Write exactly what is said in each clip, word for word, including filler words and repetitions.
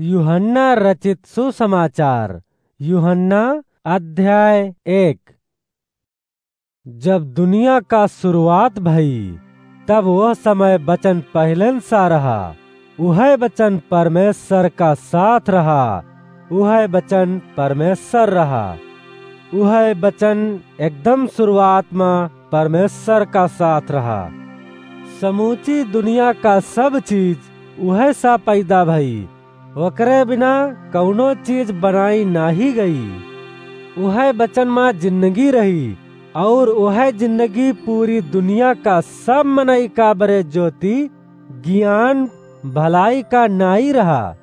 यूहन्ना रचित सुसमाचार, यूहन्ना अध्याय एक। जब दुनिया का शुरुआत भई, तब वह समय वचन पहिलन सा रहा। उहै वचन परमेश्वर का साथ रहा। उहै वचन परमेश्वर रहा। उहै वचन एकदम शुरुआत मा परमेश्वर का साथ रहा। समूची दुनिया का सब चीज उहै सा पैदा भई। ओकरे बिना कउनो चीज बनाई नाहीं गई। उहै वचन मा जिंदगी रही, अउर उहै जिंदगी पूरी दुनिया का सब मनई का बरे ज्योति, ज्ञान, भलाई का नाई रहा।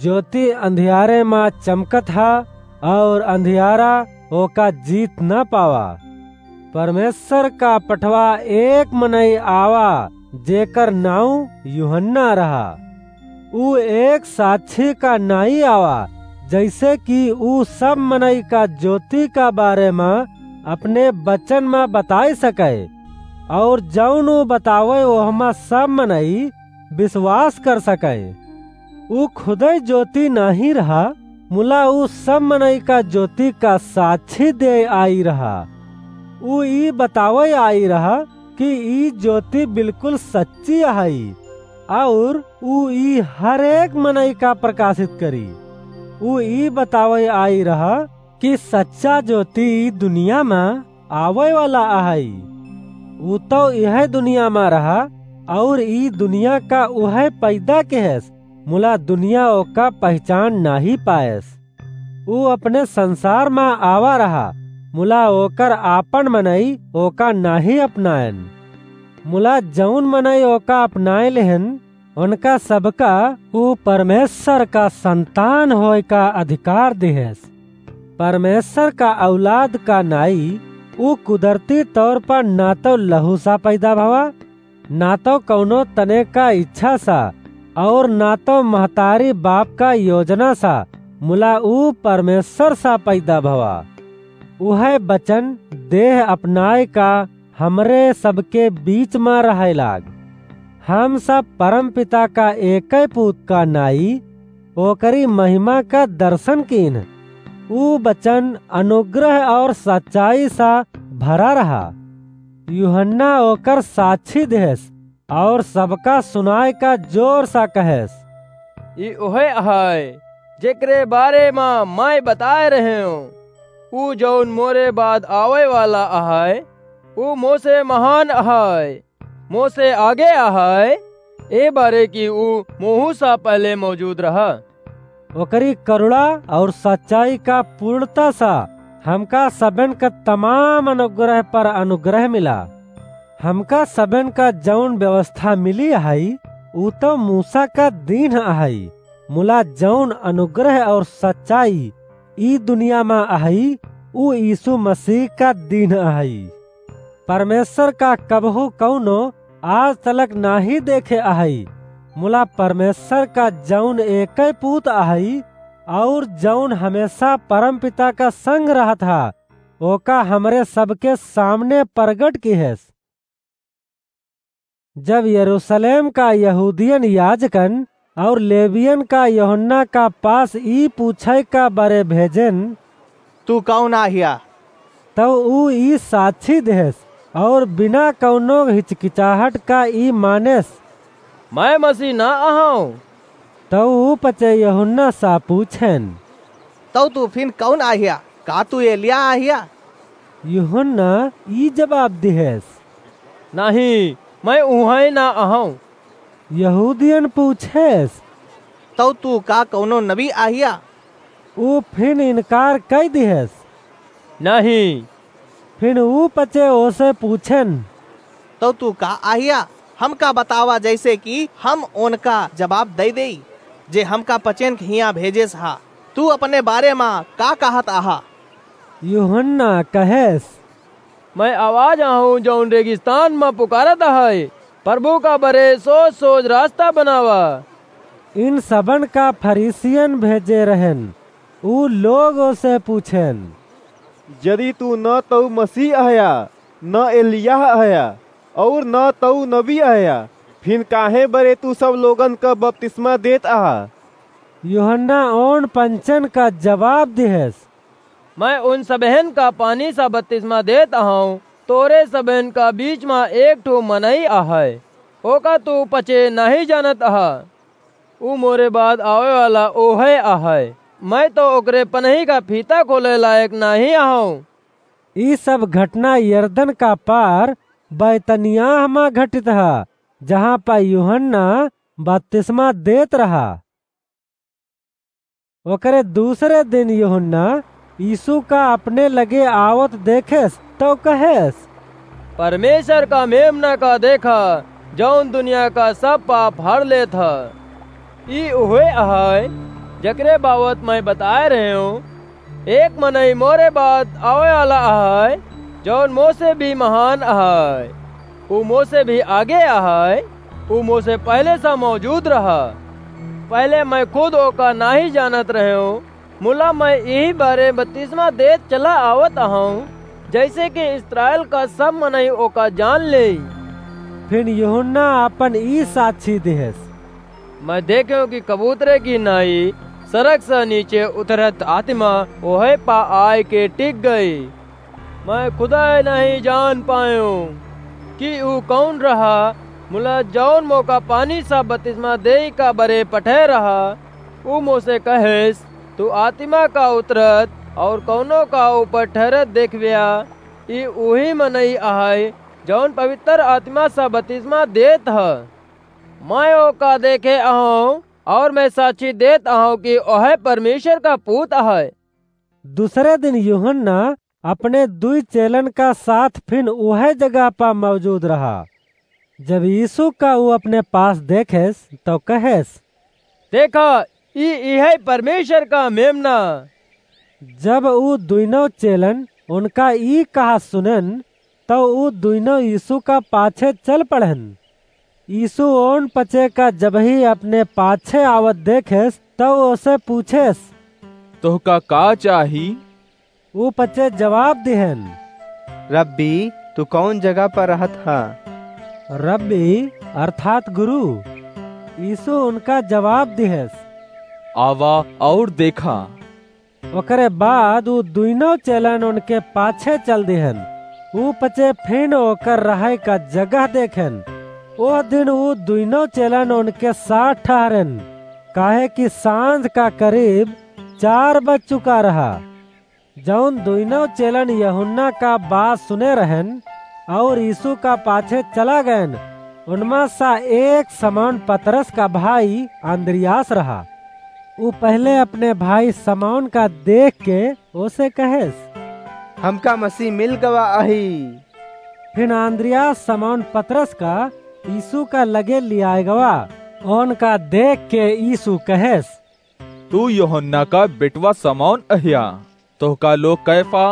ज्योति अंधियारे मा चमकत हा, अउर अंधियारा ओका जीत न पावा। परमेश्वर का पठवा एक मनई आवा, जेकर नाउँ यूहन्ना रहा। ऊ एक साक्षी का नाई आवा, जइसे कि ऊ सब मनई का ज्योति का बारे मा अपने वचन मा बताय सके, अउर जउन ऊ बतावे, ओहमा सब मनई विश्वास कर सके। ऊ खुदै ज्योति नाहीं रहा, मुला ऊ सब मनई का ज्योति का साक्षी देय आई रहा। ऊ ई बतावै आई रहा कि ई ज्योति बिल्कुल सच्ची अहइ, अउर ऊ ई हर एक मनई का प्रकाशित करी। ऊ ई बतावै आई रहा कि सच्चा ज्योति ई दुनिया मा आवै वाला अहइ। ऊ तौ इहै दुनिया मा रहा, अउर ई दुनिया का उहै पैदा किहेस, मुला दुनिया ओका पहिचान नाहीं पायस। ऊ अपने संसार मा आवा रहा, मुला ओकर आपन मनई ओका नाहीं अपनायन। मुला जउन मनई ओका अपनाय लेहन, ओनका सबका ऊ परमेश्वर का संतान होय का अधिकार दिहेस। परमेश्वर का औलाद का नाई ऊ कुदरती तौर पर ना तौ लहू सा पैदा भवा, ना तौ कउनो तने का इच्छा सा, अउर ना तौ महतारी बाप का योजना सा, मुला ऊ परमेश्वर सा पैदा भवा। उहै बचन देह अपनाय का हमरे सबके बीच मा रहै लाग। हम सब परमपिता का एकै पूत का नाई, ओकरी महिमा का दर्शन कीन्ह। ऊ बचन अनुग्रह अउर सच्चाई सा भरा रहा। यूहन्ना ओकर साक्षी देहेस अउर सबका सुनाय का जोर सा कहेस, "ई उहै अहै, जेकरे बारे मा मैं बताय रहेंव। ऊ जउन मोरे बाद आवै वाला अहै, ऊ मोसे महान अहै, मोसे आगे अहै, ए बारे कि ऊ मोहू सा पहले मौजूद रहा।" ओकरी करुणा अउर सच्चाई का पूर्णता सा हमका सबन का तमाम अनुग्रह पर अनुग्रह मिला। हमका सबन का जउन व्यवस्था मिली अहइ, ऊ तौ मूसा का दीन्ह अहइ, मुला जउन अनुग्रह अउर सच्चाई ई दुनिया मा अहइ, ऊ यीशु मसीह का दीन्ह अहइ। परमेश्वर का कबहूँ कउनो आज तलक नाहीं देखे अहइ, मुला परमेश्वर का जउन एकै पूत अहइ, अउर जउन हमेशा परमपिता का संग रहत हा, ओका हमरे सबके सामने परगट किहेस। जब यरूशलेम का यहूदियन याजकन अउर लेवियन का यूहन्ना का पास ई पूछै का बरे भेजेन, "तू कउन आहिया?" तब ऊ ई साक्षी देहेस अउर बिना कउनो हिचकिचाहट का ई मानेस, "मैं मसीह ना अहौं।" तब ऊ पचे यूहन्ना सा पूछेन, "तब तू फिन कउन आहिया? का तू एलिया आहिया?" यूहन्ना ई जवाब दिहेस, "नाहीं, मैं उहै ना अहौं।" यहूदियन पूछेस, "तब तू का कउनो नबी आहिया?" ऊ फिन इनकार कइ दिहेस, "नाहीं।" फिन ऊ पचे ओसे पूछेन, "तब तू का आहिया? हमका बतावा, जइसे कि हम ओनका जवाब दइ देई, जे हमका पचेन के हियाँ भेजेस हा। तू अपने बारे मा का कहत आहा?" यूहन्ना कहेस, "मैं आवाज आहूँ, जउन रेगिस्तान मा पुकारत अहै, 'प्रभु का बरे सोज सोज रास्ता बनावा।'" इन सबन का फरीसियन भेजे रहेन। ऊ लोग ओसे पूछेन, "यदि तू न तऊ मसीह अहया, न एलियाह अहया, अउर न तऊ नबी अहया, फिन काहे बरे तू सब लोगन क बपतिस्मा देत अहा?" यूहन्ना ओन पंचन का जवाब दिहेस, "मैं उन सबहेन का पानी सा बपतिस्मा देत अहौं, तोरे सबहेन का बीच मा एक ठो मनई अहै, ओका तू पचे नाहीं जानत अहा। ऊ मोरे बाद आवै वाला ओहै अहै, मैं तौ ओकरे पनही का फीता खोलै लायक नाहीं अहौं।" ई सब घटना यरदन का पार बैतनियाह मा घटित ह, जहाँ पा यूहन्ना बपतिस्मा देत रहा। ओकरे दूसरे दिन यूहन्ना यीशु का अपने लगे आवत देखेस, तौ कहेस, "परमेश्वर का मेमना का देखा, जौन दुनिया का सब पाप हर लेत ह। ई उहे अहै, जकरे बाबत मैं बताए रहे हूँ, एक मनई मोरे बाद आवै वाला अहै, जौन मोसे भी महान अहै। ऊ मोसे भी आगे अहै, ऊ मोसे पहले सा मौजूद रहा। पहले मैं खुद ओका नाहीं जानत रहे हूँ, मुला मैं इही बारे बपतिस्मा देत चला आवत अहौं, जैसे कि इस्राएल का सब मनई ओका जान लेई।" फिर यूहन्ना आपन ई साक्षी दिहेस, "मैं देखेंव कि कबूतरे की नाई सरग सा नीचे उतरत आतिमा ओहै पा आय के टिक गई। मैं खुदै नाहीं जान पाएंव कि ऊ कौन रहा, मुला जौन मोका पानी सा बपतिस्मा देई का बरे पठै रहा, ऊ मोसे कहेस, 'तू आतिमा का उतरत और कौनो का ऊपर ठहरत देखब्या, ई उही मनई अहै, जौन पवित्र आतिमा सा बपतिस्मा देत ह।' मैं ओका देखे अहौं और मैं साक्षी देत अहौं कि ओहै परमेश्वर का पूत अहै।" दूसरे दिन यूहन्ना अपने दुई चेलन का साथ फिन उहै जगह पा मौजूद रहा। जब यीशु का ऊ अपने पास देखेस, तौ कहेस, "देखा, ई इहै परमेश्वर का मेमना।" जब ऊ दुइनौ चेलन उनका ई कहा सुनेन, तौ ऊ दुइनौ यीशु का पाछे चल पड़ेन। यीशु ओन पचे का जबही अपने पाछे आवत देखेस, तौ ओसे पूछेस, "तोहका का चाही?" ऊ पचे जवाब दिहेन, "रब्बी, तू कौन जगह पर रहत ह?" रब्बी अर्थात गुरु। यीशु उनका जवाब दिहेस, "आवा और देखा।" ओकरे बाद ऊ दुइनौ चेलन उनके पाछे चल दिहेन। ऊ पचे फिन ओकर रहै का जगह देखेन। ओह दिन ऊ दुइनौ चेलन उनके साथ ठहरेन, काहे कि सांझ का करीब चार बज चुका रहा। जौन दुइनौ चेलन यूहन्ना का बात सुने रहेन और यीशु का पाछे चला गएन, उनमा सा एक समौन पतरस का भाई अन्द्रियास रहा। ऊ पहले अपने भाई समौन का देख के ओसे कहेस, "हमका मसीह मिल गवा अही।" फिर अन्द्रियास समौन पतरस का यीशु का लगे लियाए गवा। ओनका देख के यीशु कहेस, "तू यूहन्ना का बेटवा समौन अह्या, तोहका लोग कैफा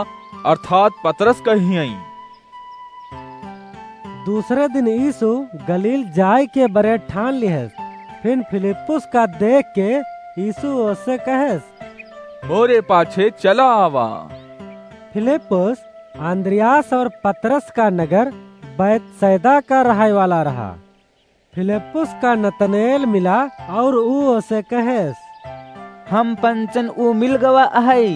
अर्थात पतरस कहियई।" दूसरे दिन यीशु गलील जाए के बरे ठान लिहेस। फिर फिलिप्पुस का देख के यीशु ओसे कहेस, "मोरे पाछे चला आवा।" फिलिप्पुस अन्द्रियास और पतरस का नगर बैतसैदा का रहै वाला रहा। फिलिप्पुस का नतनएल मिला और ऊ ओसे कहेस, "हम पंचन ऊ मिल गवा अहै,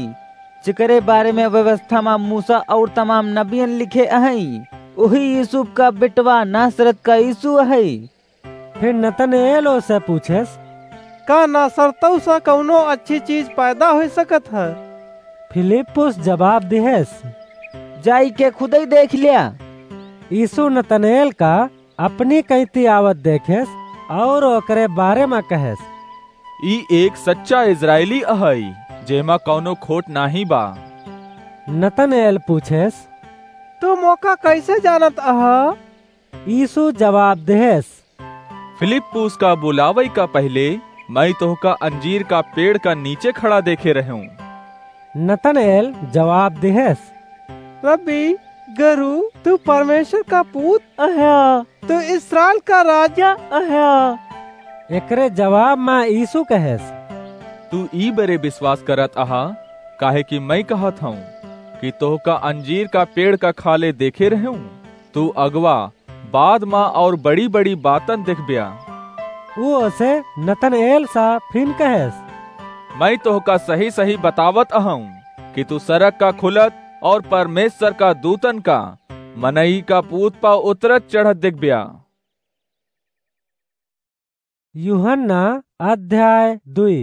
जेकरे बारे में व्यवस्था मा मूसा और तमाम नबियन लिखे अहै, ओही यूसुफ का बेटवा नासरत का यीशु अहै।" फिर नतनएल ओसे पूछेस, "का नासरतौ सा कौनो अच्छी चीज पैदा होइ सकत ह?" फिलिप्पुस जवाब दिहेस, "जाई के खुदै देख ल्या।" यीशु नतनएल का अपनी कैती आवत देखेस और ओकरे बारे मा कहेस, "ई एक सच्चा इस्राएली अहै, जेमा कौनो खोट नाहीं बा।" नतनएल पूछेस, "तू मोका कैसे जानत अहा?" यीशु जवाब देहेस, "फिलिप्पुस का बुलावै का पहिले मैं तोहका अंजीर का पेड़ का नीचे खड़ा देखे रहेंव।" नतनएल जवाब देहेस, "रब्बी, गुरु, तू परमेश्वर का पूत अह्या, तू इस्राएल का राजा अह्या।" एकरे जवाब मा यीशु कहेस, "तू ई बरे विश्वास करत अहा, काहे कि मैं कहत हौं कि तोहका अंजीर का पेड़ का खाले देखे रहेंव, तू अगवा बाद मा और बड़ी-बड़ी बातन देखब्या।" ऊ ओसे नतनएल सा फिन कहेस, मैं तोहका सही सही बतावत अहूँ कि तू सरग का खुलत और परमेश्वर का दूतन का मनई का पूत पा उतरत चढ़त देखब्या। यूहन्ना अध्याय दुई।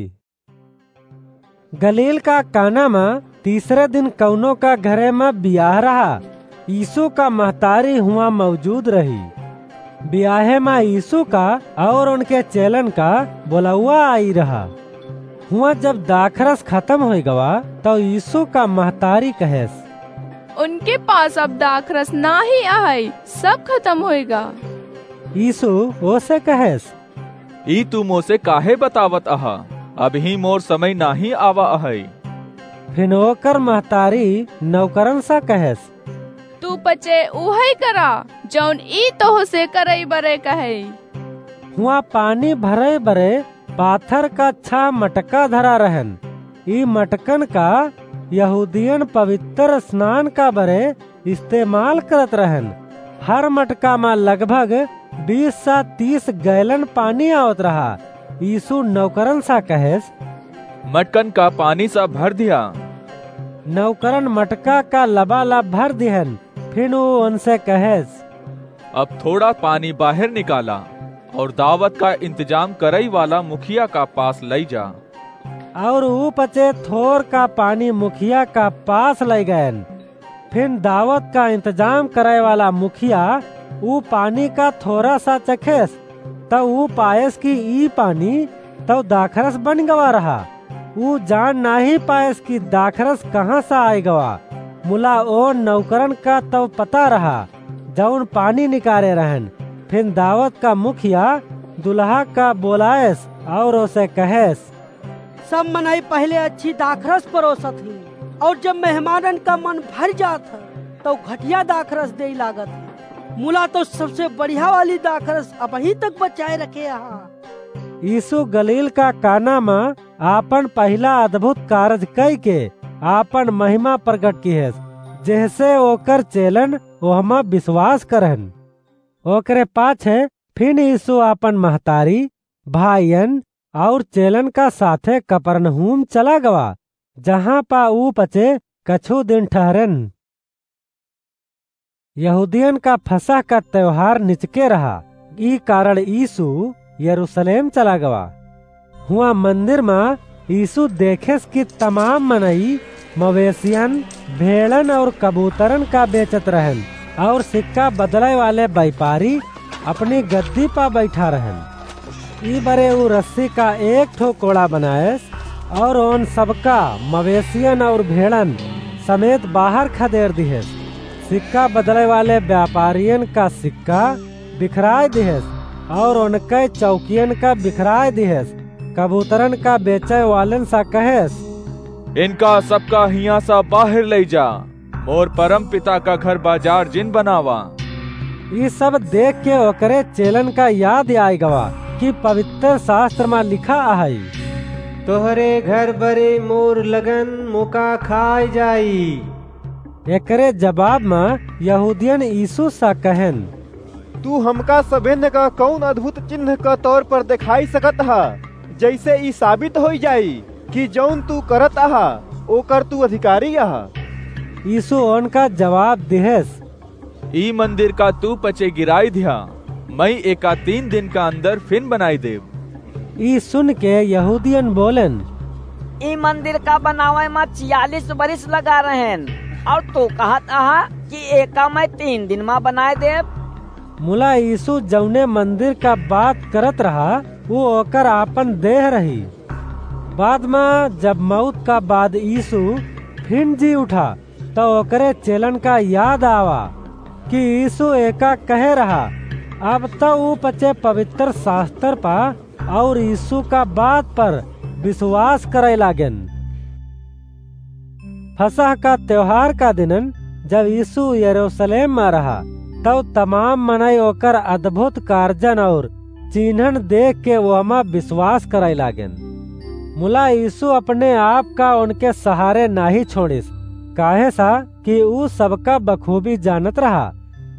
गलील का काना म तीसरे दिन कउनो का घरे म बियाह रहा। यीशु का महतारी हुआँ मौजूद रही। बियाहे म यीशु का और उनके चेलन का बोलउआ आई रहा। हुआँ जब दाखरस खतम होइ गवा, तउ यीशु का महतारी कहेस, उनके पास अब दाखरस नाहीं अहइ, सब खतम होइगा। यीशु ओसे कहेस, ई तू मोसे काहे बतावत अहा? अबहीं मोर समय नाहीं आवा अहइ। फिन ओकर महतारी नौकरन सा कहेस, तू पचे उहइ करा, जउन ई तोहसे करइ बरे कहइ। हुआँ पानी भरइ बरे पाथर का छह मटका धरा रहन। ई मटकन का यहूदियन पवित्र स्नान का बरे इस्तेमाल करत रहन। हर मटका म लगभग बीस सा तीस गैलन पानी आवत रहा। यीशु नौकरन सा कहेस, मटकन का पानी सा भर दिया। नौकरन मटका का लबालब भर दिहन। फिन ऊ उनसे कहेस, अब थोड़ा पानी बाहर निकाला और दावत का इंतजाम करइ वाला मुखिया का पास लइ जा। और ऊ पचे थोर का पानी मुखिया का पास लइ गएन। फिन दावत का इंतजाम करइ वाला मुखिया ऊ पानी का थोरा सा चखेस, तउ ऊ पाएस कि ई पानी तउ दाखरस बन गवा रहा। ऊ जान नाहीं पाएस कि दाखरस कहाँ सा आइ गवा। मुला ओ नौकरन का तउ पता रहा, जउन पानी निकारे रहन। फिन दावत का मुखिया दुलहा का बोलाएस और ओसे कहेस, सब मनई पहिले अच्छी दाखरस परोसत ही, और जब मेहमानन का मन भर जात ह, तउ घटिया दाखरस देइ लागत ह। मुला तउ सबसे बढ़िया वाली दाखरस अबहीं तक बचाए रखे अहा। यीशु गलील का काना म आपन पहिला अद्भुत कारज कइके आपन महिमा प्रगट किहेस, जेहसे ओकर चेलन ओहमा विश्वास करन। ओकरे पाछे फिन यीशु आपन महतारी, भाइयन और चेलन का साथे कपरनहूम चला गवा, जहाँ पा ऊ पचे कछु दिन ठहरेन। यहूदियन का फसह का त्योहार निचके रहा, ई कारण यीशु यरूशलेम चला गवा। हुआँ मंदिर म यीशु देखेस कि तमाम मनई मवेशियन, भेड़न और कबूतरन का बेचत रहन और सिक्का बदलइ वाले बैपारी अपनी गद्दी पा बैठा रहन। ई बरे ऊ रस्सी का एक ठो कोड़ा बनाएस और ओन सबका मवेशियन और भेड़न समेत बाहर खदेर दिहेस। सिक्का बदलइ वाले व्यापारियन का सिक्का बिखराइ दिहेस और ओनके चौकियन का बिखराइ दिहेस। कबूतरन का बेचइ वालन सा कहेस, इनका सबका हियाँ सा बाहर लइ जा, मोर परम पिता का घर बाजार जिन बनावा। ई सब देख के ओकरे चेलन का याद आइ गवा कि पवित्र शास्त्र म लिखा अहइ, तोहरे घर बरे मोर लगन मोका खाइ जाई। एकरे जवाब म यहूदियन यीशु सा कहेन, तू हमका सभेन का कउन अद्भुत चिन्ह का तौर पर देखाइ सकत ह, जइसे ई साबित होइ जाई कि जउन तू करत अहा, ओकर तू अधिकारी अहा? यीशु ओनका जवाब दिहेस, ई मंदिर का तू पचे गिराइ दिहा, मइँ एका तीन दिन का अंदर फिन बनाइ देब। ई सुन के यहूदियन बोलेन, ई मंदिर का बनावइ म चियालीस बरिस लगा रहेन, और तू कहत अहा कि एका मइँ तीन दिन म बनाइ देब? मुला यीशु जउने मंदिर का बात करत रहा, ऊ ओकर आपन देह रही। बाद म जब मउत का बाद यीशु फिन जी उठा, त ओकरे चेलन का याद आवा कि यीशु एका कहे रहा। अब त ऊ पचे पवित्र शास्त्र पा और यीशु का बात पर विश्वास करइ लागेन। फसह का त्योहार का दिनन जब यीशु यरूशलेम म रहा, तब तमाम मनई ओकर अद्भुत कारजन और चिन्हन देख के ओहमा विश्वास करइ लागेन। मुला यीशु अपने आप का ओनके सहारे नाहीं छोड़िस, काहे सा कि ऊ सबका बखूबी जानत रहा।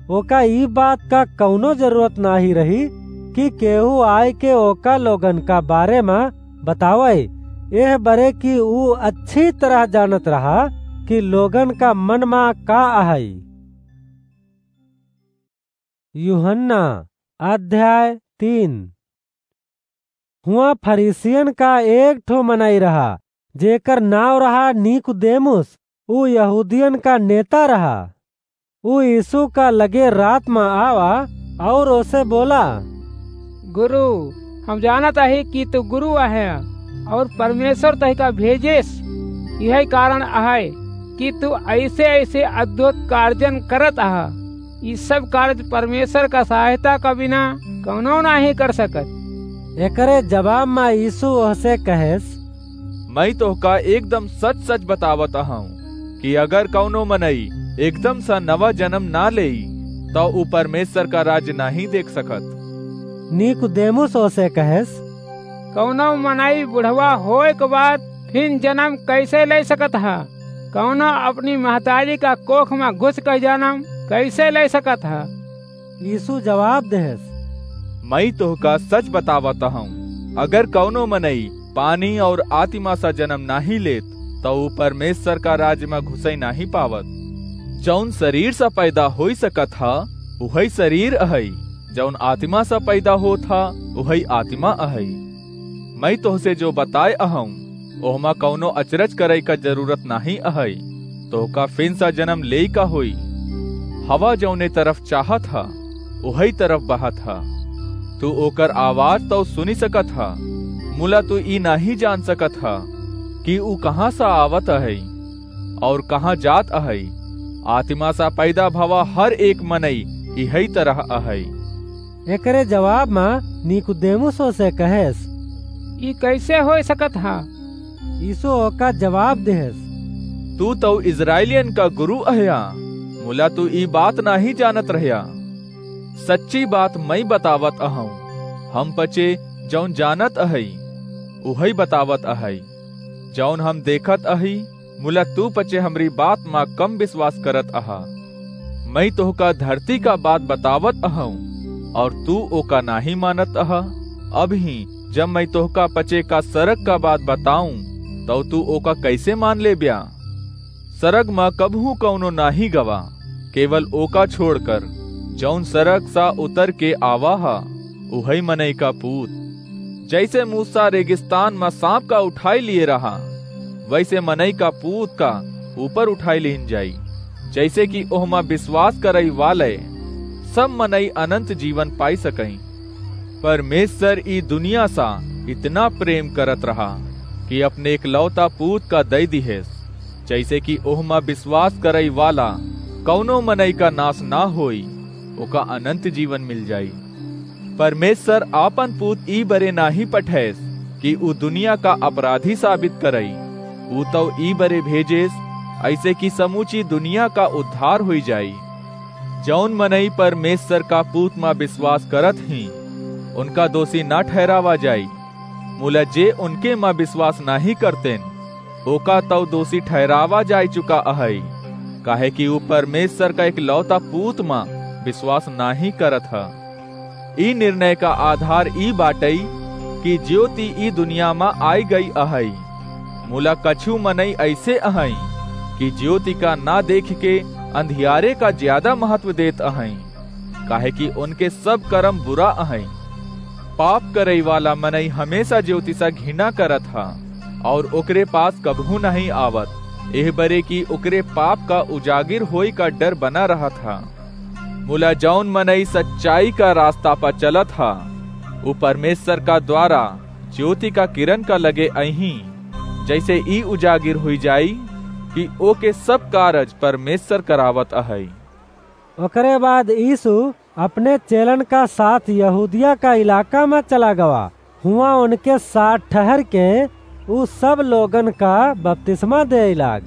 ओका ई बात का कउनो जरूरत नाहीं रही कि केहू आइके ओका लोगन का बारे म बतावइ एह बरे कि ऊ अच्छी तरह जानत रहा कि लोगन का मन मा का अहइ। यूहन्ना अध्याय तीन। हुआं फरीसियन का एक ठो मनई रहा, जेकर नाव रहा नीकुदेमुस, ऊ यहूदियन का नेता रहा। ऊ यीशु का लगे रात मा आवा और ओसे बोला, गुरु, हम जानत अही कि तू गुरु अहे और परमेश्वर तोहका भेजेस। यही कारण अहइ कि तू ऐसे ऐसे अद्भुत कार्यन करत अहा। ई सब कार्य परमेश्वर का सहायता का बिना कौनो नाहीं कर सकत। एकरे जवाब मा यीशु ओहसे कहेस, मैं तोहका एकदम सच सच बतावत अहूँ कि अगर कौनो मनई एकदम सा नवा जन्म ना लेई, तो ऊ परमेश्वर का राज्य नाहीं देख सकत। नीकुदेमुस ओसे कहेस, कौनो मनई बुढ़वा होए के बाद फिन जन्म कैसे ले सकत हा? कौनो अपनी महतारी का कोख मा घुस के जन्म कैसे ले सकत हा? यीशु जवाब देहेस, मैं तोहका सच बतावत हूँ, अगर कौनो मनई पानी और आत्मा सा जन्म नाहीं लेत, तो ऊ परमेश्वर का राज्य मा घुसई नाहीं पावत। जौन शरीर सा पैदा होई सकत हा, उहई शरीर अहई, जौन आत्मा सा पैदा होत हा, उहई आत्मा अहई। मैं तोहसे जो बताए अहूँ, ओहमा कौनो अचरज करई का जरूरत नाहीं अहई। तोहका फिन सा जन्म लेई का होई। हवा जौने तरफ चाहत हा, ओहई तरफ बहत हा। तू ओकर आवाज तौ सुनी सकत हा, मुला तू ई नाहीं जान सकत हा कि ऊ कहाँ सा आवत अहई और कहाँ जात अहई। आत्मा सा पैदा भवा हर एक मनई इहई तरह अहई। एकरे जवाब मा नीकुदेमुस ओसे कहेस, ई कैसे होय सकत हा? यीशु ओका जवाब देहेस, तू तौ इस्राएलियन का गुरु अह्या, मुला तू ई बात नाहीं जानत रह्या। सच्ची बात मैं बतावत अहूँ, हम पचे जौन जानत अहई, उहई बतावत अहई। जौन हम देखत अही, मुला तू पचे हमरी बात मा कम विश्वास करत अहा। मैं तोहका धरती का बात बतावत अहूँ, और तू ओका नाहीं मानत अहा। अबहीं जब मैं तोहका पचे का सरग का बात बताऊं, तौ तू ओका कैसे मान लेब्या? सरग मा कबहूँ कौनो नाहीं गवा, केवल ओका छोड़कर, जौन सरग सा उतर के आवा हा, उहई मनई का पूत। जैसे मूसा रेगिस्तान मा सांप का उठाई लिए रहा, वैसे मनई का पूत का ऊपर उठाई लीन जाई, जैसे कि ओहमा विश्वास करई वाले सब मनई अनंत जीवन पाई सकई। परमेश्वर ई दुनिया सा इतना प्रेम करत रहा कि अपने एकलौता पूत का दई दिहेस, जैसे कि ओहमा विश्वास करई वाला कौनो मनई का नाश ना होई, ओका अनंत जीवन मिल जाई। परमेश्वर आपन पूत ई बरे नाहीं पठैस कि ऊ दुनिया का अपराधी साबित करई, ऊ तौ ई बरे भेजेस, ऐसे कि समूची दुनिया का उद्धार होई जाई। जौन मनई परमेश्वर का पूत मा विश्वास करत ही, उनका दोषी ना ठहरावा जाई, मुला जे उनके मा विश्वास नाहीं करतेन, ओका तौ दोषी ठहरावा जाई चुका अहई, काहे कि ऊ परमेश्वर का एकलौता पूत मा विश्वास नाहीं करत ह। ई निर्णय का आधार ई बाटई कि ज्योति ई दुनिया मा आई गई अहई, मुला कछु मनई ऐसे अहई कि ज्योति का ना देख के अंधियारे का ज्यादा महत्व देत अहई, काहे कि उनके सब करम बुरा अहई। पाप करई वाला मनई हमेशा ज्योति सा घिना करत हा, और ओकरे पास कबहूँ नहीं आवत, एह बरे कि ओकरे पाप का उजागिर होई का डर बना रहत हा। मुला जौन मनई सच्चाई का रास्ता पर चलत हा, ऊ परमेश्वर का द्वारा ज्योति का किरण का लगे अइहीं, जैसे ई उजागिर हुई जाई कि ओके सब कारज परमेश्वर करावत अहई। ओकरे बाद यीशु अपने चेलन का साथ यहूदिया का इलाका में चला गवा। हुआं उनके साथ ठहर के ऊ सब लोगन का बपतिस्मा देइ लाग।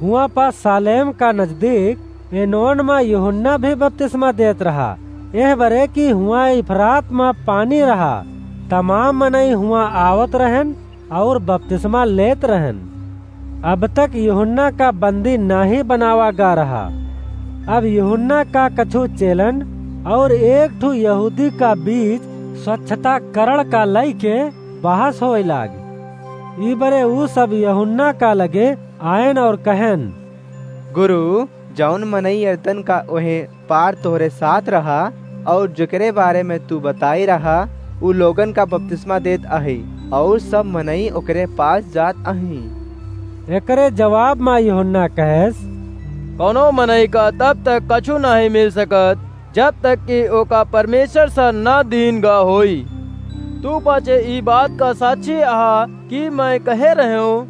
हुआं पा सालेम का नजदीक एनोन में यूहन्ना भी बपतिस्मा देत रहा, एह बरे कि हुआं इफरात में पानी रहा। तमाम मनई हुआं आवत रहन और बपतिस्मा लेत रहन। अब तक यूहन्ना का बंदी नाहीं बनावा गा रहा। अब यूहन्ना का कछु चेलन और एक ठो यहूदी का बीच स्वच्छता करण का लइके बहस होए लाग। ई बरे ऊ सब यूहन्ना का लगे आयन और कहेन, गुरु, जौन मनई यरदन का ओहे पार तोहरे साथ रहा, और जेकरे बारे में तू बताई रहा, उ लोगन का बपतिस्मा देत अही, और सब मनई ओकरे पास जात अही। एकरे जवाब मा यूहन्ना कहेस, कौनो मनई का तब तक कछु नाहीं मिल सकत, जब तक कि ओका परमेश्वर से ना दीन गा होई। तू पाछे ई बात का साक्षी अहा कि मैं कहे रहेंव,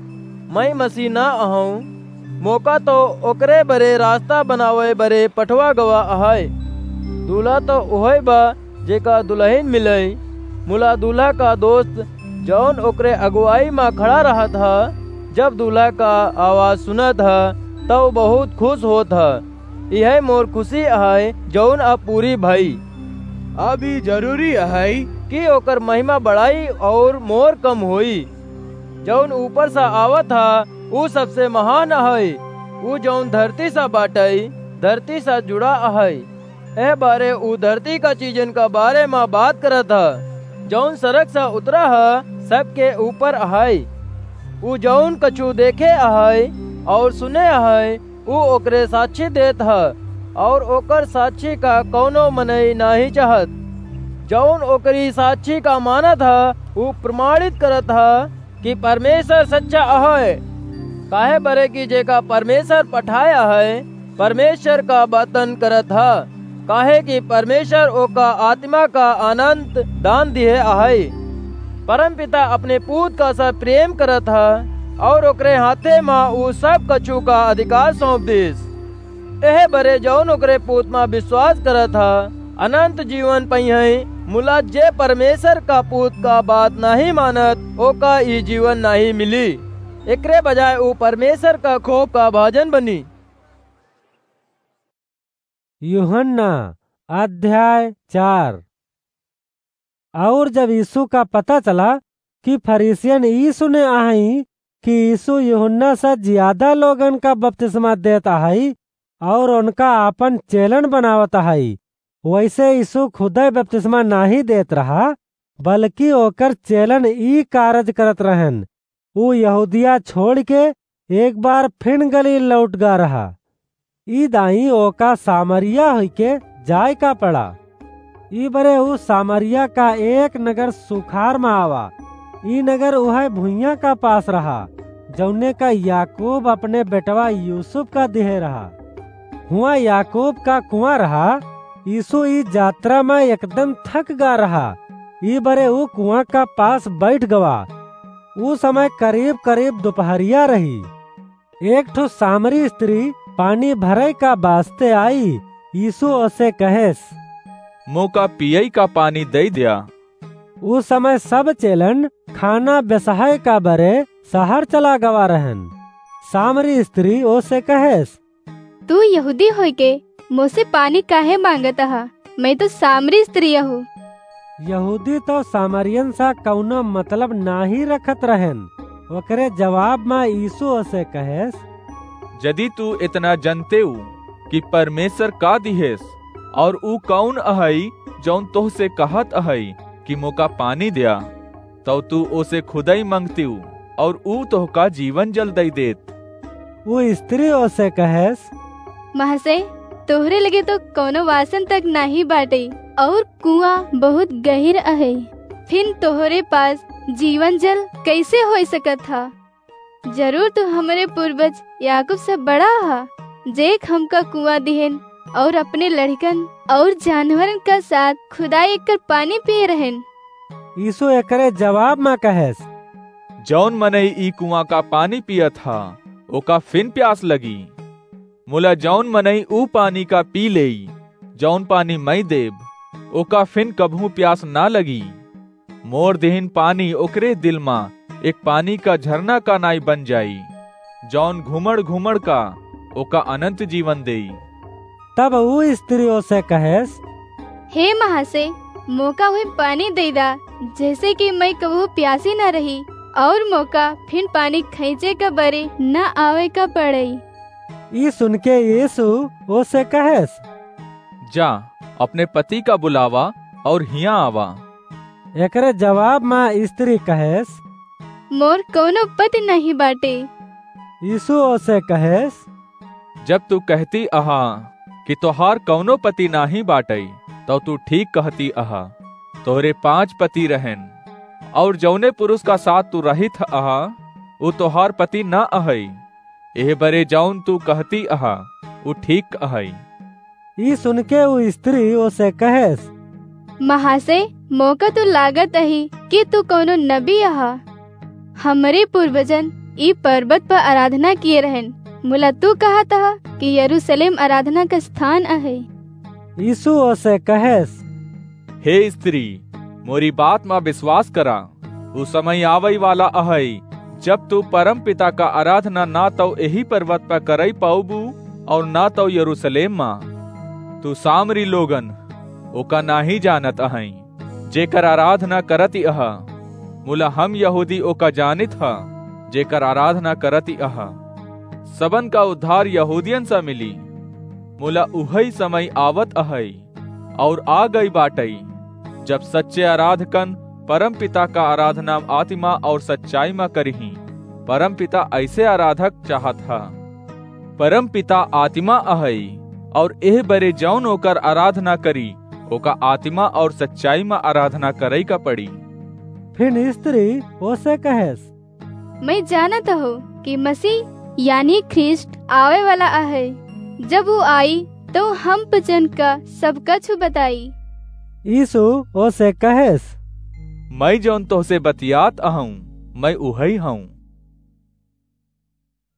मैं मसीह ना अहंव, मोका तो ओकरे बरे रास्ता बनावे बरे पठवा गवा अहै। दूल्हा तो उहै बा, जेका दुलहिन मिलै। मुला दूल्हा का दोस्त, जौन ओकरे अगुवाई मा खड़ा रहत ह, जब दूल्हा का आवाज सुनत ह, तौ बहुत खुश होत ह। इहै मोर खुशी अहै, जौन अब पूरी भई। अब ई जरूरी अहै कि ओकर महिमा बढ़ाई और मोर कम होई। जौन ऊपर से आवत ह, ऊ सबसे महान अहै। ऊ जौन धरती से बाटै, धरती से जुड़ा अहै। एह बारे ऊ धरती का चीजन का बारे मा बात करत ह। जौन सरग से उतरा ह, सबके ऊपर अहै। ऊ जौन कछु देखे अहै और सुने अहै, ऊ ओकरे साक्षी देत ह, और ओकर साक्षी का कौनो मनई नाहीं चाहत। जौन ओकरी साक्षी का मानत ह, ऊ प्रमाणित करत ह कि परमेश्वर सच्चा अहै। काहे बरे कि जेका परमेश्वर पठाया है, परमेश्वर का बातन करत ह, काहे कि परमेश्वर ओका आत्मा का अनंत दान दिहे अहै। परमपिता अपने पूत का से प्रेम करत ह, और ओकरे हाथे मा ऊ सब कछु का अधिकार सौंप दिस। एह बरे जौन ओकरे पूत मा विश्वास करत ह, अनंत जीवन पइहैं, मुला जे परमेश्वर का पूत का बात नाहीं मानत, ओका ई जीवन नाहीं मिली। एकरे बजाय ऊ परमेश्वर का कोप का भाजन बनी। यूहन्ना अध्याय चार। और जब यीशु का पता चला कि फरीसियन ई सुने आहई कि यीशु यूहन्ना से ज्यादा लोगन का बपतिस्मा देत आहई और उनका आपन चेलन बनावत आहई, वैसे यीशु खुदै बपतिस्मा नाहीं देत रहा, बल्कि ओकर चेलन ई कारज करत रहन। ऊ यहूदिया छोड़ के एक बार फिन गलील लौट गा रहा। ई दाईं ओका सामरिया होइके जाए का पड़ा। ई बरे ऊ सामरिया का एक नगर सुखार मा आवा। ई नगर उहै भुइयां का पास रहा, जौने का याकूब अपने बेटवा यूसुफ का दिहे रहा। हुआं याकूब का कुआं रहा। यीशु ई जात्रा मा एकदम थक गा रहा। ई बरे ऊ कुआं का पास बैठ गवा। ऊ समय करीब करीब दुपहरिया रही। एक ठो सामरी स्त्री पानी भरै का बास्ते आई। यीशु ओसे कहेस, मोका पियै का पानी दई द्या। ऊ समय सब चेलन खाना बेसहै का बरे सहर चला गवा रहन। सामरी स्त्री ओसे कहेस, तू यहूदी होइके मोसे पानी काहे मांगत ह? मैं तो सामरी स्त्री अहू। यहूदी तो सामरियन सा कौनो मतलब नाहीं रखत रहन। ओकरे जवाब मा यीशु ओसे कहेस, जदि तू इतना जनतेउ कि परमेश्वर का दिहेस और ऊ कौन अहई जौन तोहसे कहत अहई कि मोका पानी द्या, तौ तू ओसे खुदै मंगतिउ और ऊ तोहका जीवन जल दई देत। ऊ स्त्री ओसे कहेस, महाशय, तोहरे लगे तो कौनो वासन तक नाहीं बाटे और कुआं बहुत गहिर अहै, फिन तोहरे पास जीवन जल कैसे होई सकत ह? जरूर तू हमरे पूर्वज याकूब से बड़ा ह, जे हमका कुआं दिहेन और अपने लड़कन और जानवरन का साथ खुदाई कर पानी पिए रहेन। यीशु एकरे जवाब मा कहेस, जौन मनई ई कुआं का पानी पियत ह, ओका फिन प्यास लगी। मुला जौन मनई ऊ पानी का पी लेई, जौन पानी मैं देब, ओका फिन कबहूँ प्यास ना लगी। मोर दिहिन पानी ओकरे दिल मा एक पानी का झरना का नाई बन जाई, जौन घुमड़ घुमड़ का ओका अनंत जीवन देई। तब ऊ स्त्री ओसे कहेस, हे महाशय, मोका वही पानी दे दा, जैसे कि मैं कबहू प्यासी ना रही और मोका फिन पानी खींचे का बरे ना आवे का पड़ई। ई सुनके यीशु ओसे कहेस, जा, अपने पति का बुलावा और हियां आवा। एकरे जवाब मा स्त्री कहेस, मोर कउनो पति नाहीं बाटे। यीशु ओसे कहेस, जब तू कहती अहा कि तोहार कउनो पति नाहीं बाटइ, तउ तू ठीक कहती अहा। तोहरे पाँच पति रहेन, अउर जउने पुरुष का साथ तू रहित अहा, उ तोहार पति न अहइ। एह बरे जउन तू कहती अहा, उ ठीक अहइ। ई सुनके उ स्त्री ओसे कहेस, महाशय, मोका तो लागत अही कि तू कउनो नबी अहा। हमरे पूर्वजन ई पर्वत पर आराधना किए रहेन, मुला तू कहत अहा कि यरूशलेम आराधना का स्थान अहइ। यीशु ओसे कहेस, हे स्त्री, मोरी बात मा विश्वास करा, उ समय आवइ वाला अहइ, जब तू परम पिता का आराधना ना तउ एही पर्वत पर करइ पाउबू अउर ना तउ यरूशलेम मा। तू सामरी लोगन ओका नाहीं जानत अहइ, जेकर आराधना करति अहा, मुला हम यहूदी ओका जानित ह, जेकर आराधना करति अहा। सबन का उद्धार यहूदियन से मिली, मुला उहइ समय आवत अहइ अउर आ गइ बाटइ, जब सच्चे आराधकन परम पिता का आराधना आत्मा अउर सच्चाई मा करिहीं। परम पिता अइसे आराधक चाहत ह। परम पिता आत्मा अहइ, अउर एह बरे जउन ओकर आराधना करी, ओका आत्मा अउर सच्चाई मा आराधना करइ का पड़ी। फिर स्त्री ओसे कहेस, मैं जानत हो कि मसीह यानी ख्रीष्ट आवइ वाला अहइ। जब उ आई, तउ हम पचन का सब कछु बताई। यीशु ओसे कहेस, मैं जउन तोहसे बतियात अहउँ, मैं उहइ हउँ।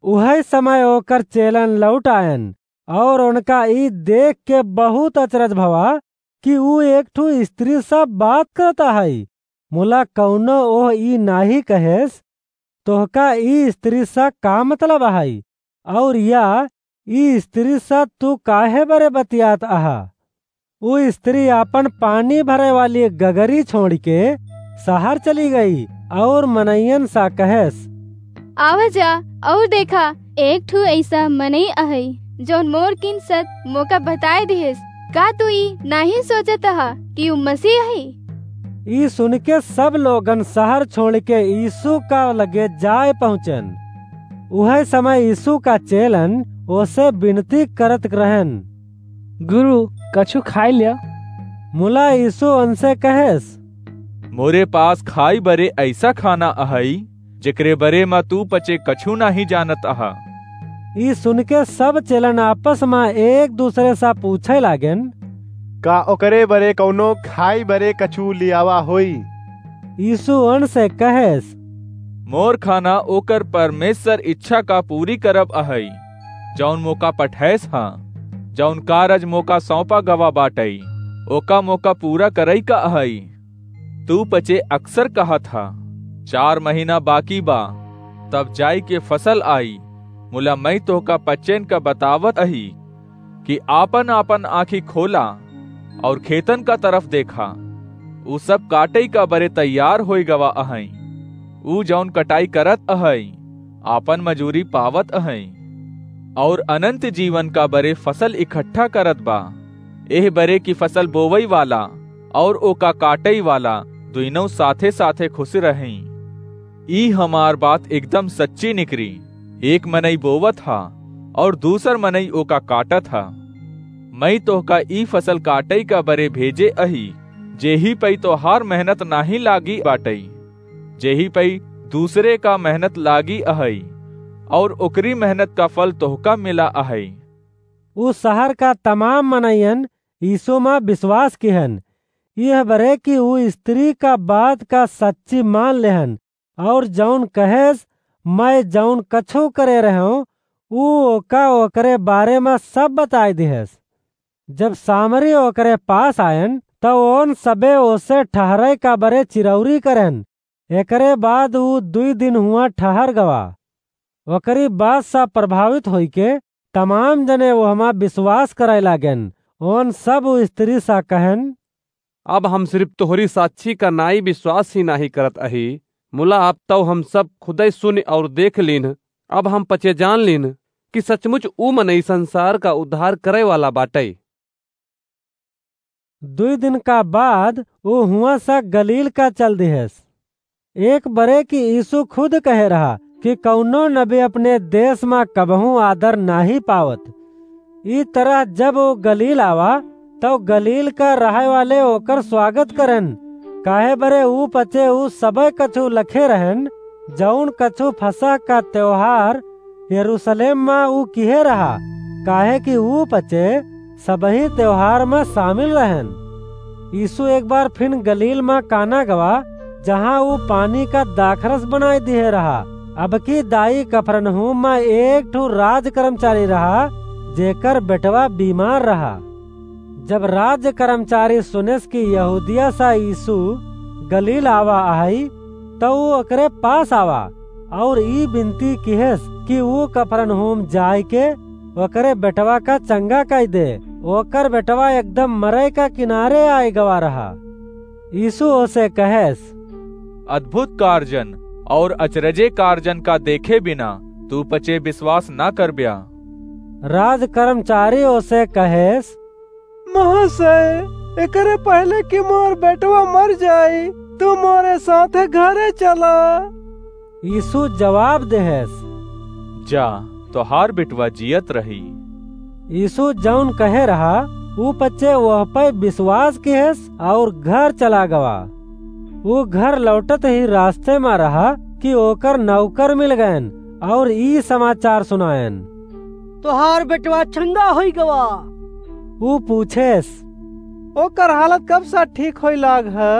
उहइ समय ओकर चेलन लौट आयन, अउर उनका ई देख के बहुत अचरज भवा कि ऊ एक ठु स्त्री से बात करत अहइ। मुला कउनो ओह ई नाहीं कहेस, तोहका ई स्त्री से का मतलब अहइ? अउर या ई स्त्री से तू काहे बरे बतियात अहा? ऊ स्त्री आपन पानी भरे वाली गगरी छोड़िके सहर चली गई अउर मनइयन से कहेस, आवा जा अउर देखा, एक ठु अइसा मनई अहइ, जउन मोर किन सत मोका बताइ दिहेस। का तू ई नाहीं सोचत अहा कि ऊ मसीह अहइ? ई सुनिके सब लोगन सहर छोड़िके यीशु का लगे जाइ पहुँचेन। उहइ समय यीशु का चेलन ओसे बिनती करत रहेन, गुरु, कछु खाइ ल्या। मुला यीशु ओनसे कहेस, मोरे पास खाइ बरे अइसा खाना अहइ, जेकरे बरे म तू पचे कछु नाहीं जानत अहा। ई सुनिके सब चेलन आपस म एक दुसरे से पूछइ लागेन, का ओकरे बरे कउनो खाइ बरे कछु लियावा होई? यीशु ओनसे कहेस, मोर खाना ओकर परमेश्वर इच्छा का पूरी करब अहइ, जउन मोका पठइस ह। जउन कारज मोका सौंपा गवा बाटइ, ओका मोका पूरा करइ का अहइ। तू पचे अक्सर कहत ह, चार महीना बाकी बा, तब जाइके फसल आई। मुला मैं तोहका पचेन का बतावत अही कि आपन-आपन आँखी खोला अउर खेतन का तरफ देखा, ऊ सब काटइ का बरे तैयार होइ गवा अहइँ। ऊ जउन कटाई करत अहइँ, आपन मजूरी पावत अहइँ, अउर अनंत जीवन का बरे फसल इकट्ठा करत बा। एह बरे की फसल बोवइ वाला अउर ओका काटइ वाला दुइनौं साथे-साथे खुस रहइँ। ई हमार बात एकदम सच्ची निकरी। एक मनई बोवत ह अउर दूसर मनई ओका काटत ह। मई तोहका ई फसल काटइ का बरे भेजे अही, जेही पई तोहार मेहनत नाहीं लागी बाटइ, जेही पई दूसरे का मेहनत लागी अहइ, अउर ओकरी मेहनत का फल तोहका मिला अहइ। उ सहर का तमाम मनइयन यीशु म बिसवास किहन, इह बरे कि उ स्त्री का बात का सच्ची मान लेहन, अउर जउन कहेस, "मय जउन कछु करे रहेंव, उ ओका ओकरे बारे म सब बताय दिहेस।" जब सामरी ओकरे पास आयन, त ओन सबे ओसे ठहरय का बरे चिरौरी करेन। एकरे बाद उ दुइ दिन हुआं ठहर गवा। ओकरी बात स प्रभावित होइके तमाम जने ओहमा बिसवास करय लागेन। ओन सब उ स्त्री स कहेन, अब हम सिरिफ तोहरी साक्षी का नाई बिसवास ही नाहीं करत अही, मुला अब तउ हम सब खुदय सुनि अउर देख लीन्ह। अब हम पचे जान लीन्ह कि सचमुच उ मनई संसार का उद्धार करय वाला बाटइ। दुइ दिन का बाद उ हुआं स गलील का चल दिहेस। एक बरे कि यीशु खुद कहे रहा कि कउनो नबी अपने देश मा कबहूँ आदर नाहीं पावत। ई तरह जब ऊ गलील आवा, तउ गलील का रहइ वाले ओकर स्वागत करेन, काहे बरे ऊ पचे ऊ सबइ कछु लखे रहेन, जउन कछु फसह का तेवहार यरूसलेम मा ऊ किहे रहा, काहे कि ऊ पचे सबही तेवहार मा सामिल रहेन। यीशु एक बार फिन गलील मा काना गवा, जहाँ ऊ पानी का दाखरस बनाइ दिहे रहा। अबकी दाई कफरनहूम मा एक ठो राज कर्मचारी रहा, जेकर बेटवा बीमार रहा। जब राज कर्मचारी सुनेस कि यहूदिया सा यीशु गलील आवा आहइ, तउ ऊ ओकरे पास आवा, अउर ई बिनती किहेस कि ऊ कफरनहूम जाइके ओकरे बेटवा का चंगा कइ दे। ओकर बेटवा एकदम मरइ का किनारे आइ गवा रहा। यीशु ओसे कहेस, अद्भुत कारजन अउर अचरजे कारजन का देखे बिना तू पचे बिसवास न करब्या। राज कर्मचारी ओसे कहेस, महाशय, एकरे पहिले कि मोर बेटवा मर जाई, तू मोरे साथे घरे चला। यीशु जवाब देहेस, जा, तोहार बेटवा जियत रही। यीशु जउन कहे रहा, ऊ पचे ओह पइ बिसवास किहेस अउर घर चला गवा। ऊ घर लौटत ही रास्ते मा रहा कि ओकर नौकर मिल गएन अउर ई समाचार सुनाएन, तोहार बेटवा चंगा होइ गवा। ऊ पूछेस, ओकर हालत कब सा ठीक होइ लाग ह?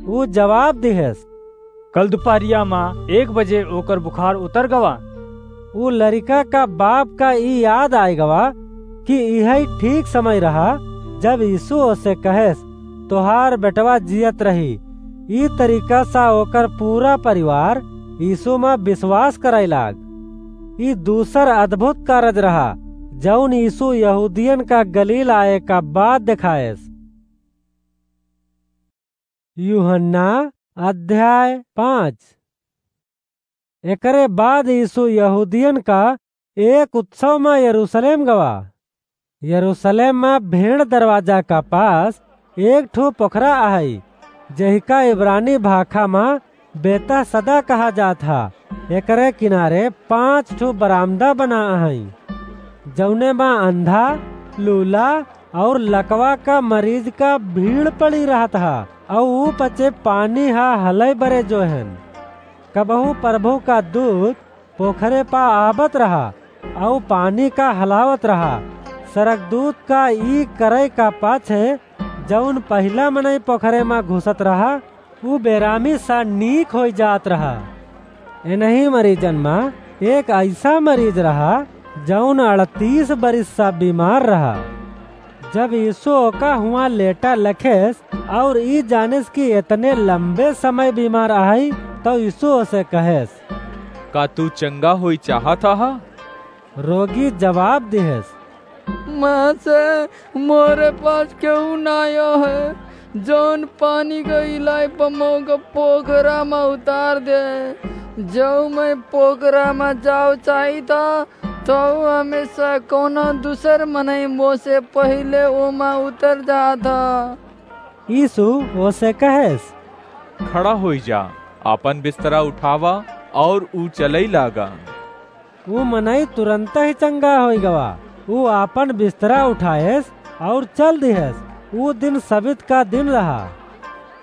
ऊ जवाब दिहेस, कल दुपहरिया मा एक बजे ओकर बुखार उतर गवा। ऊ लरिका का बाप का ई याद आइ गवा कि इहइ ठीक समय रहा, जब यीशु ओसे कहेस, तोहार बेटवा जियत रही। ई तरीका सा ओकर पूरा परिवार यीशु मा बिसवास करइ लाग। ई दूसर अद्भुत कारज रहा, जउन यीशु यहूदियन का गलील आए का बाद देखाएस। यूहन्ना अध्याय पाँच। एकरे बाद यीशु यहूदियन का एक उत्सव मा यरूसलेम गवा। यरूसलेम मा भेड़ दरवाजा का पास एक ठो पोखरा आहइ, जेहिका इब्रानी भाखा मा बेतहसदा कहा जात ह। एकरे किनारे पाँच ठो बरामदा बना अहइँ, जउने मा अंधा, लूला अउर लकवा का मरीज का भीड़ पड़ी रहत ह, अउ ऊ पचे पानी ह हलइ बरे जोहेन। कबहूँ प्रभु का दूत पोखरे पा आवत रहा, अउ पानी का हलावत रहा। सरगदूत का ई करइ का पाछे जउन पहिला मनई पोखरे मा घुसत रहा, ऊ बेरामी सा नीक होइ जात रहा। एनही मरीजन मा एक अइसा मरीज रहा, जउन अड़तीस बरिस सा बीमार रहा। जब यीशु ओका हुआँ लेटा लखेस अउर ई जानेस कि एतने लंबे समय बीमार अहइ, तउ यीशु ओसे कहेस, का तू चंगा होइ चाहत अहा? रोगी जवाब दिहेस, महाशय, मोरे पास केहू नाहीं है, जउन पानी क इलाई प मोका पोखरा मा उतार दे। जउ मैं पोखरा मा जाव चाहित ह, तउ हमेसा कउनो दूसर मनई मोसे पहिले ओमा उतर जात ह। यीशु ओसे कहेस, खड़ा होइ जा, आपन बिस्तरा उठावा अउर ऊ चलइ लागा। ऊ मनई तुरन्तही चंगा होइ गवा। ऊ आपन बिस्तरा उठाएस अउर चल दिहेस। ऊ दिन सबित का दिन रहा।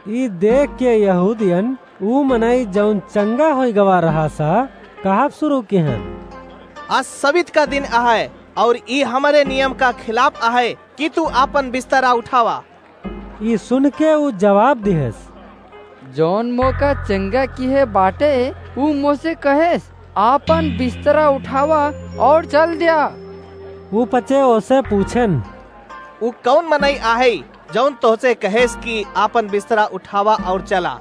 ई देखके यहूदियन ऊ मनई जउन चंगा होइ गवा रहा सा, कहब सुरू किहेन, आज सबित का दिन अहइ अउर ई हमरे नियम का खिलाफ अहइ कि तू आपन बिस्तरा उठावा। ई सुनके ऊ जवाब दिहेस, जउन मोका चंगा किहे बाटे, ऊ मोसे कहेस, आपन बिस्तरा उठावा अउर चल द्या। ऊ पचे ओसे पूछेन, ऊ कउन मनई अहइ, जउन तोहसे कहेस कि आपन बिस्तरा उठावा अउर चला?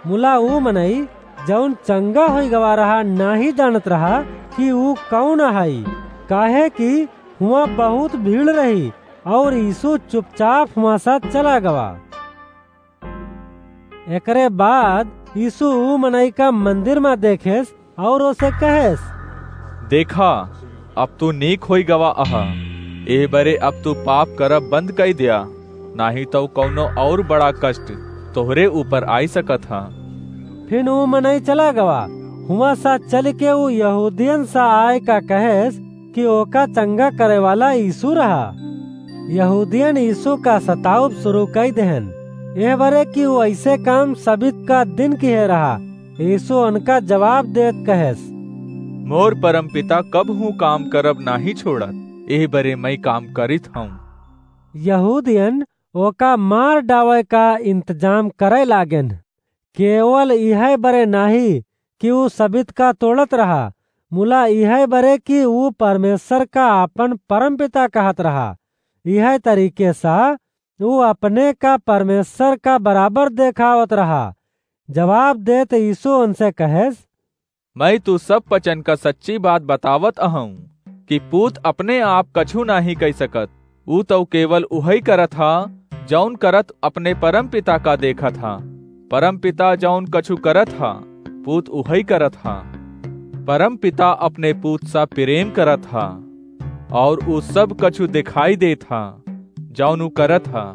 मुला ऊ मनई, जउन चंगा होइ गवा रहा, नाहीं जानत रहा कि ऊ कउन अहइ, काहे कि हुआँ बहुत भीड़ रही, अउर यीशु चुपचाप हुआँ सा चला गवा। एकरे बाद यीशु ऊ मनई का मंदिर मा देखेस अउर ओसे कहेस, देखा, अब तू नीक होइ गवा अहा। एह बरे अब तू पाप करब बंद कइ द्या, नाहीं तउ कउनो अउर बड़ा कष्ट तोहरे ऊपर आइ सकत ह। फिन ऊ मनई चला गवा। हुआं सा चल के ऊ यहूदियन सा आय का कहेस कि ओका चंगा करे वाला यीशु रहा। यहूदियन यीशु का सताउब शुरू कई देहन, एह बरे कि ऊ ऐसे काम सबित का दिन किहे रहा। यीशु उनका जवाब देत कहेस, मोर परमपिता कबहूँ काम करब नाहीं छोड़त, एह बरे मई काम करित हऊँ। यहूदियन ओका मार डावे का इंतजाम करे लागेन। केवल इहै बरे नाहीं कि ऊ सबित का तोड़त रहा, मुला इहै बरे कि ऊ परमेश्वर का आपन परमपिता कहत रहा। इहै तरीके सा ऊ अपने का परमेश्वर का बराबर देखावत रहा। जवाब देत यीशु उनसे कहेस, मई तू सब पचन का सच्ची बात बतावत अहऊँ कि पूत अपने आप कछू नाहीं कई सकत। ऊ तउ केवल उहई करत हा, जौन करत अपने परमपिता का देखत हा। परमपिता जौन कछू करत हा, पूत उहई करत हा। परमपिता अपने पूत सा प्रेम करत हा, और ऊ सब कछू दिखाई देत हा, जौन ऊ करत हा।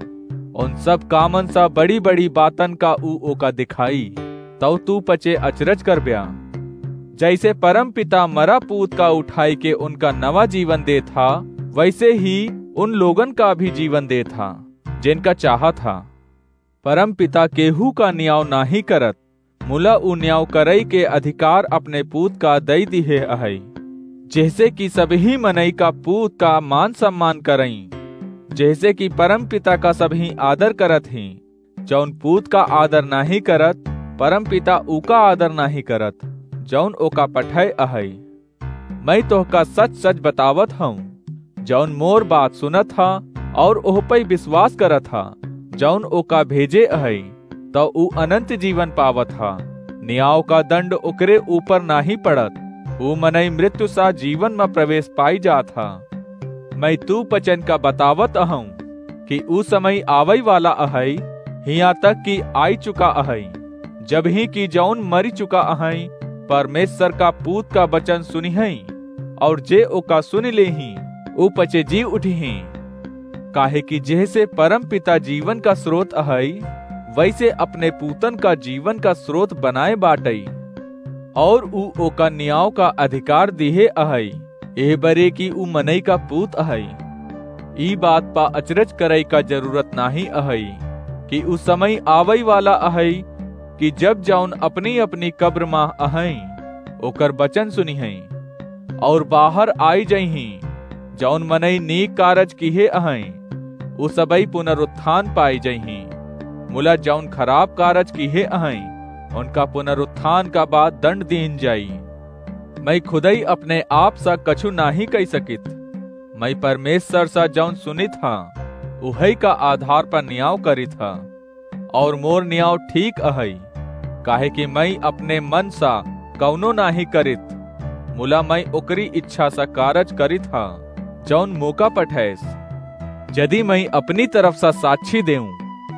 उन सब कामन सा बड़ी-बड़ी बातन का ऊ ओका दिखाई, तउ तू पचे अचरज करब्या। जैसे परमपिता मरा पूत का उठाई के उनका नवा जीवन देत हा, वैसे ही उन लोगन का भी जीवन देत हा, जिनका चाहत हा। परमपिता केहू का न्याव नाहीं करत, मुला ऊ न्याव करई के अधिकार अपने पूत का दई दिहे अहई, जेहसे कि सबही मनई का पूत का मान सम्मान करई, जेहसे कि परमपिता का सबही आदर करत ही। जौन पूत का आदर नाहीं करत, परमपिता ऊका आदर नाहीं करत, जौन ओका पठय अहई। मई तोहका सच-सच बतावत हऊँ, जौन मोर बात सुनत हा और ओह पई विश्वास करत हा, जौन ओका भेजे अहई, तौ ऊ अनंत जीवन पावत हा। न्याव का दंड ओकरे ऊपर नाहीं पड़त, ऊ मनई मृत्यु सा जीवन म प्रवेश पाई जात हा। मई तू पचन का बतावत अहऊँ कि ऊ समय आवई वाला अहई, हियाँ तक कि आई चुका अहई, जब ही कि जौन मरी चुका अहई, परमेश्वर का पूत का वचन सुनिहई, और जे ओका सुनि लेही, ऊ पचे जी उठिही। काहे कि जेहसे परमपिता जीवन का स्रोत अहई, वैसे अपने पूतन का जीवन का स्रोत बनाए बाटई, और ऊ ओका न्याव का अधिकार दिहे अहई, एह बरे कि ऊ मनई का पूत अहई। ई बात पा अचरज करई का जरूरत नाहीं अहई कि ऊ समय आवई वाला अहई कि जब जौन अपनी-अपनी कब्र मा अहई, ओकर वचन सुनिहई और बाहर आई जइहीं। जौन मनई नीक कारज किहे अहई, ऊ सबई पुनरुत्थान पाई जइहीं। मुला जौन खराब कारज किहे अहई, उनका पुनरुत्थान का बाद दंड दीन जाई। मई खुदई अपने आप सा कछु नाहीं कई सकित। मई परमेश्वर सा जौन सुनित हा, उहई का आधार पर न्याव करित हा, और मोर न्याव ठीक अहई, काहे कि मई अपने मन सा कौनो नाहीं करित, मुला मई ओकरी इच्छा सा कारज करित हा, जौन मोका पठैस। यदि मई अपनी तरफ सा साक्षी देऊं,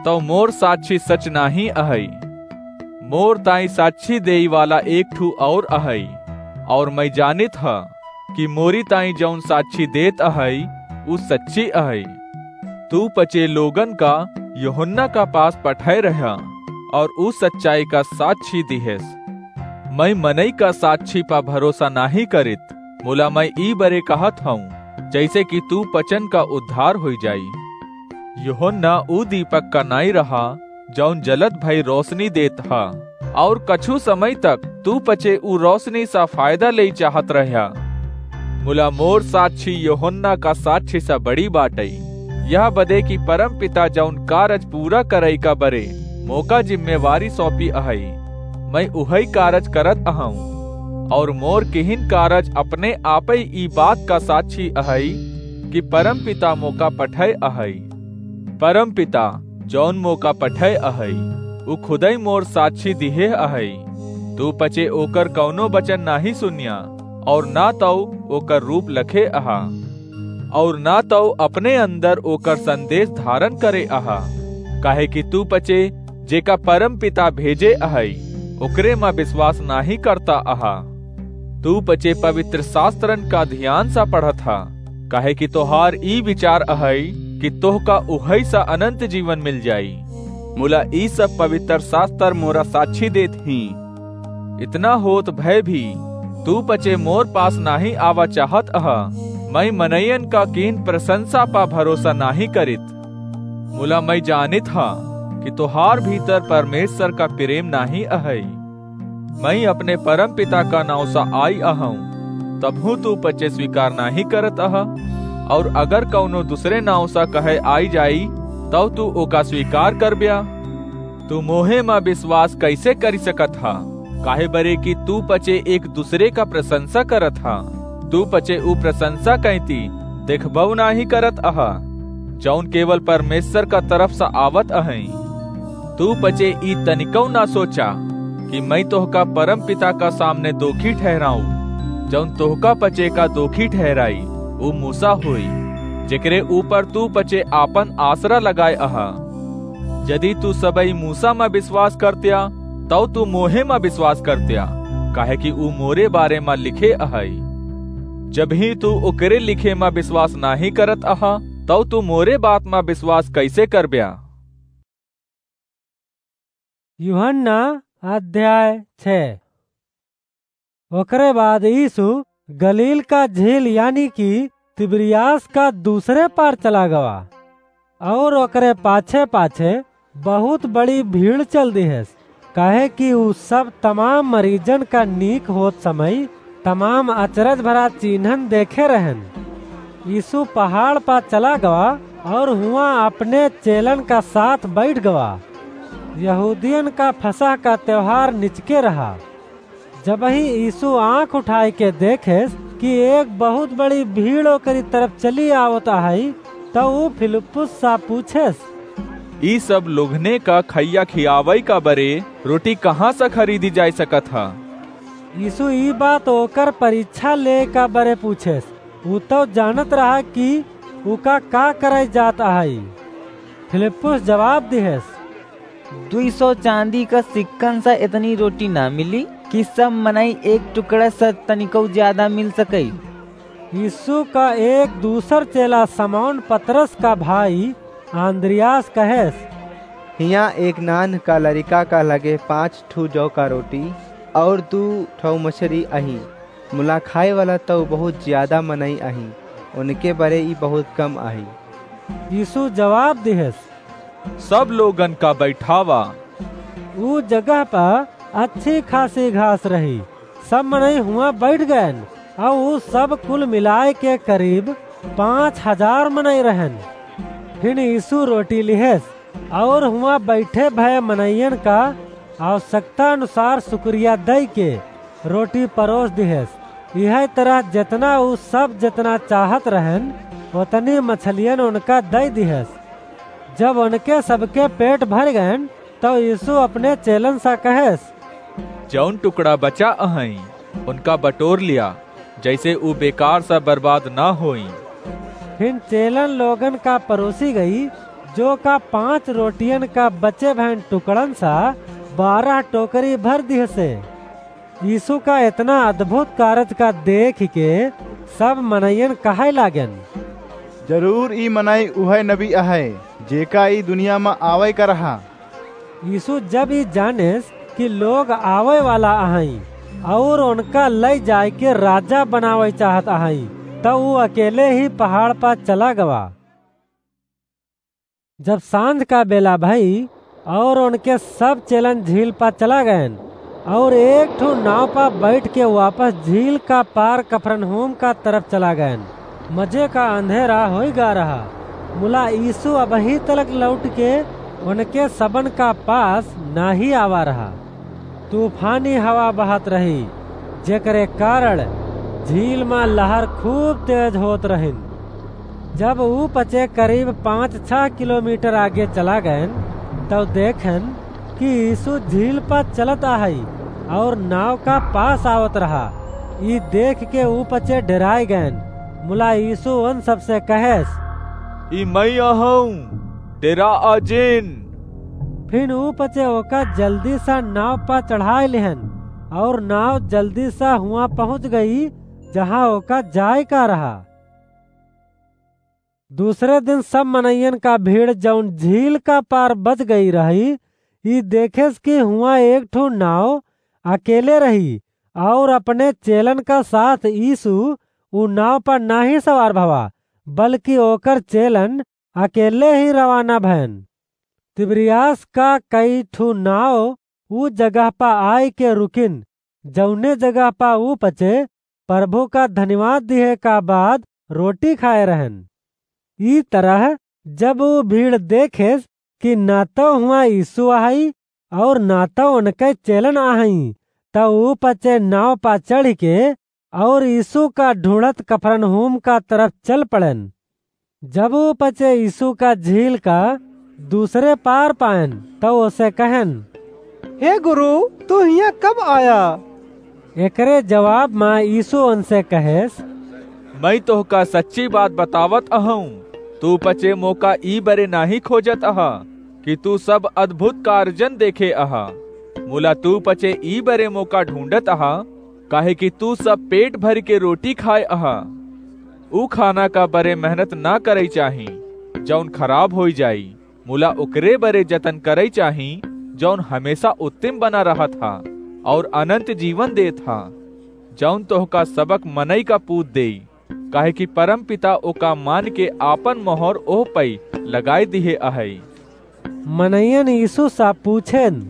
तौ मोर साक्षी सच नाहीं अहई। मोर ताई साक्षी देई वाला एक ठू और अहई, और मई जानित हा कि मोरी ताई जौन साक्षी देत अहई, ऊ सच्ची अहई। तू पचे लोगन का यूहन्ना का पास पठय रह्या, और ऊ सच्चाई का साक्षी दिहेस। मई मनई का साक्षी पा भरोसा नाहीं करित, मुला मई ई बरे कहत हऊँ, जैसे कि तू पचन का उद्धार होई जाई। यूहन्ना ऊ दीपक का नाई रहा, जौन जलत भई रोशनी देत हा, और कछु समय तक तू पचे ऊ रोशनी सा फायदा लेई चाहत रह्या। मुला मोर साक्षी यूहन्ना का साक्षी सा बड़ी बाटई, यह बदे कि परमपिता जौन कारज पूरा करई का बरे मोका जिम्मेवारी सौंपी अहई, मई उहई कारज करत अहऊँ, और मोर किहिन कारज अपने आपई ई बात का साक्षी अहई कि परमपिता मोका पठय अहई। परमपिता, जौन मोका पठय अहई, ऊ खुदई मोर साक्षी दिहे अहई। तू पचे ओकर कौनो वचन नाहीं सुनिया, और ना तौ ओकर रूप लखे अहा, और ना तौ अपने अंदर ओकर संदेश धारण करे अहा, काहे कि तू पचे जेका परमपिता भेजे अहई, ओकरे मा विश्वास नाहीं करता अहा। तू पचे पवित्र शास्त्रन का ध्यान सा पढ़त हा, काहे कि तोहार ई विचार अहई कि तोहका उहई सा अनंत जीवन मिल जाई। मुला ई सब पवित्र शास्त्र मोरा साक्षी देत ही इतना होत भय भी तू पचे मोर पास नाहीं आवा चाहत अहा। मैं मनइयन का कीन प्रशंसा पा भरोसा नाहीं करित। मुला मैं जानित हा कि तोहार भीतर परमेश्वर का प्रेम नाहीं अहइ। मैं अपने परम पिता का नाव सा आई अहऊँ, तबहूँ तू पचे स्वीकार नाहीं करत अहा, और अगर कउनो दूसरे नाव सा कहे आई जाई, तब तू ओका स्वीकार करब्या। तू मोहे मा विश्वास कइसे करि सकत हा? काहे बरे कि तू पचे एक दूसरे का प्रशंसा करत हा। तू पचे ऊ प्रशंसा कइती देखबउ नाहीं करत अहा, जउन केवल परमेश्वर का तरफ सा आवत अहइ। तू पचे ई तनिकउ ना सोचा कि मैं तोहका परम पिता का सामने दोखी ठहराऊँ। जउन तोहका पचे का दोखी ठहराई, ऊ मूसा होई, जेकरे ऊपर तू पचे आपन आसरा लगाए अहा। यदि तू सबई मूसा मा विश्वास करत्या, तउ तू मोहे मा विश्वास करत्या, काहे कि ऊ मोरे बारे मा लिखे अहइ। जब ही तू ओकरे लिखे मा विश्वास नाहीं करत अहा, तउ तू मोरे बात मा विश्वास कइसे करब्या? यूहन्ना अध्याय छह। ओकरे बाद यीशु गलील का झील यानी कि तिबिरियास का दूसरे पार चला गवा, और ओकरे पाछे-पाछे बहुत बड़ी भीड़ चल दिहेस, काहे कि ऊ सब तमाम मरीजन का नीक होत समय तमाम अचरज भरा चिन्हन देखे रहन। यीशु पहाड़ पा चला गवा और हुआं अपने चेलन का साथ बैठ गवा। यहूदियन का फसह का त्योहार निचके रहा। जबही यीशु आँख उठाए के देखेस कि एक बहुत बड़ी भीड़ ओकरी तरफ चली आवत अहइ, त ऊ फिलिप्पुस सा पूछेस, "ई सब लोगने का खइया खियावइ का बरे रोटी कहाँ सा खरीदी जाइ सकत ह?" यीशु ई बात ओकर परीक्षा लेइ का बरे पूछेस। ऊ तउ जानत रहा कि उका का करइ जात अहइ। फिलिप्पुस जवाब दिहेस, दुई सौ चाँदी का सिक्कन सा एतनी रोटी ना मिली कि सब मनई एक टुकड़ा सा तनिकउ ज्यादा मिल सकइ। यीशु का एक दूसर चेला समौन पतरस का भाई आन्द्रियास कहेस, हियाँ एक नान्ह का लरिका का लगे पाँच ठू जौ का रोटी और दू ठौ मछरी अहीं, मुला खाए वाला तउ बहुत ज्यादा मनई अहीं, उनके बरे ई बहुत कम अहीं। यीशु जवाब दिहेस, सब लोगन का बैठावा। ऊ जगह पर अच्छी खासी घास रही। सब मनई हुआं बैठ गएन, और ऊ सब कुल मिलाए के करीब पाँच हजार मनई रहन। फिर यीशु रोटी लिहेस, और हुआं बैठे भए मनइयन का आवश्यकता अनुसार शुक्रिया दइ के रोटी परोस दिहेस। इहै तरह जेतना ऊ सब जेतना चाहत रहन, ओतनी मछलियन उनका दइ दिहेस। जब उनके सबके पेट भर गएन, तब यीशु अपने चेलन सा कहेस, जउन टुकड़ा बचा अहइँ, उनका बटोर लिया, जइसे ऊ बेकार सा बर्बाद ना होइँ। फिर चेलन लोगन का परोसी गई, जो का पाँच रोटियन का बचे भएन टुकड़न सा बारह टोकरी भर दिहसे। यीशु का एतना अद्भुत कारज का देखि के सब मनइयन कहइ लागेन, जरूर ई मनई उहइ नबी अहइ, जेका ई दुनिया मा आवइ का रहा। यीशु जब ई जानेस कि लोग आवइ वाला अहइँ और उनका लइ जाइके राजा बनावइ चाहत अहइँ, त ऊ अकेले ही पहाड़ पा चला गवा। जब साँझ का बेला भई और उनके सब चेलन झील पा चला गएन और एक ठो नाव पा बैठ के वापस झील का पार कफरनहूम का तरफ चला गएन। मजे का अंधेरा होइ गा रहा। मुला यीशु अबहीं तलक लौट के उनके सबन का पास नाहीं आवा रहा। तूफानी हवा बहत रही, जेकरे कारण झील मा लहर खूब तेज होत रहिन। जब ऊ पचे करीब पाँच छह किलोमीटर आगे चला गएन, तब देखेन कि यीशु झील पा चलत अहइ और नाव का पास आवत रहा। ई देखि के ऊ पचे डेराइ गएन। मुला यीशु उन सबसे कहेस, "ई मइँ अहउँ, डेराआ जिन।" फिन ऊ पचे ओका जल्दी सा नाव पा चढ़ाइ लिहेन और नाव जल्दी सा हुआँ पहुँच गई, जहाँ ओका जाइ का रहा। दूसरे दिन सब मनइयन का भीड़, जउन झील का पार बच गई रही, ई देखेस कि हुआँ एक ठो नाव अकेले रही, और अपने चेलन का साथ यीशु ऊ नाव पर नाहीं सवार भवा, बल्कि ओकर चेलन अकेले ही रवाना भयन। तिबिरियास का कई ठू नाव ऊ जगह पा आय के रुकिन, जौने जगह पा ऊ पचे प्रभु का धन्यवाद दिहे का बाद रोटी खाए रहन। ई तरह जब ऊ भीड़ देखेस कि ना तो हुआ यीशु आहई और ना तो उनके चेलन आहई, त ऊ पचे नाव पा चढ़ के और यीशु का ढूंढत कफरनहूम का तरफ चल पड़न। जब ऊ पचे यीशु का झील का दूसरे पार पायन, त ओसे कहन, "हे गुरु, तू हियां कब आया?" एकरे जवाब मा यीशु उनसे कहेस, "मैं तोहका सच्ची बात बतावत अहूं, तू पचे मोका ई बरे नाहीं खोजत अहा कि तू सब अद्भुत कार्यन देखे अहा, मुला तू पचे ई बरे मोका ढूंढत अहा, काहे कि तू सब पेट भर के रोटी खाए अहा। ऊ खाना का बरे मेहनत ना करई चाही, जौन खराब होई जाई, मुला ओकरे बरे जतन करई चाही, जौन हमेशा उत्तम बना रहत हा और अनंत जीवन देत हा, जौन तोहका सबक मनई का पूत देई, काहे कि परम पिता ओका मान के आपन मोहर ओह पई लगाए दिहे अहई।" मनइयन यीशु सा पूछेन,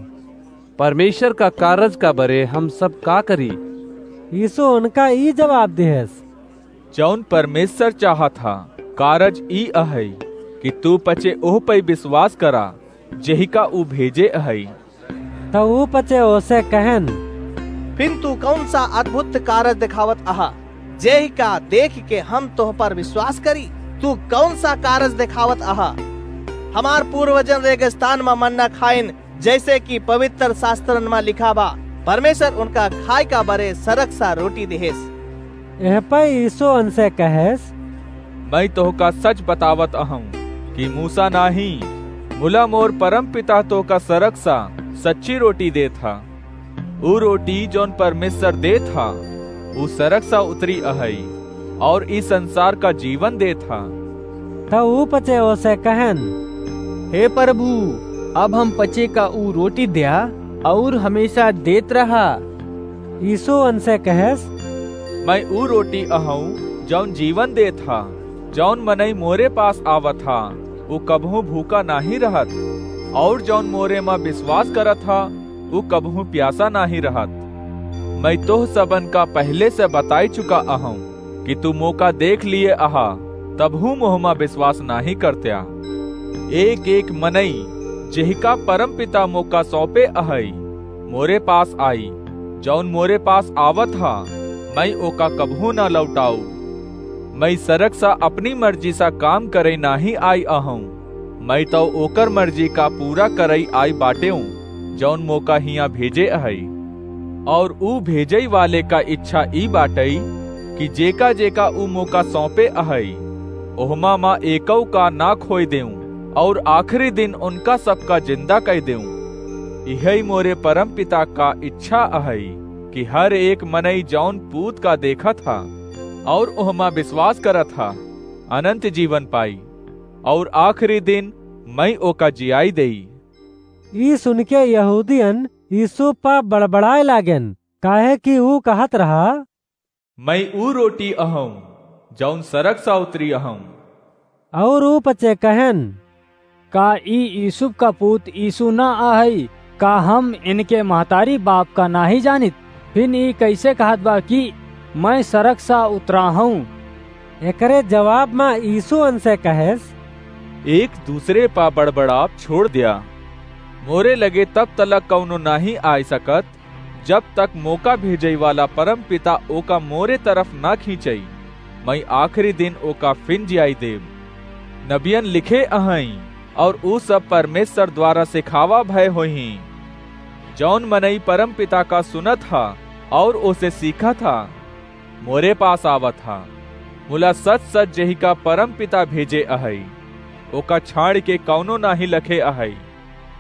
"परमेश्वर का कारज का बरे हम सब का करी?" यीशु उनका ई जवाब दिहेस, "जौन परमेश्वर चाहत हा, कारज ई अहई कि तू पचे ओह पई विश्वास करा, जेहिका ऊ भेजे अहई।" त ऊ पचे ओसे कहन, "फिन तू कौन सा अद्भुत कारज दिखावत अहा, जेहिका देख के हम तोह पर विश्वास करी? तू कौन सा कारज दिखावत अहा? हमार पूर्वजन रेगिस्तान मा मन्ना खाइन, जैसे कि पवित्र शास्त्रन मा लिखा बा, परमेश्वर उनका खाए का बरे सरक सा रोटी दिहेस।" एह पे यीशु उनसे कहेस, "मैं तोहका सच बतावत अहूं कि मूसा नाहीं, मुला मोर परम पिता तोहका सरक सा सच्ची रोटी देत हा। ऊ रोटी जौन परमेश्वर देत हा, ऊ सरक सा उतरी अहई और ई संसार का जीवन देत हा।" त ऊ पचे ओसे कहन, "हे प्रभु, अब हम पचे का ऊ रोटी द्या और हमेशा देत रहा।" यीशु उनसे कहेस, "मैं ऊ रोटी अहूं, जौन जीवन देत हा। जौन मनई मोरे पास आवत हा, ऊ कबहूं भूखा नाहीं रहत, और जौन मोरे मा विश्वास करत हा, ऊ कबहूं प्यासा नाहीं रहत। मैं तोह सबन का पहले से बताई चुका अहूं कि तू मोका देख लिए अहा, तबहूं मोहमा विश्वास नाहीं करत्या। एक एक मनई, जेहिका परम पिता मोका सौंपे अहई, मोरे पास आई। जौन मोरे पास आवत हा, मैं ओका कबहूं ना लौटाऊ। मैं सरक सा अपनी मर्जी सा काम करे नाहीं आई अहूं, मैं तो ओकर मर्जी का पूरा करई आई बाटेऊं, जौन मोका हियां भेजे अहई। और ऊ भेजई वाले का इच्छा ई बाटई कि जेका जेका ऊ मोका सौंपे अहई, ओहमा मा एकऊ का ना खोए देऊं, और आखिरी दिन उनका सबका जिंदा कई देऊं। इहई मोरे परम पिता का इच्छा अहई कि हर एक मनई जौन पूत का देखत हा और ओहमा विश्वास करत हा, अनंत जीवन पाई, और आखिरी दिन मैं ओका जियाई देई।" ई सुन के यहूदियन यीशु पा बड़बड़ाए लागेन, काहे कि ऊ कहत रहा, "मैं ऊ रोटी अहूं, जौन सरक सा उतरी अहूं।" और ऊ पचे कहेन, "का ई यूसुफ का पूत यीशु ना अहई? का हम इनके महतारी बाप का नाहीं जानित? फिन ई कैसे कहत बा कि मैं सरक सा उतरा हूं?" एकरे जवाब मा यीशु उनसे कहेस, "एक दूसरे पा बड़बड़ाप छोड़ द्या। मोरे लगे तब तलक कौनो नाहीं आय सकत, जब तक मोका भेजई वाला परम पिता ओका मोरे तरफ ना खींचई। मैं आखिरी दिन ओका फिन जियाई देब। नबियन लिखे अहई, और ऊ सब परमेश्वर द्वारा सिखावा भय होइहीं। जौन मनई परम पिता का सुनत हा और ओसे सीखत हा, मोरे पास आवत हा। मुला सच सच जेहिका परम पिता भेजे अहई, ओका छाड़ के कौनो नाहीं लखे अहई।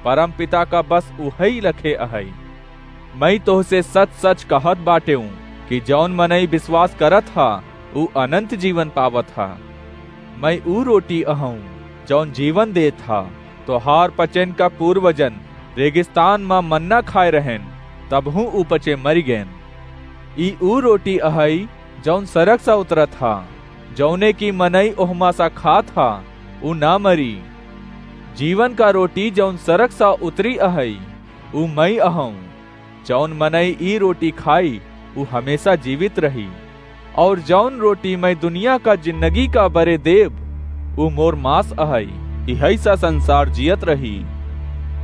परम पिता का बस उहई लखे अहई। मैं तोहसे सच सच कहत बाटेऊं कि जौन मनई विश्वास करत हा, ऊ अनंत जीवन पावत हा। मैं ऊ रोटी अहूं, जौन जीवन देत हा। तोहार पचन का पूर्वजन रेगिस्तान मा मन्ना खाए रहेन, तबहूँ ऊ पचे मरि गएन। ई ऊ रोटी अहइ, जउन सरग सा उतरत हा, जउने की मनई ओहमा सा खात हा, ऊ ना मरी। जीवन का रोटी जउन सरग सा उतरी अहइ, ऊ मई अहउँ। जउन मनई ई रोटी खाई, ऊ हमेसा जीवित रही। अउर जउन रोटी मई दुनिया का जिन्नगी का बरे देब, ऊ मोर मास अहइ। इहइ सा संसार जियत रही।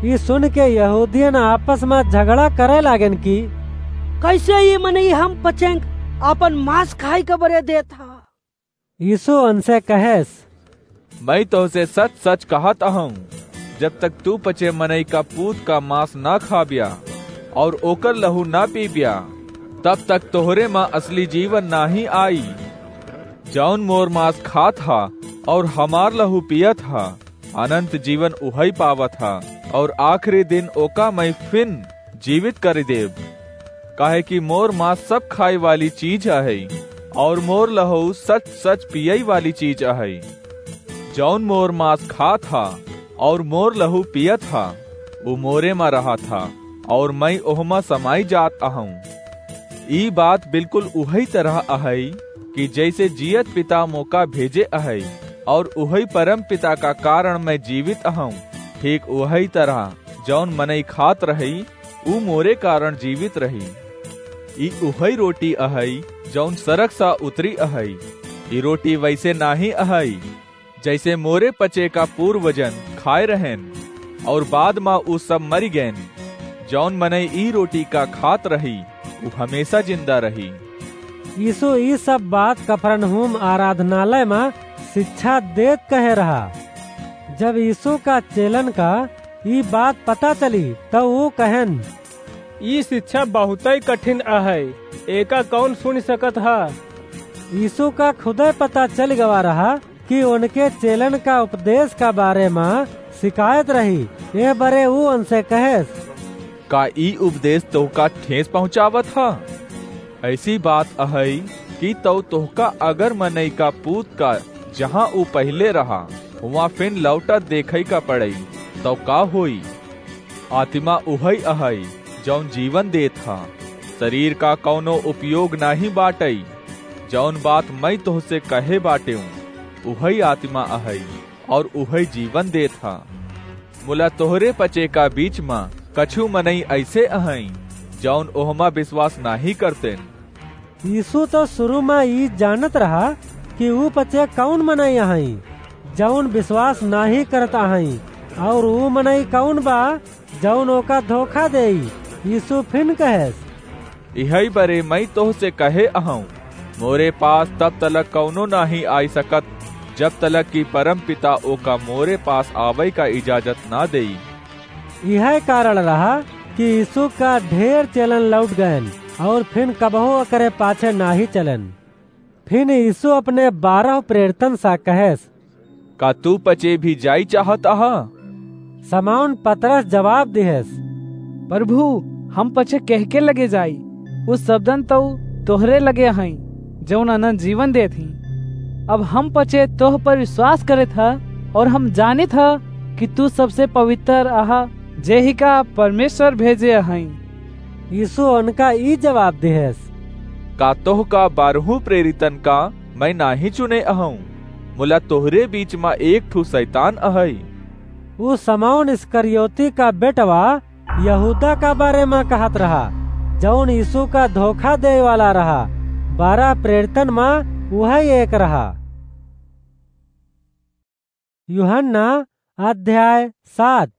ई सुन के यहूदियन आपस मा झगड़ा करे लागेन कि, "कइसे ई मनई हम पचेंक आपन मास खाइ का बरे देत हा?" यीसु ओनसे कहेस, "मई तोहसे सच-सच कहत अहउँ, जब तक तू पचे मनई का पूत का मास ना खाब्या अउर ओकर लहू ना पीब्या, तब तक तोहरे मा असली जीवन नाहीं आई। जउन मोर मास खात हा अउर हमार लहू पियत हा, अनन्त जीवन उहइ पावत हा, अउर आखिरी दिन ओका मई फिन जीवित करि देब। काहे कि मोर मास सब खाइ वाली चीज अहइ, अउर मोर लहू सच-सच पियइ वाली चीज अहइ। जउन मोर मास खात हा अउर मोर लहू पियत हा, ऊ मोरे मा रहत हा, अउर मई ओहमा समाइ जात अहउँ। ई बात बिलकुल उहइ तरह अहइ कि जइसे जियत पिता मोका भेजे अहइ, अउर उहइ परम पिता का कारन मई जीवित अहउँ, ठीक उहइ तरह जउन मनई खात रहइ, ऊ मोरे कारन जीवित रही। ई उहइ रोटी अहइ, जउन सरग सा उतरी अहइ। ई रोटी वइसे नाहीं अहइ, जइसे मोरे पचे का पूर्वजन खाए रहेन, अउर बाद मा ऊ सब मरि गएन। जउन मनई ई रोटी का खात रही, ऊ हमेसा जिन्दा रही।" यीसु ई सब बात कफरनहूम आराधनालय मा सिच्छा देत कहे रहा। जब यीसु का चेलन का ई बात पता चली, तउ ऊ कहेन, "ई सिच्छा बहुतइ कठिन अहइ, एका कउन सुनि सकत हा?" यीसु का खुदइ पता चलि गवा रहा कि ओनके चेलन का उपदेस का बारे मा सिकायत रही, एह बरे ऊ ओनसे कहेस, "का ई उपदेस तोहका ठेस पहुँचावत हा? अइसी बात अहइ कि तउ तोहका अगर मनई का पूत का जहाँ ऊ पहिले रहा, हुआँ फिन लौटत देखइ का पड़इ, तउ का होई? आतिमा उहइ अहइ, जउन जीवन देत हा। सरीर का कउनो उपयोग नाहीं बाटइ। जउन बात मई तोहसे कहे बाटेउँ, उहइ आतिमा अहइ, अउर उहइ जीवन देत हा। मुला तोहरे पचे का बीच मा कछू मनई अइसे अहइँ, जउन ओहमा बिसवास नाहीं करतेन।" यीसु तउ सुरू मा ई जानत रहा कि ऊ पचे कउन मनई अहइँ, जउन बिसवास नाहीं करत अहइँ, अउर ऊ मनई कउन बा, जउन ओका धोखा देई। यीसु फिन कहेस, "इहइ बरे मई तोहसे कहे अहउँ, मोरे पास तब तलक कउनो नाहीं आइ सकत, जब तलक कि परम पिता ओका मोरे पास आवइ का इजाजत ना देई।" इहइ कारण रहा कि यीसु का ढेर चेलन लौट गएन अउर फिन कबहूँ ओकरे पाछे नाहीं चलेन। फिन यीसु अपने बारह प्रेरितन सा कहेस, "का तू पचे भी जाई चाहत अहा?" समौन पतरस जवाब दिहेस, "प्रभु, हम पचे केहके लगे जाई? उ सबदन तउ तोहरे लगे हईं, जउन अनन्त जीवन देत हीं। अब हम पचे तोह पर विश्वास करत ह, अउर हम जानित ह कि तू सबसे पवित्र अहा, जेहिका परमेश्वर भेजे हईं।" यीसु ओनका ई जवाब दिहेस, "का तोहका बारहू प्रेरितन का मइँ नाहीं चुने अहउँ, मुला तोहरे बीच म एक ठू सैतान अहइ।" उ समौन इस्करियोती का बेटवा यहूदा का बारे म कहत रहा, जउन यीसु का धोखा देइ वाला रहा। बारह प्रेरितन म उहइ एक रहा। यूहन्ना अध्याय सात।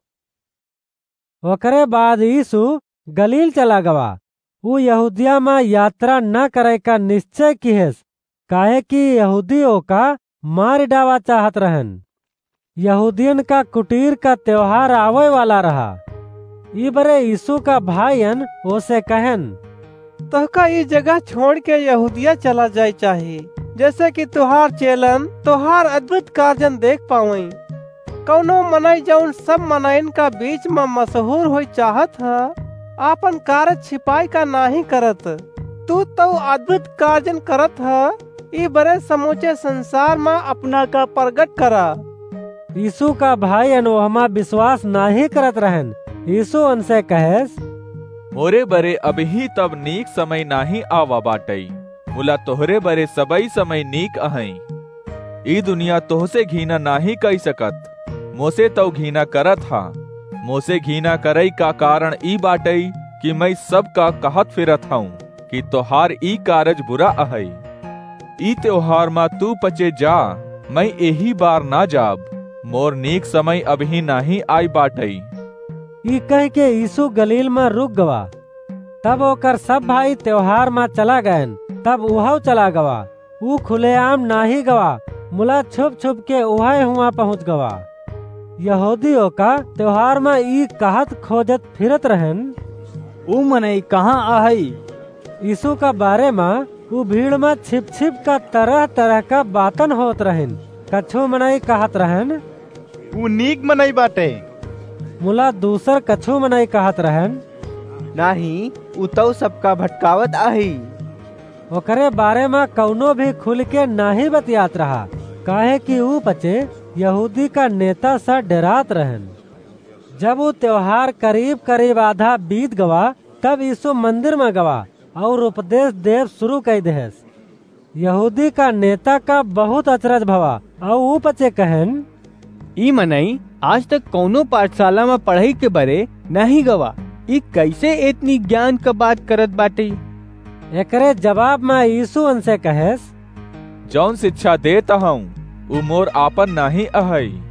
ओकरे बाद यीसु गलील चला गवा। उ यहूदिया म यात्रा न करइ का निश्चय किहेस, काहे कि यहूदी ओका मारि डावा चाहत रहन। यहूदियन का कुटीर का त्योहार आवइ वाला रहा। ई बरे यीसु का भाइयन ओसे कहेन, "तोहका ई जगह छोड़िके यहूदिया चला जाइ चाही, जेसे कि तोहार चेलन तोहार अद्भुत कार्यन देख पावइँ। कउनो मनई जउन सब मनइन का बीच म मशहूर होइ चाहत ह, आपन कार्य छिपाइ का नाहीं करत। तू तउ अद्भुत कार्यन करत ह, ई बरे समूचे संसार म अपना का परगट करा।" यीसु का भाइयन ओहमा विश्वास नाहीं करत रहन। यीसु ओनसे कहेस, मोरे बरे अबहीं तब नीक समय नाहीं आवा बाटइ, मुला तोहरे बरे सबइ समय नीक अहइ। ई दुनिया तोहसे घीना नाहीं कइ सकत, मोसे तउ घीना करत हा। मोसे घीना करइ का कारण ई बाटइ कि मइँ सबका कहत फिरत हउँ कि तोहार ई कारज बुरा अहइ। ई तेवहार मा तू पचे जा, मइँ एही बार ना जाब, मोर नीक समय अबहीं नाहीं आइ बाटइ। ई कहिके यीसू गलील मा रुक गवा। तब ओकर सब भाई तेवहार मा चला गएन। तब उहउ चला गवा। ऊ खुलेआम नाहीं गवा, मुला छुप-छुप के उहइ हुआँ पहुँच गवा। यहूदी ओका तेवहार मा ई कहत खोजत फिरत रहेन, "ऊ मनई कहाँ अहइ?" यीसू का बारे मा ऊ भीड़ मा छिप-छिप का तरह-तरह का बातन होत रहेन। कछु मनई कहत रहेन, "ऊ नीक मनई बाटइ।" मुला दूसर कछु मनई कहत रहेन, "नाहीं, ऊ तउ सबका भटकावत अहइ।" ओकरे बारे मा कउनो भी खुल के नाहीं बतियात रहा, काहे कि ऊ पचे यहूदी का नेता स डेरात रहेन। जब ऊ तेवहार करीब-करीब आधा बीत गवा, तब यीसू मंदिर मा गवा अउर उपदेस देब सुरू कइ देहेस। यहूदी का नेता का बहुत अचरज भवा, अउर ऊ पचे कहेन, "ई मनई आज तक कउनो पाठसाला मा पढ़ई के बरे नाहीं गवा, ई कइसे एतनी ज्ञान क बात करत बाटइ?" एकरे जवाब मा यीसू उनसे कहेस, "जउन सिच्छा देत अहउँ, ऊ मोर आपन नाहीं अहइ,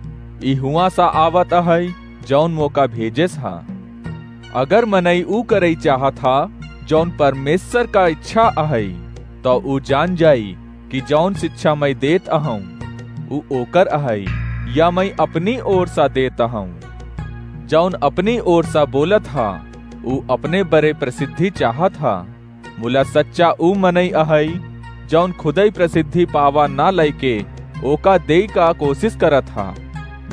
ई हुआँ स आवत अहइ, जउन मोका भेजेस हा। अगर मनई ऊ करइ चाहत हा, जउन परमेस्वर का इच्छा अहइ, तउ ऊ जान जाई कि जउन सिच्छा मइँ देत अहउँ, ऊ ओकर अहइ, या मइँ अपनी ओर स देत अहउँ। जउन अपनी ओर स बोलत हा, ऊ अपने बरे प्रसिद्धि चाहत हा। मुला सच्चा ऊ मनई अहइ, जउन खुदइ प्रसिद्धि पावा न लइके ओका देइ का कोसिस करत हा,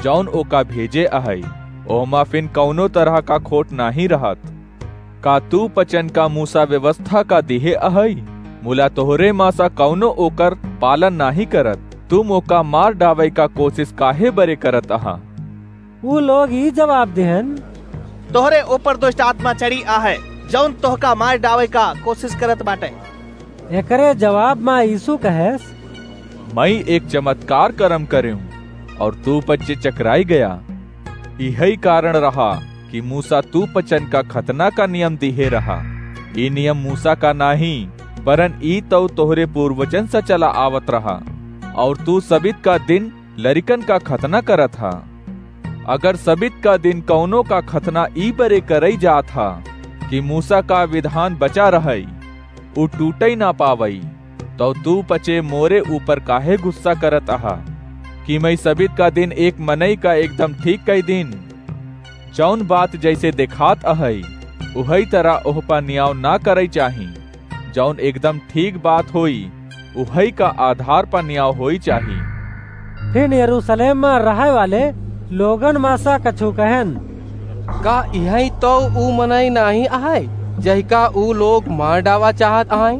जउन ओका भेजे अहइ, ओहमा फिन कउनो तरह का खोट नाहीं रहत। का तू पचन का मूसा व्यवस्था का दिहे अहइ? मुला तोहरे मा स कउनो ओकर पालन नाहीं करत। तू मोका मार डावइ का कोसिस काहे बरे करत अहा?" ऊ लोग ई जवाब दिहेन, "तोहरे ऊपर दुष्ट आत्मा चढ़ी अहइ, जउन तोहका मार डावइ का कोसिस करत बाटइ।" एकरे जवाब मा यीसू कहेस, "मइँ एक चमतकार करम करेउँ, अउर तू पचे चकराइ गया। इहइ कारण रहा कि मूसा तू पचन का खतना का नियम दिहे रहा। ई नियम मूसा का नाहीं, बरन ई तउ तोहरे पूर्वजन स चला आवत रहा, अउर तू सबित का दिन लरिकन का खतना करत हा। अगर सबित का दिन कउनो का खतना ई बरे करइ जात हा कि मूसा का विधान बचा रहइ, ऊ टूटइ न पावइ, तउ तू पचे मोरे ऊपर काहे गुस्सा करत अहा कि मइँ सबित का दिन एक मनई का एकदम ठीक कइ दीन? जउन बात जइसे देखात अहइ, उहइ तरह ओह प नियाव न करइ चाही। जउन एकदम ठीक बात होई, उहइ का आधार प नियाव होई चाही।" फिन यरूसलेम मा रहइ वाले लोगन मा स कछु कहेन, "का इहइ तउ ऊ मनई नाहीं अहइ, जहिका ऊ लोग मार डावा चाहत अहइ?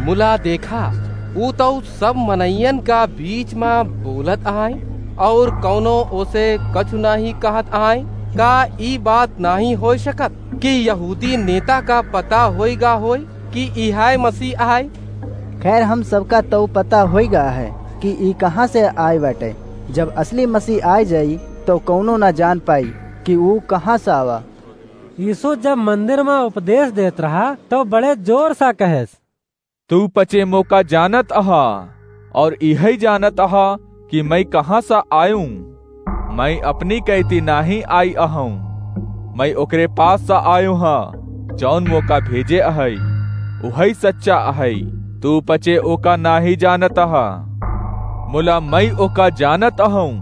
मुला देखा, ऊ तउ सब मनइयन का बीच मा बोलत अहइ, अउर कउनो ओसे कछु नाहीं कहत अहइ। का ई बात नाहीं होइ सकत कि यहूदी नेता का पता होइ गा होइ कि इहइ मसीह अहइ?" खैर, हम सबका तउ पता होइ गा है कि ई कहाँ से आइ बाटइ। जब असली मसीह आइ जाई, तउ कउनो ना जान पाई कि ऊ कहाँ से आवा। यीसू जब मंदिर मा उपदेस देत रहा, तउ बड़े जोर स कहेस, "तू पचे मोका जानत अहा, अउर इहइ जानत अहा कि मइँ कहाँ स आयूँ। मइँ अपनी कइती नाहीं आइ अहउँ, मइँ ओकरे पास स आयूँ ह, जउन मोका भेजे अहइ। उहइ सच्चा अहइ, तू पचे ओका नाहीं जानत अहा, मुला मइँ ओका जानत अहउँ,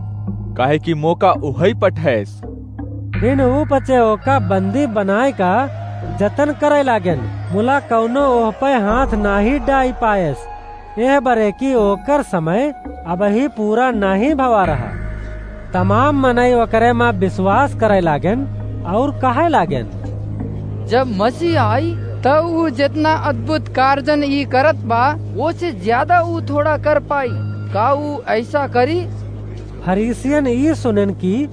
काहे कि मोका उहइ पठइस।" फिन ऊ पचे ओका बंदी बनाइ का जतन करइ लागेन, मुला कउनो ओह पे हाथ नाहीं डाइ पाएस, एह बरे कि ओकर समय अबहीं पूरा नाहीं भवा रहा। तमाम मनई ओकरे मा बिसवास करइ लागेन अउर कहइ लागेन, "जब मसीह आई, तब ऊ जेतना अद्भुत कारजन ई करत बा, ओसे ज्यादा ऊ थोड़ा कर पाई। का ऊ अइसा करी?" फरीसियन ई सुनेन कि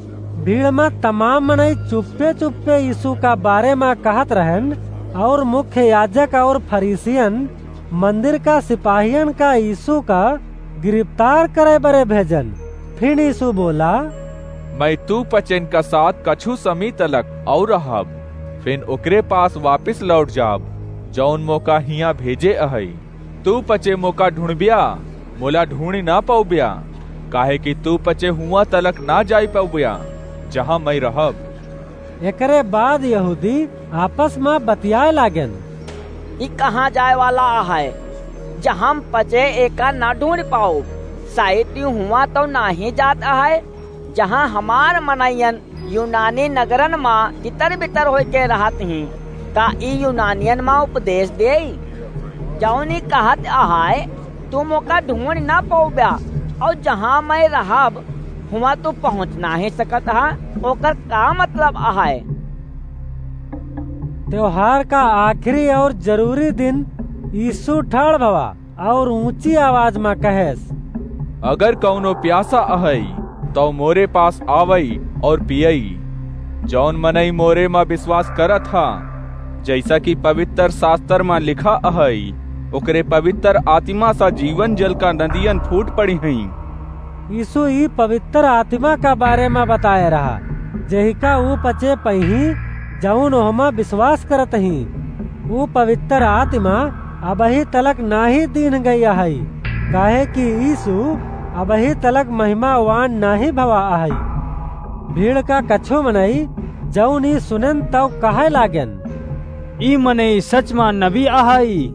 भीड़ मा तमाम मनई चुप्पे चुप्पे यीशु का बारे मा कहत रहन, और मुख्य याजक और फरीसियन मंदिर का सिपाहियन का यीशु का गिरफ्तार करे बरे भेजन। फिन यीशु बोला, "मैं तू पचेन का साथ कछु समी तलक और रहब, फिन ओकरे पास वापिस लौट जाब, जौन मोका हियाँ भेजे अहई। तू पचे मोका ढूंढब्या, मोला ढूंढी ना पौब्या, काहे कि तू पचे हुआं तलक ना जाई पौब्या, जहाँ मैं रहब।" एकरे बाद यहूदी आपस मा बतियाए लागेन, "ई कहाँ जाए वाला अहै, जहाँ पचे एका ना ढूंढ पाउब? शायद ई हुआं तौ नाहीं जात अहै, जहाँ हमार मनइयन यूनानी नगरन मा तितर बितर होइके रहत हीं। का ई यूनानियन मा उपदेश देई, जौन ई कहत अहै, तू मोका ढूंढ ना पौब्या, और जहाँ मैं रहब, हुआं तू पहुँच नाहीं सकत हा, ओकर का मतलब अहै?" त्योहार का आखिरी और जरूरी दिन यीशु ठाड़ भवा और ऊंची आवाज मा कहेस, "अगर कौनो प्यासा अहई, तौ मोरे पास आवई और पियई। जौन मनई मोरे मा विश्वास करत हा, जैसा कि पवित्र शास्त्र मा लिखा अहई, ओकरे पवित्र आत्मा सा जीवन जल का नदियन फूट पड़ी हईं।" यीशु ई पवित्र आत्मा का बारे मा बताए रहा, जेहिका ऊ पचे पइहीं, जौन ओहमा विश्वास करत हीं। ऊ पवित्र आत्मा अबही तलक नाहीं दीन्ह गई अहई, काहे कि यीशु अबही तलक महिमावान नाहीं भवा अहई। भीड़ का कछु मनई, जौन ई सुनेन, तौ कहै लागेन, "ई मनई सच मा नबी अहई।"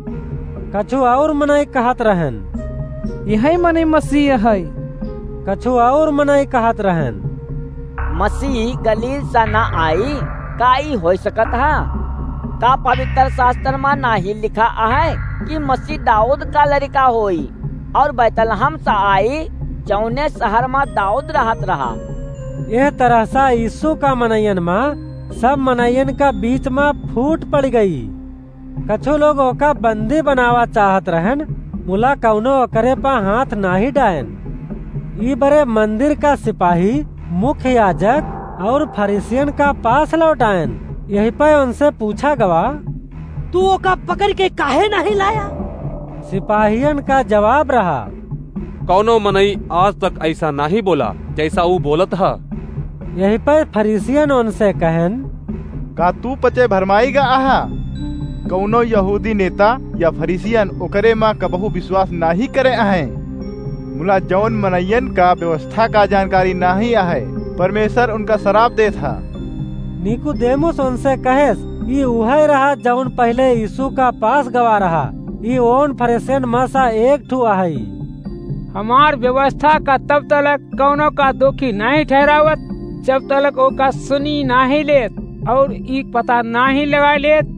कछु और मनई कहत रहन, "इहै मनई मसीह अहई।" कछु और मनई कहत रहन, "मसीह गलील सा ना आई, का ई होइ सकत हा? का पवित्र शास्त्र मा नाहीं लिखा अहै कि मसीह दाऊद का लरिका होई, और बैतलहम सा आई, जौने शहर मा दाऊद रहत रहा?" एह तरह सा यीशु का मनइयन मा सब मनइयन का बीच मा फूट पड़ गई। कछु लोग ओका बंदी बनावा चाहत रहन, मुला कौनो ओकरे पा हाथ नाहीं डायन। ई बरे मंदिर का सिपाही, मुख्य याजक और फरीसियन का पास लौट आयन। यही पे उनसे पूछा गवा, "तू ओका पकड़ के काहे नाहीं लाया?" सिपाहियन का जवाब रहा, "कौनो मनई आज तक ऐसा नाहीं बोला, जैसा ऊ बोलत ह।" यही पर फरीसियन उनसे कहन, "का तू पचे भरमाई गा आहा? कौनो यहूदी नेता या फरीसियन ओकरे मा कबहू विश्वास नाहीं करे अहैं। मुला जौन मनइयन का व्यवस्था का जानकारी नाहीं अहै, परमेश्वर उनका सराप देत ह।" निकुदेमुस उनसे कहेस, "ई उहै रहा जौन पहिले यीशु का पास गवा रहा। ई ओन फरीसियन मा सा एक ठू अहई।" हमार व्यवस्था का तब तलक कौनो का दोखी नाहीं ठहरावत, जब तलक ओका सुनी नाहीं लेत और ई पता नाहीं लगाए लेत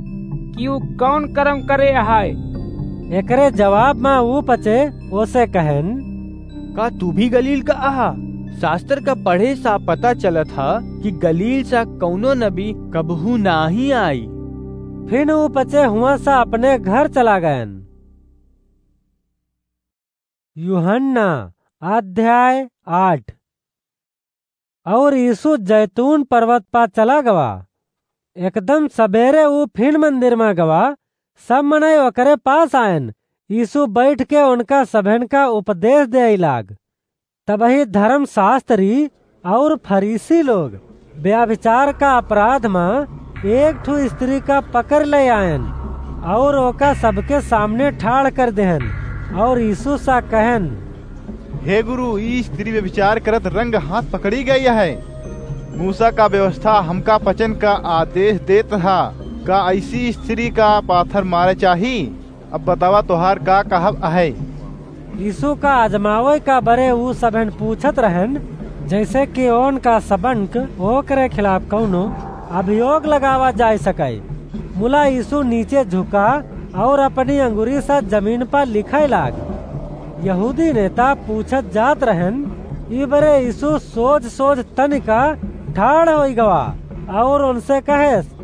कि ऊ कौन कर्म करे अहै। एकरे जवाब मा ऊ पचे ओसे कहन, "का तू भी गलील का अहा? शास्त्र का पढ़े सा पता चलत ह कि गलील सा कौनो नबी कबहू नाहीं आई।" फिन ऊ पचे हुआं सा अपने घर चला गयन। यूहन्ना अध्याय आठ। और यीशु जैतून पर्वत पा चला गवा। एकदम सबेरे ऊ फिन मंदिर मा गवा। सब मनई ओकरे पास आयन। यीशु बैठ के उनका सभेन का उपदेश देइ लाग। तबही धर्मशास्त्री और फरीसी लोग व्यभिचार का अपराध मा एक ठू स्त्री का पकड़ ले आयन और ओका सबके सामने ठाड़ कर देहन और यीशु सा कहन, "हे गुरु, ई स्त्री व्यभिचार करत रंग हाथ पकड़ी गई है। मूसा का व्यवस्था हमका पचन का आदेश देत हा, का ऐसी स्त्री का पाथर मारे चाही? अब बतावा, तोहार का कहब अहै?" यीशु का आजमावै का बरे ऊ सबन पूछत रहन, जैसे कि ओन का सबन क ओकरे खिलाफ कौनो अभियोग लगावा जाय सकै। मुला यीशु नीचे झुका और अपनी अंगुरी सा जमीन पर लिखै लाग। यहूदी नेता पूछत जात रहन, ई बरे यीशु सोझ सोझ तनिका ठाड़ होई गवा और उनसे कहेस,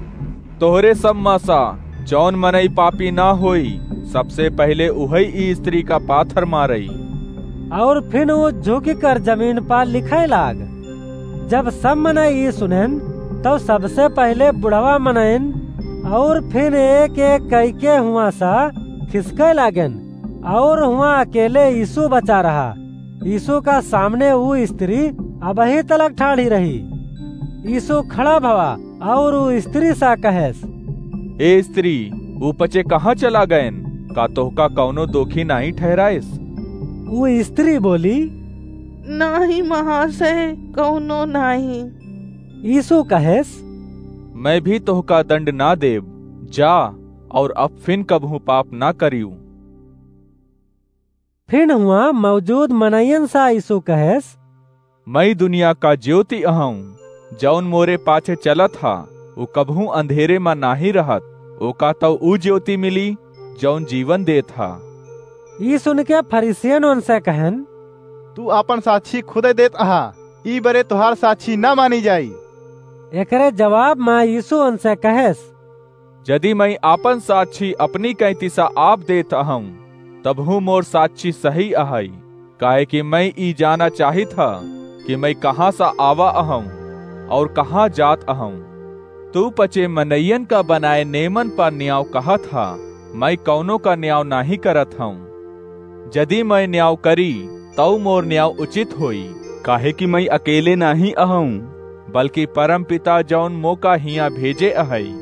"तोहरे सब मा सा जौन मनई पापी ना होई, सबसे पहिले उहई ई स्त्री का पाथर मारई।" और फिन ऊ झुकि कर जमीन पर लिखै लाग। जब सब मनई ई सुनेन, तब सबसे पहिले बुढ़वा मनइन और फिर एक-एक कइके हुआँ सा खिसके लागेन और हुआँ अकेले यीशु बचा रहा। यीशु का सामने ऊ स्त्री अबहीं तलक ठाढ़ी रही। यीशु खड़ा भवा और ऊ स्त्री सा कहेस, "ए स्त्री, ऊ पचे कहाँ चला गएन? का तोहका कौनो दोखी नाहीं ठहराइस?" ऊ स्त्री बोली, "नाहीं महाशय, कौनो नाहीं।" यीशु कहेस, "मैं भी तोहका दंड ना देब, जा और अब फिन कबहूँ पाप ना करियो।" फिन हुआँ मौजूद मनइयन सा यीशु कहेस, "मैं दुनिया का ज्योति अहऊँ, जौन मोरे पाछे चलत हा, ऊ कबहूँ अंधेरे मा नाहीं रहत, ओका तौ ऊ ज्योति मिली, जौन जीवन देत हा।" ई सुनके फरीसियन उनसे कहेन, "तू आपन साक्षी खुदे देत अहा, ई बरे तोहार साक्षी ना मानी जाई।" एकरे जवाब मा यीशु उनसे कहेस, "जदि मैं आपन साक्षी अपनी कैंती सा आप देत अहऊँ, तबहूँ मोर साक्षी सही अहई, काहे कि मैं ई जाना चाहित हा कि मैं कहाँ सा आवा अहऊँ और कहाँ जात अहऊँ। तू पचे मनइयन का बनाए नेमन पर न्याव कहत हा, मैं कौनो का न्याव नाहीं करत हऊँ। जदि मैं न्याव करी, तौ मोर न्याव उचित होई, काहे कि मैं अकेले नाहीं अहऊँ, बल्कि परमपिता जौन मोका हियाँ भेजे अहई,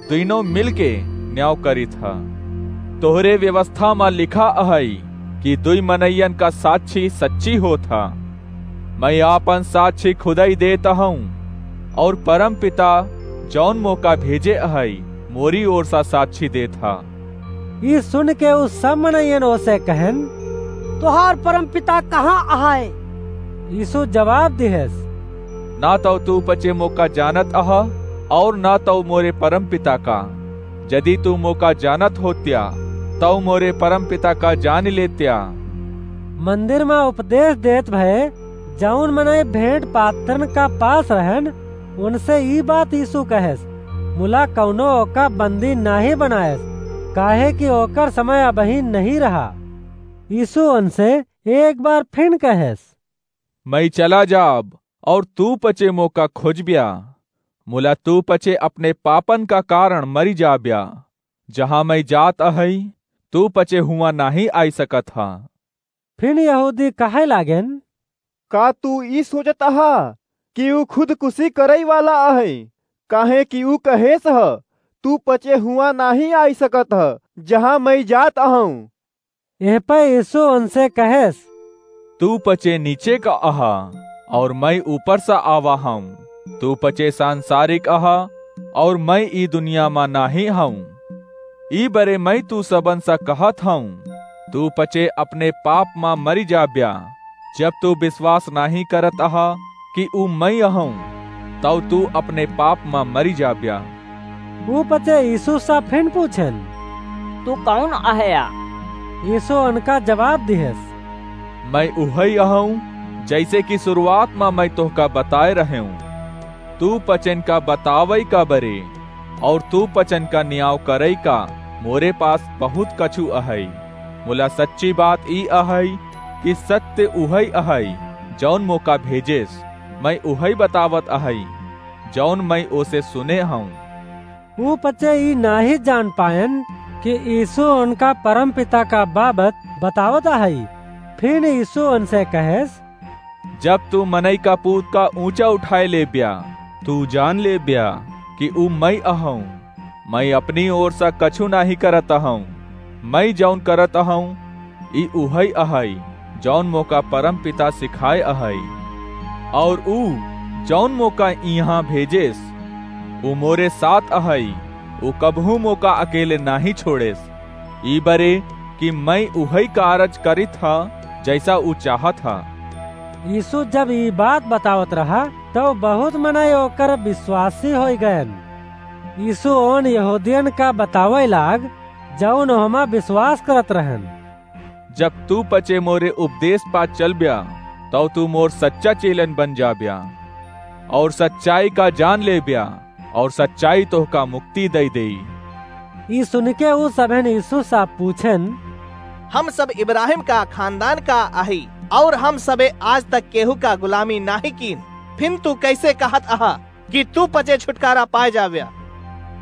दुइनो मिलके न्याव करित ह। तोहरे व्यवस्था मा लिखा अहई कि दुई मनइयन का साक्षी सच्ची होत ह। मैं आपन साक्षी खुदई देत अहऊँ, और परमपिता जौन मोका भेजे अहई, मोरी ओर सा साक्षी देत ह।" ई सुनके उ सब मनइयन ओसे कहेन, "तोहार परमपिता कहाँ अहै?" यीशु जवाब दिहेस, "ना तौ तू पचे मोका जानत अहा, और ना तौ मोरे परमपिता का। जदि तू मोका जानत होत्या, तौ मोरे परमपिता का जान लेत्या।" मंदिर मा उपदेश देत भए जौन मनई भेंट पात्रन का पास रहन, उनसे ई बात यीशु कहेस, मुला कौनो ओका बंदी नाहीं बनायस, काहे कि ओकर समय अबहीं नहीं रहा। यीशु उनसे एक बार फिन कहेस, "मैं चला जाब, और तू पचे मोका खोजब्या, मुला तू पचे अपने पापन का कारण मरी जाब्या। जहाँ मैं जात अहई, तू पचे हुआँ नाहीं आई सकत हा।" फिन यहूदी कहे लागेन, "का तू ई सोचत अहा कि ऊ खुदकुशी करई वाला अहई? काहे कि ऊ कहेस ह, 'तू पचे हुआँ नाहीं आई सकत ह, जहाँ मैं जात अहऊँ।'" एह पे यीशु उनसे कहेस, "तू पचे नीचे का अहा, और मैं ऊपर सा आवा हऊँ। तू पचे सांसारिक अहा, और मैं ई दुनिया मा नाहीं हऊँ। ई बरे मैं तू सबन सा कहत हऊँ, तू पचे अपने पाप मा मरी जाब्या। जब तू विश्वास नाहीं करत अहा कि ऊ मैं अहऊँ, तौ तू अपने पाप मा मरी जाब्या।" ऊ पचे यीशु सा फिन पूछेन, "तू कौन अहया?" यीशु उनका जवाब दिहेस, "मैं उहई अहऊँ, जैसे कि शुरुआत मा मैं तोहका बताए रहेऊँ। तू पचन का बतावई का बरे, और तू पचन का न्याव करई का मोरे पास बहुत कछु अहई। मुला सच्ची बात ई अहई कि सत्य उहई अहई, जौन मोका भेजेस। मैं उहई बतावत अहई, जौन मैं ओसे सुने हऊँ।" ऊ पचे ई नाहीं जान पाएन कि यीशु उनका परमपिता का बाबत बतावत अहई। फिर यीशु उनसे कहेस, "जब तू मनई का पूत का ऊँचा उठाए लेब्या, तू जान लेब्या कि ऊ मैं अहऊँ। मैं अपनी ओर सा कछु नाहीं करत अहऊँ। मैं जौन करत अहऊँ, ई उहई अहई, जौन मोका परमपिता सिखाए अहई। और ऊ, जौन मोका इहाँ भेजेस, ऊ मोरे साथ अहई, ऊ कबहूँ मोका अकेले नाहीं छोड़ेस। ई बरे कि मैं उहई कारज करित ह, जैसा ऊ चाहत ह।" यीशु जब ई बात बतावत रहा, तौ बहुत मनई ओकर विश्वासी होइ गएन। यीशु ओन यहूदियन का बतावै लाग, जौन ओहमा विश्वास करत रहन, "जब तू पचे मोरे उपदेश पा चलब्या, तौ तू मोर सच्चा चेलन बन जाब्या, और सच्चाई का जान लेब्या, और सच्चाई तोहका मुक्ति दई देई।" ई सुनिके ऊ सभेन यीशु सा पूछेन, "हम सब इब्राहिम का खानदान का अही, और हम सबे आज तक केहू का गुलामी नाहीं कीन।" फिन तू कइसे कहत अहा कि तू पचे छुटकारा पाए जाव्या?"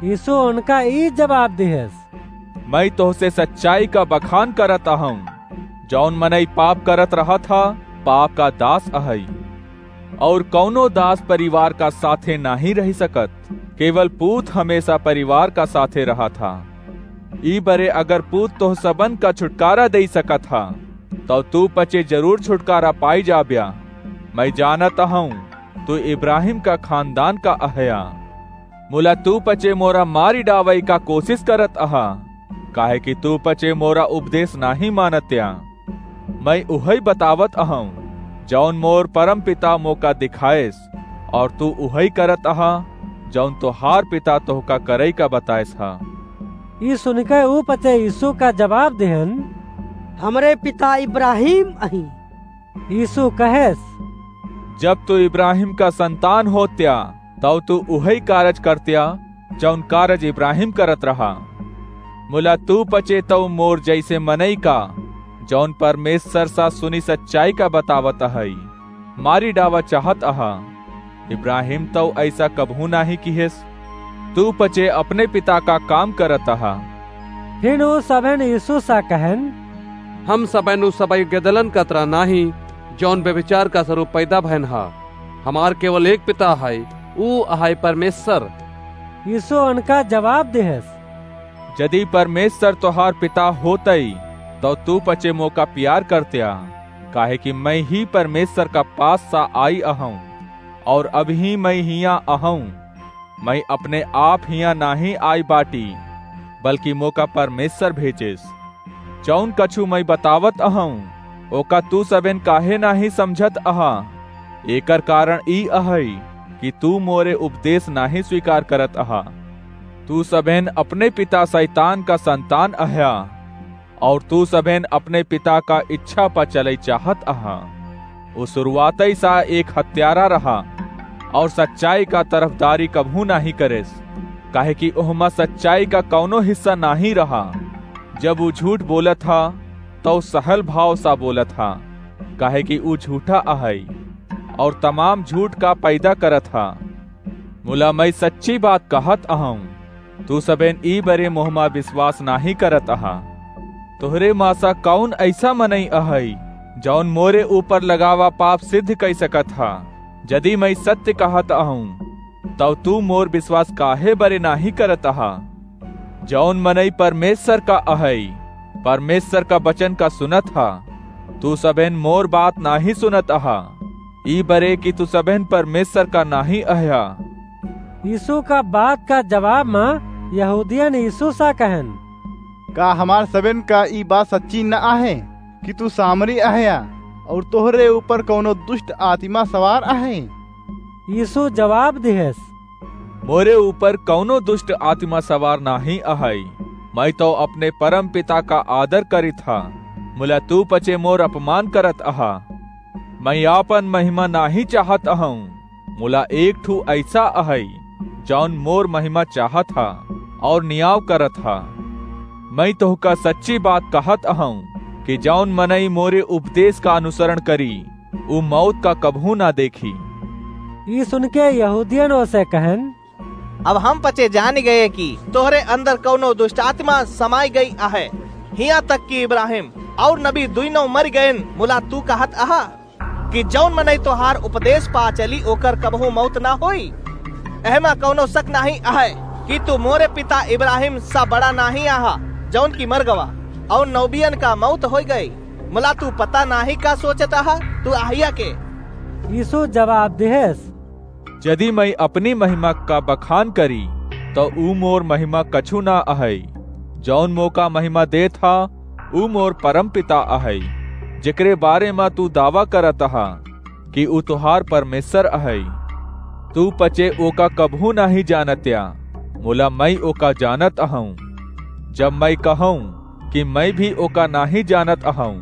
यीशु उनका ई जवाब दिहेस, "मइँ तोहसे सच्चाई का बखान करत अहउँ, जउन मनई पाप करत रहत ह, पाप का दास अहइ। अउर कउनो दास परिवार का साथे नाहीं रहि सकत, केवल पूत हमेसा परिवार का साथे रहत ह। ई बरे अगर पूत तोह सबन का छुटकारा देइ सकत ह, तउ तू पचे जरूर छुटकारा पाइ जाब्या। मइँ जानत अहउँ, तू इब्राहिम का खानदान का अहया। मुला तू पचे मोरा मारि डावइ का कोसिस करत अहा, काहेकि तू पचे मोरा उपदेस नाहीं मानत्या। मइँ उहइ बतावत अहउँ, जउन मोर परमपिता मोका दिखाएस, अउर तू उहइ करत अहा, जउन तोहार पिता तोहका करइ का बताएस ह।" ई सुनिके ऊ पचे यीशु का जवाब दिहेन, "हमरे पिता इब्राहिम अहीं।" यीशु कहेस, "जब तू इब्राहिम का संतान होत्या, तउ तू उहइ कारज करत्या, जउन कारज इब्राहिम करत रहा। मुला तू पचे तउ मोर जइसे मनई का, जउन परमेसर सा सुनी सच्चाई का बतावत अहइ, मारि डावा चाहत अहा। इब्राहिम तउ अइसा कबहूँ नाहीं किहेस। तू पचे अपने पिता का काम करत अहा।" फिन ऊ सबेन यीशु सा कहेन, "हम सबेन ऊ सबइ गदलन का तरह नाहीं, जउन व्यभिचार का सरूप पैदा भएन ह। हमार केवल एक पिता हइ, ऊ अहइ परमेसर।" यीशु उनका जवाब दिहेस, "जदि परमेसर तोहार पिता होतइ, तउ तू पचे मोका पियार करत्या, काहेकि मइँ ही परमेसर का पास सा आई अहउँ, अउर अबहीं मइँ हियाँ अहउँ। मइँ अपने आप हियाँ नाहीं आई बाटी, बल्कि मोका परमेसर भेजेस। जउन कछु मइँ बतावत अहउँ, ओका तू सबेन काहे नाहीं समझत अहा? एकर कारन ई अहइ कि तू मोरे उपदेस नाहीं स्वीकार करत अहा। तू सबेन अपने पिता सैतान का संतान अहया, अउर तू सबेन अपने पिता का इच्छा प चलइ चाहत अहा। ऊ सुरुआतइ सा एक हत्यारा रहा, अउर सच्चाई का तरफदारी कबहूँ नाहीं करेस, काहेकि ओहमा सच्चाई का कउनो हिस्सा नाहीं रहा। जब ऊ झूठ बोलत ह, तउ सहल भाव सा बोलत ह, काहेकि ऊ झूठा अहइ, अउर तमाम झूठ का पैदा करत ह। मुला मइँ सच्ची बात कहत अहउँ, तू सबेन ई बरे मोहमा बिसवास नाहीं करत अहा। तोहरे मा सा कउन अइसा मनई अहइ, जउन मोरे ऊपर लगावा पाप सिद्ध कइ सकत ह? जदि मइँ सत्य कहत अहउँ, तउ तू मोर बिसवास काहे बरे नाहीं करत अहा? जउन मनई परमेसर का अहइ, परमेसर का बचन का सुनत ह। तू सबेन मोर बात नाहीं सुनत अहा, ई बरे कि तू सबेन परमेसर का नाहीं अहया।" यीशु का बात का जवाब मा यहूदियन यीशु सा कहेन, "का हमार सबेन का ई बात सच्ची न अहइ कि तू सामरी अहया, अउर तोहरे ऊपर कउनो दुष्ट आतिमा सवार अहइ?" यीशु जवाब दिहेस, "मोरे ऊपर कउनो दुष्ट आतिमा सवार नाहीं अहइ। मइँ तउ अपने परमपिता का आदर करित ह, मुला तू पचे मोर अपमान करत अहा। मइँ आपन महिमा नाहीं चाहत अहउँ, मुला एक ठू अइसा अहइ, जउन मोर महिमा चाहत ह अउर नियाव करत ह। मइँ तोहका सच्ची बात कहत अहउँ कि जउन मनई मोरे उपदेस का अनुसरण करी, ऊ मौत का कबहूँ ना देखी।" ई सुनके यहूदियन ओसे कहेन, "अब हम पचे जानि गए कि तोहरे अंदर कउनो दुष्ट आतिमा समाइ गइ अहइ। हियाँ तक कि इब्राहिम अउर नबी दुइनों मरि गएन, मुला तू कहत अहा कि जउन मनई तोहार उपदेस पा चली, ओकर कबहूँ मौत ना होई। एहमा कउनो सक नाहीं अहइ कि तू मोरे पिता इब्राहिम सा बड़ा नाहीं अहा, जउन कि मर गवा, अउर नबियन का मौत होइ गइ। मुला तू पता नाहीं का सोचत अहा, तू अहया के?" यीशु जवाब दिहेस, "जदि मइँ अपनी महिमा का बखान करी, तउ ऊ मोर महिमा कछु ना अहइ। जउन मोका महिमा देत ह, ऊ मोर परमपिता अहइ, जेकरे बारे मा तू दावा करत ह कि ऊ तोहार परमेसर अहइ। तू पचे ओका कबहूँ नाहीं जानत्या, मुला मइँ ओका जानत अहउँ। जब मइँ कहउँ कि मइँ भी ओका नाहीं जानत अहउँ,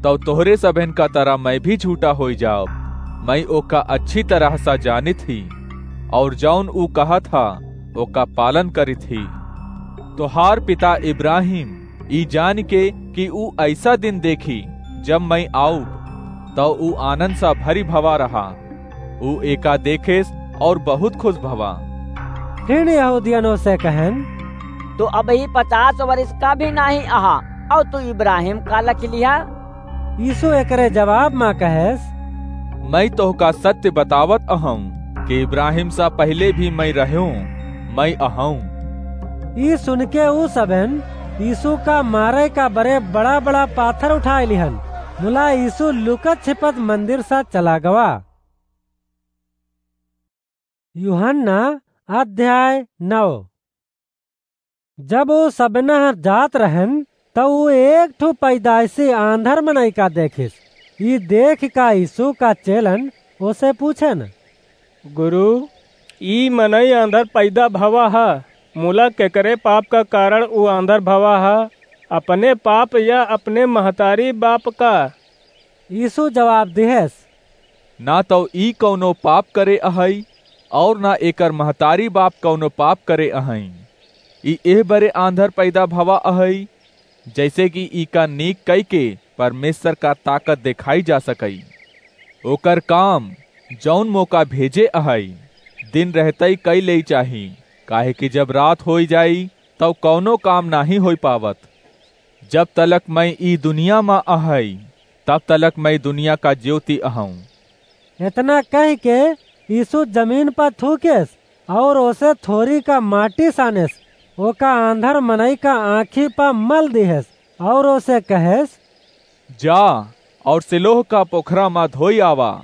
तउ तोहरे सबेन का तरह मइँ भी झूठा होइ जाब। मइँ ओका अच्छी तरह सा जानित ही, अउर जउन ऊ कहत ह, ओका पालन करित ही। तोहार पिता इब्राहिम ई जानिके कि ऊ अइसा दिन देखी, जब मइँ आउब, तउ ऊ आनन्द सा भरी भवा रहा।" ऊ एका देखेस और बहुत खुश भवा। फिर यहूदियन ओसे कहेन, "तू अबही पचास वर्ष का भी नाहीं अहा, और तू इब्राहिम का लखि लिहा?" यीशु एकरे जवाब मा कहेस, "मैं तोहका सत्य बतावत अहूँ कि इब्राहिम सा पहिले भी मैं रहूँ, मैं अहूँ।" ई सुनके ऊ सबेन यीशु का मारे का बरे बड़ा-बड़ा पाथर उठाए लिहन। मुला यीशु लुकत छिपत मंदिर सा चला गवा। यूहन्ना अध्याय नौ। जब ऊ सबेना जात रहेन, त ऊ एक ठो पैदाइसी आंधर मनई का देखिस। ई देख का यीशु का चेलन ओसे पूछेन, "गुरु, ई मनई आंधर पैदा भवा ह, मुला केकरे पाप का कारण ऊ आंधर भवा ह, अपने पाप या अपने महतारी बाप का?" यीशु जवाब दिहेस, "ना तौ ई कौनो पाप करे अहई, और ना एकर महतारी बाप कौनो पाप करे अहई। ई एह बरे आंधर पैदा भवा अहई, जैसे कि ई का नीक कई के परमेश्वर का ताकत देखाई जा सकई। ओकर काम, जौन मोका भेजे अहई, दिन रहतई कई लेई चाही, काहे कि जब रात होई जाई, तौ कौनो काम नाहीं होई पावत। जब तलक मैं ई दुनिया मा अहई, तब तलक मैं दुनिया का ज्योति अहूँ।" इतना कह के यीशु जमीन पर थूकेस और ओसे थोरी का माटी सानेस, ओका आंधर मनई का आँखी पर मल दिहेस और ओसे कहेस, "जा और सिलोह का पोखरा मा धोई आवा।"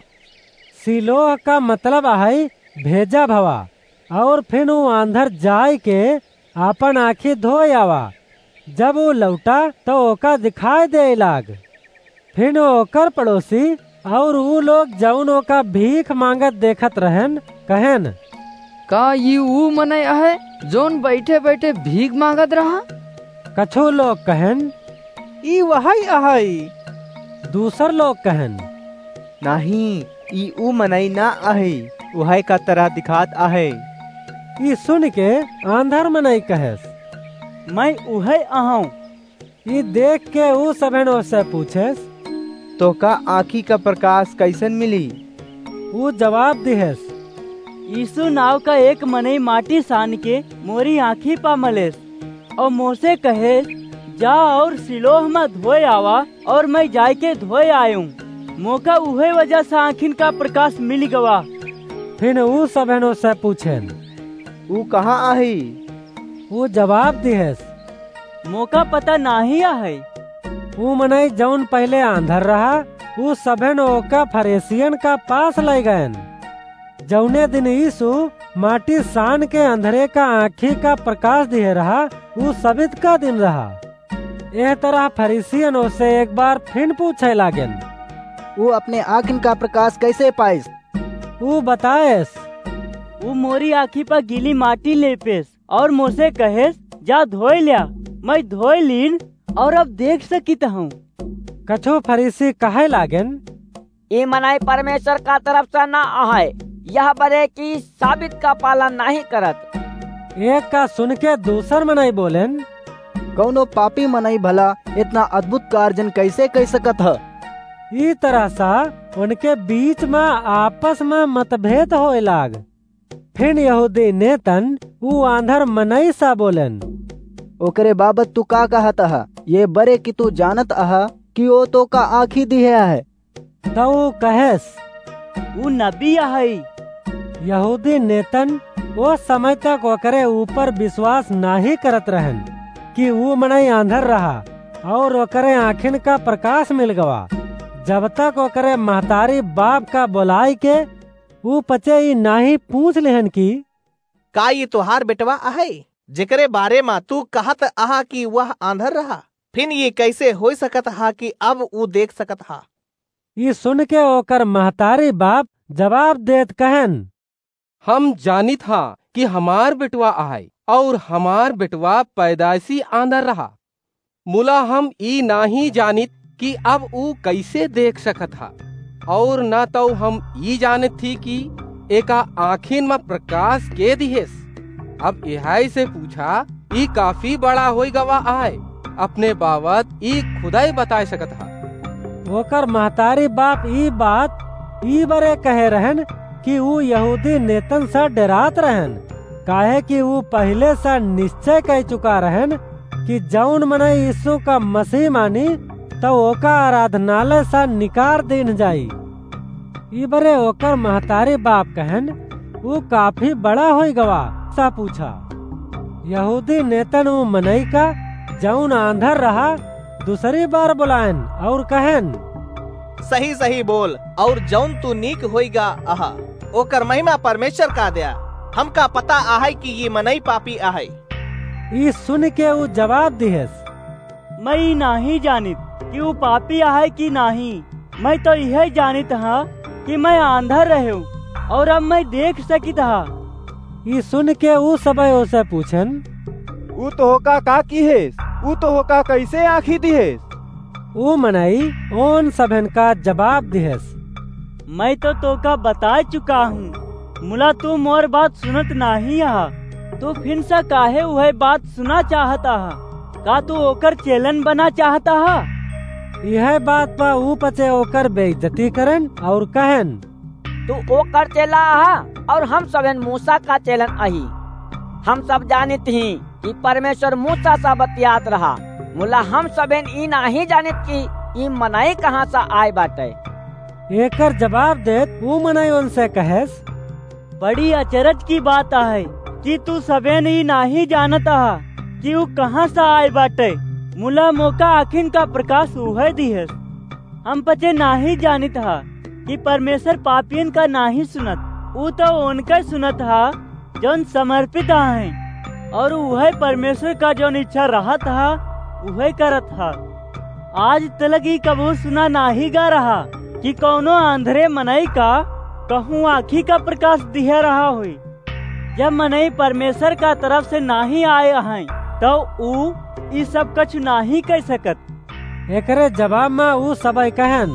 सिलोह का मतलब अहई भेजा भवा। और फिर ऊ आंधर जाए के आपन आँखी धोए आवा। जब ऊ लौटा, तो ओका दिखाई देइ लाग। फिर ओकर पड़ोसी और ऊ लोग, जौन ओका भीख मांगत देखत रहेन, कहेन, "का ई ऊ मनई अहइ, जौन बैठे-बैठे भीख मांगत रहा?" कछु लोग कहेन, "ई वहइ अहइ।" दूसर लोग कहेन, "नाहीं, ई ऊ मनई न अहइ, उहइ का तरह दिखात अहइ।" ई सुनिके आंधर मनई कहेस, "मैं उहइ अहौं।" ई देखके ऊ सभेन ओसे पूछेस, "तोहका आँखी का प्रकाश कइसन मिली?" ऊ जवाब दिहेस, "यीशु नाव का एक मनई माटी सानके मोरी आँखी पा मलेस।" और मोसे कहे, "जा और सिलोह में धोए आवा," और मैं जाइके धोए आयूं। मोका उहे वजह से आँखिन का प्रकाश मिल गवा। फिर ऊ सभेन ओसे पूछेन, "ऊ कहाँ अहइ?" ऊ जवाब दिहेस, "मोका पता नाहीं अहइ।" ऊ मनई जौन पहिले आंधर रहा, ऊ सभेन ओका फरीसियन का पास लइ गएन। जौने दिन यीशु माटी सान के अंधरे का आँखी का प्रकाश दिहे रहा, ऊ सबित का दिन रहा। एह तरह फरीसियन ओसे एक बार फिन पूछे लागेन, "ऊ अपने आँखिन का प्रकाश कइसे पाइस?" ऊ बताएस, "ऊ मोरी आँखी पर गीली माटी लेपेस और मोसे कहेस, 'जा धोए ल्या।' मैं धोए लीन और अब देख सकित हूँ।" कछु फरीसी कहे लागेन, "ई मनई परमेश्वर का तरफ से ना अहइ, यह बरे कि साबित का पालन नाहीं करत।" एक का सुनके दूसर मनई बोलेन, "कौनो पापी मनई भला इतना अद्भुत कार्जन कइसे कइ सकत ह?" ई तरह सा उनके बीच में आपस में मतभेद होए लाग। फिर यहूदी नेतन ऊ आंधर मनई सा बोलेन, "ओकरे बाबत तू का कहत अहा? ये बरे कि तू जानत अहा कि ओ तोका आँखी दिहे अहइ।" तौ ऊ कहेस, "ऊ नबी अहइ।" यहूदी नेतन ओ समय तक ओकरे ऊपर विश्वास नाहीं करत रहेन कि ऊ मनई आंधर रहा और ओकरे आँखिन का प्रकाश मिल गवा, जब तक ओकरे महतारी बाप का बोलाइके ऊ पचे ई नाहीं पूछ लेहन कि, "का ई तोहार बेटवा अहइ, जेकरे बारे मा तू कहत अहा कि वह आंधर रहा? फिन ई कइसे होइ सकत हा कि अब ऊ देख सकत हा?" ई सुनके ओकर महतारी बाप जवाब देत कहेन, "हम जानित हा कि हमार बेटवा अहइ, और हमार बेटवा पैदाइसी आंधर रहा। मुला हम ई नाहीं जानित कि अब ऊ कइसे देख सकत हा, और न तौ हम ई जानित थी कि एका आँखिन म प्रकाश के दिहेस। अब एहइ से पूछा, ई काफी बड़ा होइ गवा अहइ, अपने बाबत ई खुदइ बताए सकत हा।" ओकर महतारी बाप ई बात ई बरे कहे रहेन कि ऊ यहूदी नेतन से डेरात रहन, काहे कि ऊ पहिले से निश्चय कइ चुका रहन कि जउन मनई यीशु का मसीह मानी, तउ ओका आराधनालय से निकार दीन जाई। ई बरे ओकर महतारी बाप कहन, "ऊ काफी बड़ा होइ गवा," सा पूछा। यहूदी नेतन ऊ मनई का, जउन आंधर रहा, दूसरी बार बुलायन अउर कहन, "सही सही बोल, अउर जउन तू नीक होइगा अहा, ओकर महिमा परमेश्वर का द्या। हमका पता आहे कि ई मनई पापी आहे।" ई सुन के ऊ जवाब दिहेस, "मैं ई नाहीं जानित कि ऊ पापी आहे कि नाहीं। मैं तउ इहै जानित हा कि मैं आंधर रहेउ अउर अब मैं देख सकित हा।" ई सुन के ऊ सबइ ओसे पूछन, "ऊ तोहका का किहेस? ऊ तोहका कइसे आँखी दिहेस?" ऊ मनई ओन सभेन का जवाब दिहेस, "मैं तउ तोहका बताइ चुका हूँ, मुला तू मोर बात सुनत नाहीं अहा। तू फिन से काहे उहै बात सुना चाहत अहा? का तू ओकर चेलन बना चाहत अहा?" इहै बात पा ऊ पचे ओकर बेइज्जती करन अउर कहन, "तू ओकर चेला अहा अउर हम सभेन मूसा का चेलन अही। हम सब जानित ही कि परमेश्वर मूसा से बतियात रहा, मुला हम सभेन ई नाहीं जानित कि ई मनई कहाँ से आए बाटे।" एकर जवाब देत ऊ मनई ओनसे कहेस, "बड़ी अचरज की बात आहे कि तू सभेन ई नाहीं जानत अहा कि ऊ कहाँ से आए बाटे, मुला मोका आँखिन का प्रकाश उहै दिहेस। हम पचे नाहीं जानित हा कि परमेश्वर पापियन का नाहीं सुनत, ऊ तउ ओनके सुनत हा जउन समर्पित आहे, अउर उहै परमेश्वर का जउन इच्छा रहत हा, उहै करत हा। आज तलक ई कबहूँ सुना नाहीं गा रहा कि कउनो आंधरे मनई का कहूँ आँखी का प्रकाश दिहे रहा होई। जब मनई परमेश्वर का तरफ से नाहीं आए अहइँ, तउ ऊ ई सब कछु नाहीं कइ सकत।" एकरे जवाब मा ऊ सबइ कहन,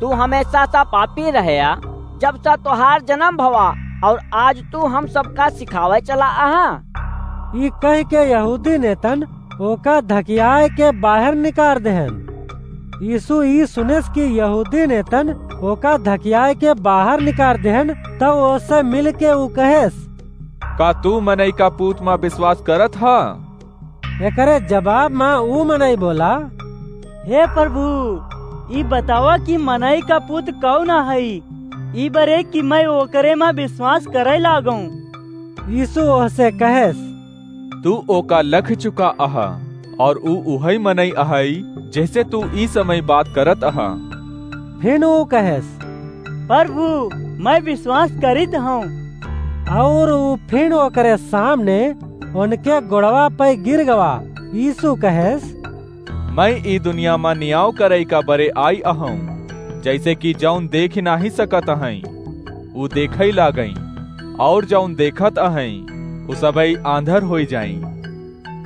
"तू हमेसा सा पापी रहया, जब सा तोहार जनम भवा, अउर आज तू हम सबका सिखावइ चला अहा?" ई कहिके यहूदी नेतन ओका धकियाए के बाहर निकार देहन। यीशु ई सुनेस कि यहूदी नेतन ओका धकियाए के बाहर निकार देहन, तउ ओसे मिलके ऊ कहेस, "का तू मनई का पूत मा विश्वास करत हा?" एकरे जवाब मा ऊ मनई बोला, "हे प्रभु, ई बतावा कि मनई का पूत कउन अहइ, ई बरे कि मैं ओकरे मा विश्वास करइ लागउँ।" यीशु ओहसे कहेस, "तू ओका लख चुका अहा, अउर ऊ उहइ मनई अहइ, जेसे तू ई समय बात करत अहा।" फिन ऊ कहेस, "प्रभु, मैं विश्वास करित हउँ।" अउर ऊ फिन ओकरे सामने ओनके गोड़वा पे गिर गवा। यीशु कहेस, "मैं ई दुनिया मा नियाव करइ का बरे आई अहउँ, जइसे कि जउन देखि नाहीं सकत अहइँ, ऊ देखइ लागइँ, अउर जउन देखत अहइँ, ऊ सबइ आंधर होइ जाइँ।"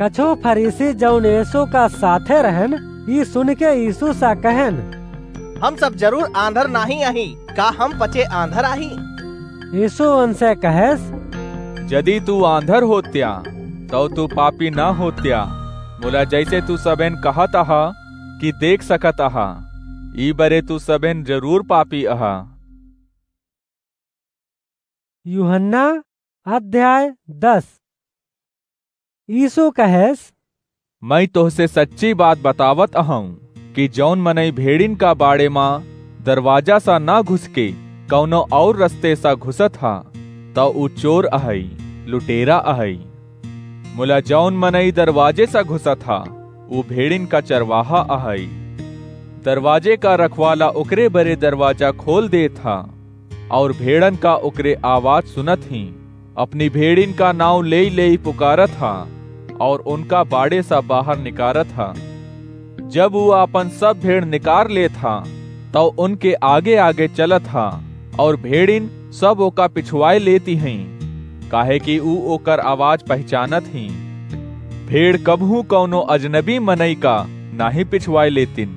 कछू फरीसी जउन यीशु का साथे रहन, ई सुनिके यीशु सा कहन, "हम सब जरूर आंधर नाहीं अही, का हम पचे आंधर आही?" यीशु ओनसे कहेस, "जदि तू आंधर होत्या, तउ तू पापी न होत्या, मुला जइसे तू सबेन कहत अहा कि देख सकत अहा, ई बरे तू सबेन जरूर पापी अहा।" यूहन्ना अध्याय दस। यीशु कहेस, "मैं तोहसे सच्ची बात बतावत अहउँ कि जउन मनई भेड़िन का बाड़े मा दरवाजा सा न घुसके कउनो अउर रस्ते सा घुसत हा, त ऊ चोर अहइ, लुटेरा अहइ। मुला जउन मनई दरवाजे सा घुसत हा, ऊ भेड़िन का चरवाहा अहइ। दरवाजे का रखवाला ओकरे बरे दरवाजा खोल देत हा, अउर भेड़न का ओकरे आवाज सुनत हीं। अपनी भेड़िन का नाउँ लेइ लेइ पुकारत हा, अउर ओनका बाड़े सा बाहर निकारत हा। जब ऊ आपन सब भेड़ निकार लेत हा, तउ ओनके आगे आगे चलत हा, अउर भेड़िन सब ओका पिछुआइ लेती हीं, काहे कि ऊ ओकर आवाज पहिचानत हीं। भेड़ कबहूँ कउनो अजनबी मनई का नाहीं पिछुआइ लेतिन,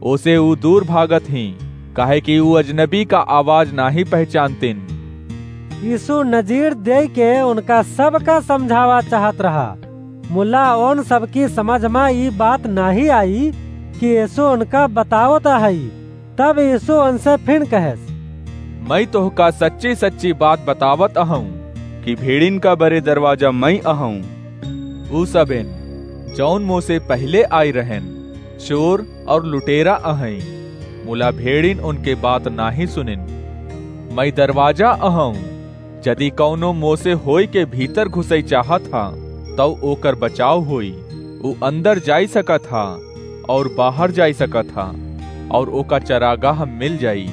ओसे ऊ दूर भागत हीं, काहे कि ऊ अजनबी का आवाज नाहीं पहिचानतिन।" यीशु नजीर देइके ओनका सबका समझावा चाहत रहा, मुला ओन सबकी समझ मा ई बात नाहीं आई कि यीशु ओनका बतावत अहइ। तब यीशु ओनसे फिन कहेस, मई तोहका सच्ची सच्ची बात बतावत अहउँ कि भेड़िन का बरे दरवाजा मई अहउँ। ऊ सबेन जउन मोसे पहिले आइ रहेन, चोर अउर लुटेरा अहइँ, मुला भेड़िन उनके बात नाहीं सुनिन। मई दरवाजा अहउँ, जदि कउनो मोसे होइके भीतर घुसइ चाहत ह, तउ ओकर बचाव होई। ऊ अंदर जाइ सकत ह अउर बाहर जाइ सकत ह, अउर ओका चरागाह मिल जाई।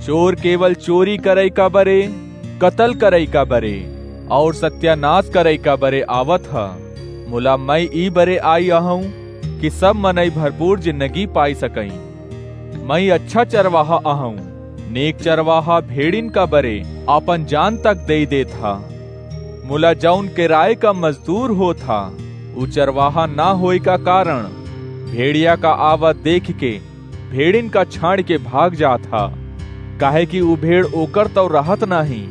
चोर केवल चोरी करइ का बरे, कतल करइ का बरे, अउर सत्यानास करइ का बरे आवत ह। मुला मई ई बरे आइ अहउँ कि सब मनई भरपूर जिन्दगी पाइ सकइँ। मई अच्छा चरवाहा अहउँ। नीक चरवाहा भेड़िन का बरे आपन जान तक देइ देत ह। मुला जउन किराए का मजदूर होत ह, ऊ चरवाहा ना होए का कारन भेड़िया का आवत देखिके भेड़िन का छाड़िके भाग जात ह, काहेकि ऊ भेड़ ओकर तउ रहत नाहीं।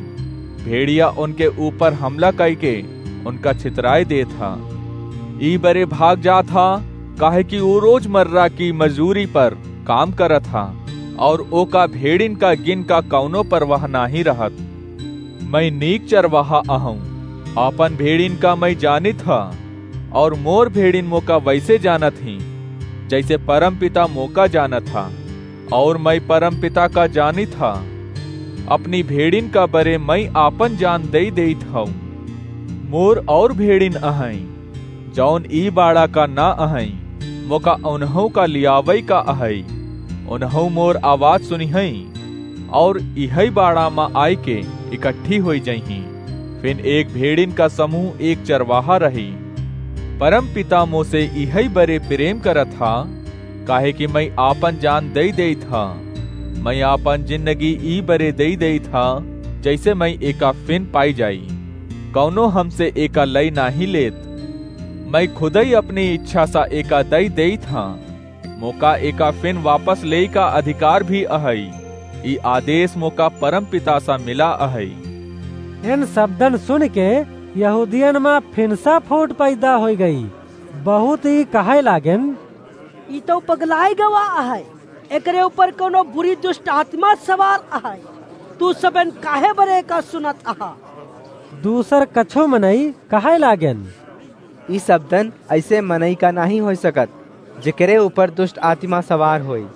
भेड़िया उनके ऊपर हमला कइके उनका छितराइ देत ह। ई बरे भाग जात ह, काहेकि ऊ रोजमर्रा की मजूरी पर काम करत ह, अउर ओका भेड़िन का गिन का कउनो परवाह नाहीं रहत। मई नीक चरवाहा अहउँ, आपन भेड़िन का मई जानित ह, अउर मोर भेड़िन मोका वइसे जानत हीं, जइसे परमपिता मोका जानत ह, अउर मई परमपिता का जानित ह। अपनी भेड़िन का बरे मई आपन जान देइ देइत हउँ। मोर अउर भेड़िन अहइँ, जउन ई बाड़ा का ना अहइँ, मोका उन्हउँ का लियावइ का अहइ। उन्हउँ मोर आवाज सुनिहइँ, अउर इहइ बाड़ा म आइके इकट्ठी होइ जइहीं। फिन एक भेड़िन का समूह एक चरवाहा रही। परमपिता मोसे इहइ बरे प्रेम करत ह, काहेकि मई आपन जान देइ देइत ह। मई आपन जिन्दगी ई बरे देइ देइत ह, जइसे मई एका फिन पाइ जाई। कउनो हमसे एका लइ नाहीं लेत। मई खुदइ अपनी इच्छा सा एका दइ देइत ह। मोका एका फिन वापस लेइ का अधिकार भी अहइ। ई आदेस मोका परमपिता सा मिला अहइ। इन सबदन सुनिके यहूदियन म फिनसा फूट पैदा होइ गई। बहुत ई कहइ लागेन, "ई तउ पगलाइ गवा अहइ, एकरे ऊपर कउनो बुरी दुष्ट आत्मा सवार अहइ। तू सबेन काहे बरे का सुनत अहा?" दूसर कछो मनई कहइ लागेन, "ई सबदन अइसे मनई का नाहीं होइ सकत, जेकरे ऊपर दुष्ट आत्मा सवार होई।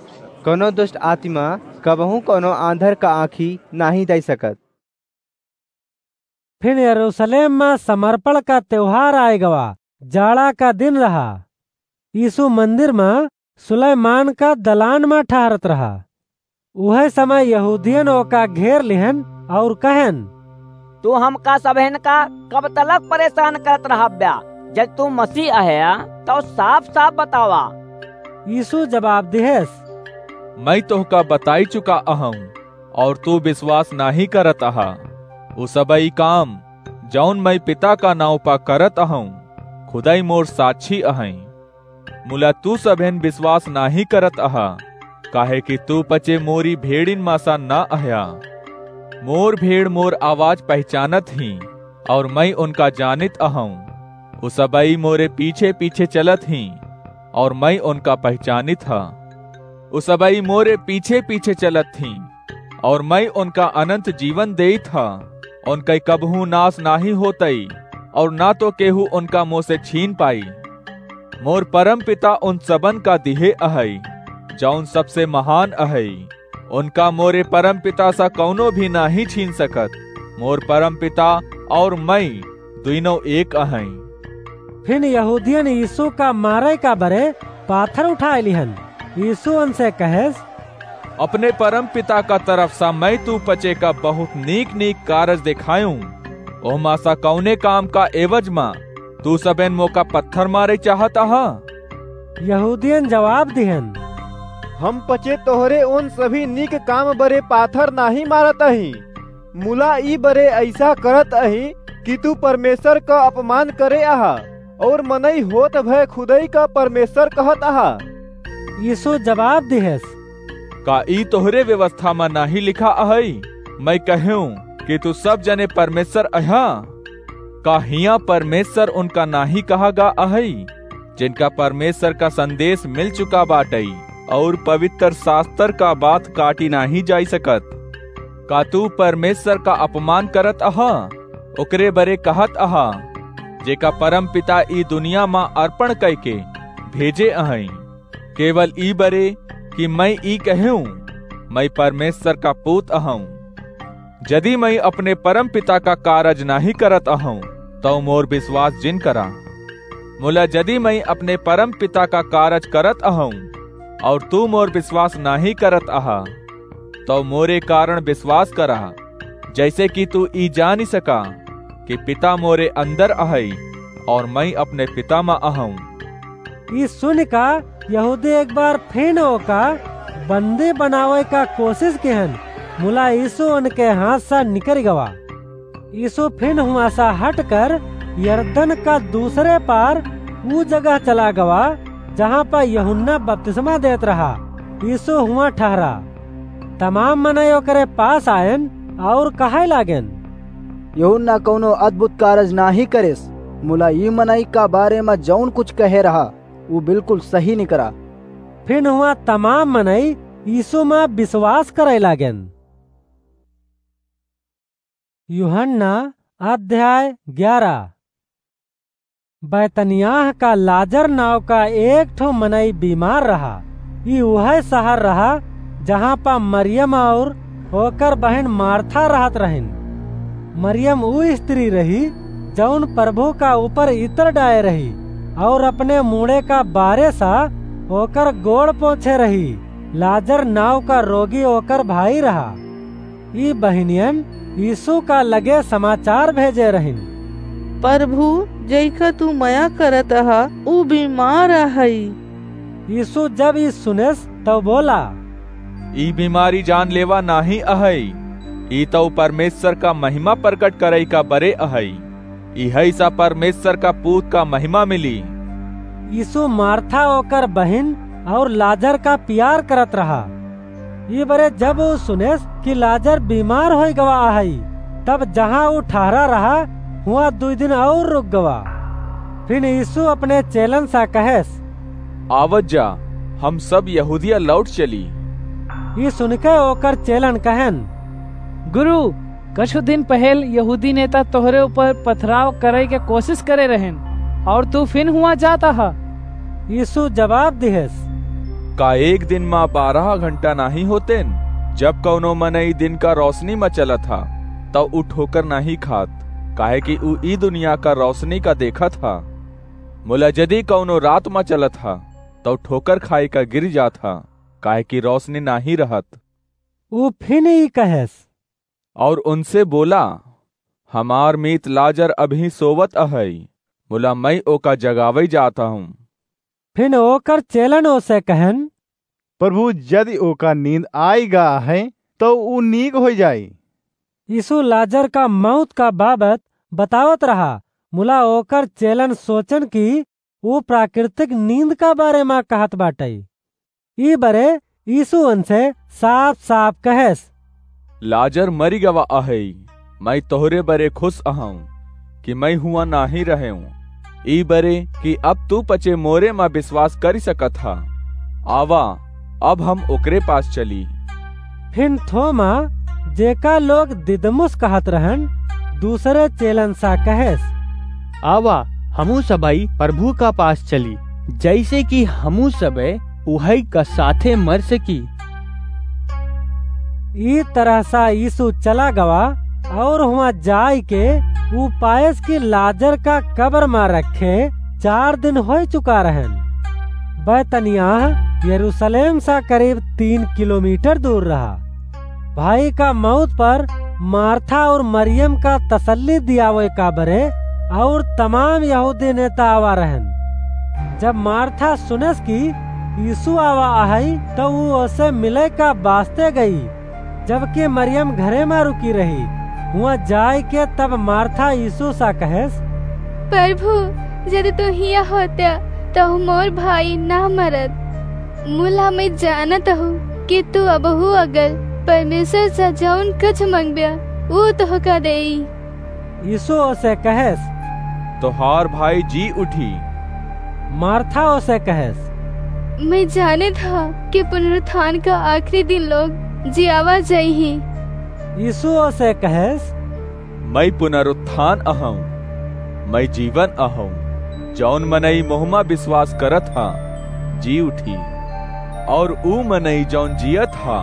कउनो दुष्ट आत्मा कबहूँ कउनो आँधर का आँखी नाहीं दइ सकत।" फिन यरूसलेम म समर्पण का तेवहार आइ गवा, जाड़ा का दिन रहा। यीसू मंदिर म सुलैमान का दलान म ठहरत रहा। उहइ समय यहूदियन ओका घेर लिहेन अउर कहेन, "तू हमका सबहिन का कब तलक परेसान करत रहब्या? जदि तू मसीह अहया, तउ साफ-साफ बतावा।" यीसू जबाब दिहेस, "मई तोहका बताइ चुका अहउँ, अउर तू बिसवास नाहीं करत अहा। उ सबई काम, जउन मई पिता का नाउँ प करत अहउँ, खुदई मोर साक्षी अहइँ। मुला तू सबहिन बिसवास नाहीं करत अहा, काहेकि तू पचे मोरी भेड़िन म सा न अहया। मोर भेड़ मोर आवाज पहिचानत हीं, अउर मई उनका जानित अहउँ। उ सबई मोरे पीछे-पीछे चलत हीं, अउर मई उनका पहिचानित ह। उ सबई मोरे पीछे-पीछे चलत हीं, अउर मई उनका अनन्त जीवन देइत ह। उनकइ कबहूँ नास नाहीं होतइ, अउर न तो केहू उनका मोसे छीन पाई। मोर परमपिता उन सबन का दिहे अहइ, जउन सबसे महान अहइ। उनका मोरे परमपिता सा कउनो भी नाहीं छीन सकत। मोर परमपिता अउर मई दुइनो एक अहइँ।" फिन यहूदियन यीसू का मारइ का बरे पाथर उठाय लिहन। यीसू उनसे कहेस, "अपने परमपिता का तरफ सा मई तू पचे का बहुत नीक-नीक कारज देखायूँ, ओहमा सा कउने काम का एवज म तू सबेन मोका पत्थर मारइ चाहत अहा?" यहूदियन जबाब दिहेन, "हम पचे तोहरे उन सभी नीक काम बरे पाथर नाहीं मारत अही, मुला ई बरे अइसा करत अही कि तू परमेसर क अपमान करे अहा, अउर मनई होत भय खुदई क परमेसर कहत अहा।" यीसू जबाब दिहेस, "का ई तोहरे व्यवस्था म नाहीं लिखा अहइ, मई कहेंव कि तू सब जने परमेसर अहा? का हियाँ परमेसर उनका नाहीं कहा गा अहइ, जिनका परमेसर का संदेस मिल चुका बाटइ, अउर पबितर सास्तर का बात काटी नाहीं जाइ सकत?" का तू परमेश्वर का अपमान करत अहा? ओकरे बरे कहत अहा, जेका परमपिता ई दुनिया मा अर्पण कइके भेजे अहई। केवल ई बरे कि मइँ ई कहेऊँ, मइँ परमेश्वर का पूत अहऊँ। जदि मइँ अपने परमपिता का कारज नाहीं करत अहऊँ, तउ मोर बिसवास जिन करा। मुला जदि मइँ अपने परमपिता का कारज करत अहऊँ, अउर तू मोर बिसवास नाहीं करत अहा, तउ मोरे कारण बिसवास करा, जइसे कि तू ई जानि सका कि पिता मोरे अंदर अहई, अउर मइँ अपने पिता मा अहऊँ। ई सुनिका यहूदी एक बार फिन ओका बंदी बनावइ का कोसिस किहन, मुला यीसू उनके हाथ सा निकरि गवा। यीसू फिन हुआँ सा हटकर यरदन का दूसरे पार ऊ जगह चला गवा, जहाँ प यूहन्ना बपतिस्मा देत रहा। यीसू हुआँ ठहरा। तमाम मनई ओकरे पास आयन अउर कहइ लागेन, यूहन्ना कउनो अद्भुत कारज नाहीं करिस, मुला ई मनई का बारे म जउन कुछ कहे रहा, ऊ बिलकुल सही निकरा। फिन हुआँ तमाम मनई यीसू म बिसवास करइ लागेन। यूहन्ना अध्याय ग्यारह। बैतनियाह का लाजर नाव का एक ठो मनई बीमार रहा। ई उहइ सहर रहा, जहाँ प मरियम अउर ओकर बहिन मार्था रहत रहिन। मरियम ऊ स्त्री रही, जउन परभू का ऊपर इतर डाए रही, अउर अपने मूड़े का बारे सा ओकर गोड़ पोंछे रही। लाजर नाव का रोगी ओकर भाई रहा। ई बहिनियन यीसू का लगे समाचार भेजे रहिन, "परभू, जेका तू मया करत अहा, ऊ बीमार अहइ।" यीसू जब ई सुनेस, तउ बोला, "ई बीमारी जानलेवा नाहीं अहइ, ई तउ परमेश्वर का महिमा परगट करइ का बरे अहइ। इहइ सा परमेश्वर का पूत का महिमा मिली।" यीसू मार्था ओकर बहिन अउर लाजर का पियार करत रहा। ई बरे जब ऊ सुनेस कि लाजर बीमार होइ गवा अहइ, तब जहाँ ऊ ठहरा रहा, हुआँ दुइ दिन अउर रुक गवा। फिन यीसू अपने चेलन सा कहेस, "आवत जा, हम सब यहूदिया लौट चली।" ई सुनिके ओकर चेलन कहेन, "गुरु, कछु दिन पहेल यहूदी नेता तोहरे ऊपर पथराव करइ के कोसिस करे रहेन, अउर तू फिन हुआँ जात अहा?" यीसू जबाब दिहेस, "का एक दिन मा बारह घंटा नाहीं होतेन? जब कउनो मनई दिन का रौसनी मा चलत हा, तउ ऊ ठोकर नाहीं खात, काहेकि ऊ ई दुनिया का रौसनी का देखत हा। मुला जदि कउनो रात मा चलत हा, तउ ठोकर खाइ का गिर जात हा, काहेकि रौसनी नाहीं रहत।" ऊ फिन ई कहेस, अउर उनसे बोला, "हमार मीत लाजर अबहीं सोवत अहइ, मुला मइँ ओका जगावइ जात हऊँ।" फिन ओकर चेलन ओसे कहेन, "परभू, जदि ओका नींद आइ गा अहइ, तउ ऊ नीक होइ जाई।" यीसू लाजर का मउत का बाबत बतावत रहा, मुला ओकर चेलन सोचेन कि ऊ प्राकृतिक नींद का बारे मा कहत बाटइ। ई बरे यीसू उनसे साफ-साफ कहेस, "लाजर मरि गवा अहइ, मइँ तोहरे बरे खुस अहऊँ कि मइँ हुआँ नाहीं रहेऊँ, ई बरे कि अब तू पचे मोरे मा बिसवास करि सकत हा। आवा, अब हम ओकरे पास चली।" फिन थोमा, जेका लोग दिदमुस कहत रहन, दूसरे चेलन सा कहेस, "आवा, हमू सबइ परभू का पास चली, जइसे कि हमू सबइ उहइ का साथे मर सकी।" ई तरह सा यीसू चला गवा, अउर हुआँ जाइके ऊ पाएस कि लाजर का कबर मा रखे चार दिन होइ चुका रहन। बैतनियाह यरूसलेम सा करीब तीन किलोमीटर दूर रहा। भाई का मउत पर मार्था अउर मरियम का तसल्ली दियावइ का बरे अउर तमाम यहूदी नेता आवा रहन। जब मार्था सुनेस कि यीसू आवा अहइ, तउ ऊ ओसे मिलइ का बास्ते गई, जबकि मरियम घरे मा रुकी रही। हुआँ जाइके तब मार्था यीसू सा कहेस, "परभू, जदि तू हियाँ होत्या, तउ मोर भाई न मरत। मुला मइँ जानत हूँ कि तू अबहू अगर परमेश्वर सा जउन कुछ मँगब्या, ऊ तोहका देई।" यीसू ओसे कहेस, "तोहार भाई जी उठी।" मार्था ओसे कहेस, "मइँ जानेत हा कि पुनरुत्थान का आखिरी दिन लोग जियावा जइहीं।" यीशु ओसे कहेस, "मई पुनरुत्थान अहौं, मई जीवन अहौं। जौन मनई मोहमा विश्वास करत हा, जी उठी। और ऊ मनई जौन जियत हा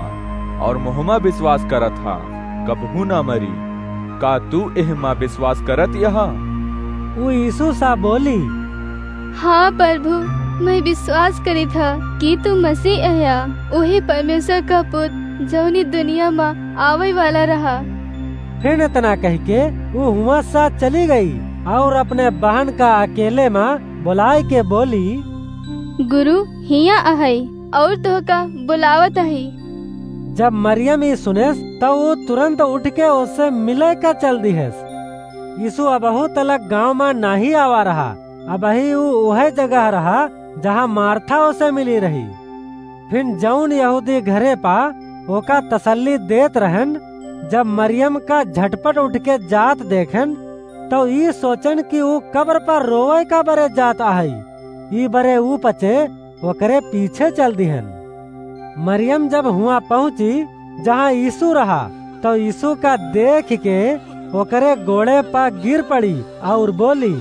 और मोहमा विश्वास करत हा, कबहू ना मरी। का तू एहमा विश्वास करत यहा?" ऊ यीशु सा बोली, "हाँ प्रभु, मई विश्वास करित हा कि तू मसीह अह्या, उही परमेश्वर का पुत, जौनी दुनिया मा आवै वाला रहा।" फिर इतना कहिके ऊ हुआँ सा चली गई और अपने बहन का अकेले मा बोलाइके बोली, "गुरु हियाँ अहै और तोहका बोलावत अही।" जब मरियम ई सुनेस, तौ ऊ तुरंत उठके ओसे मिलै का चल दिहेस। यीशु अबहू तलक गाँव मा नाहीं आवा रहा, अबही ऊ उहै जगह रहा, जहाँ मार्था ओसे मिली रही। फिन जौन यहूदी घरे पा ओका तसल्ली देत रहन, जब मरियम का झटपट उठके जात देखन, तौ ई सोचन कि ऊ कब्र पर रोवै का बरे जात अहै। ई बरे ऊ पचे ओकरे पीछे चल दिहन। मरियम जब हुआँ पहुँची, जहाँ यीशु रहा, तौ यीशु का देखिके ओकरे गोड़े पा गिर पड़ी और बोली,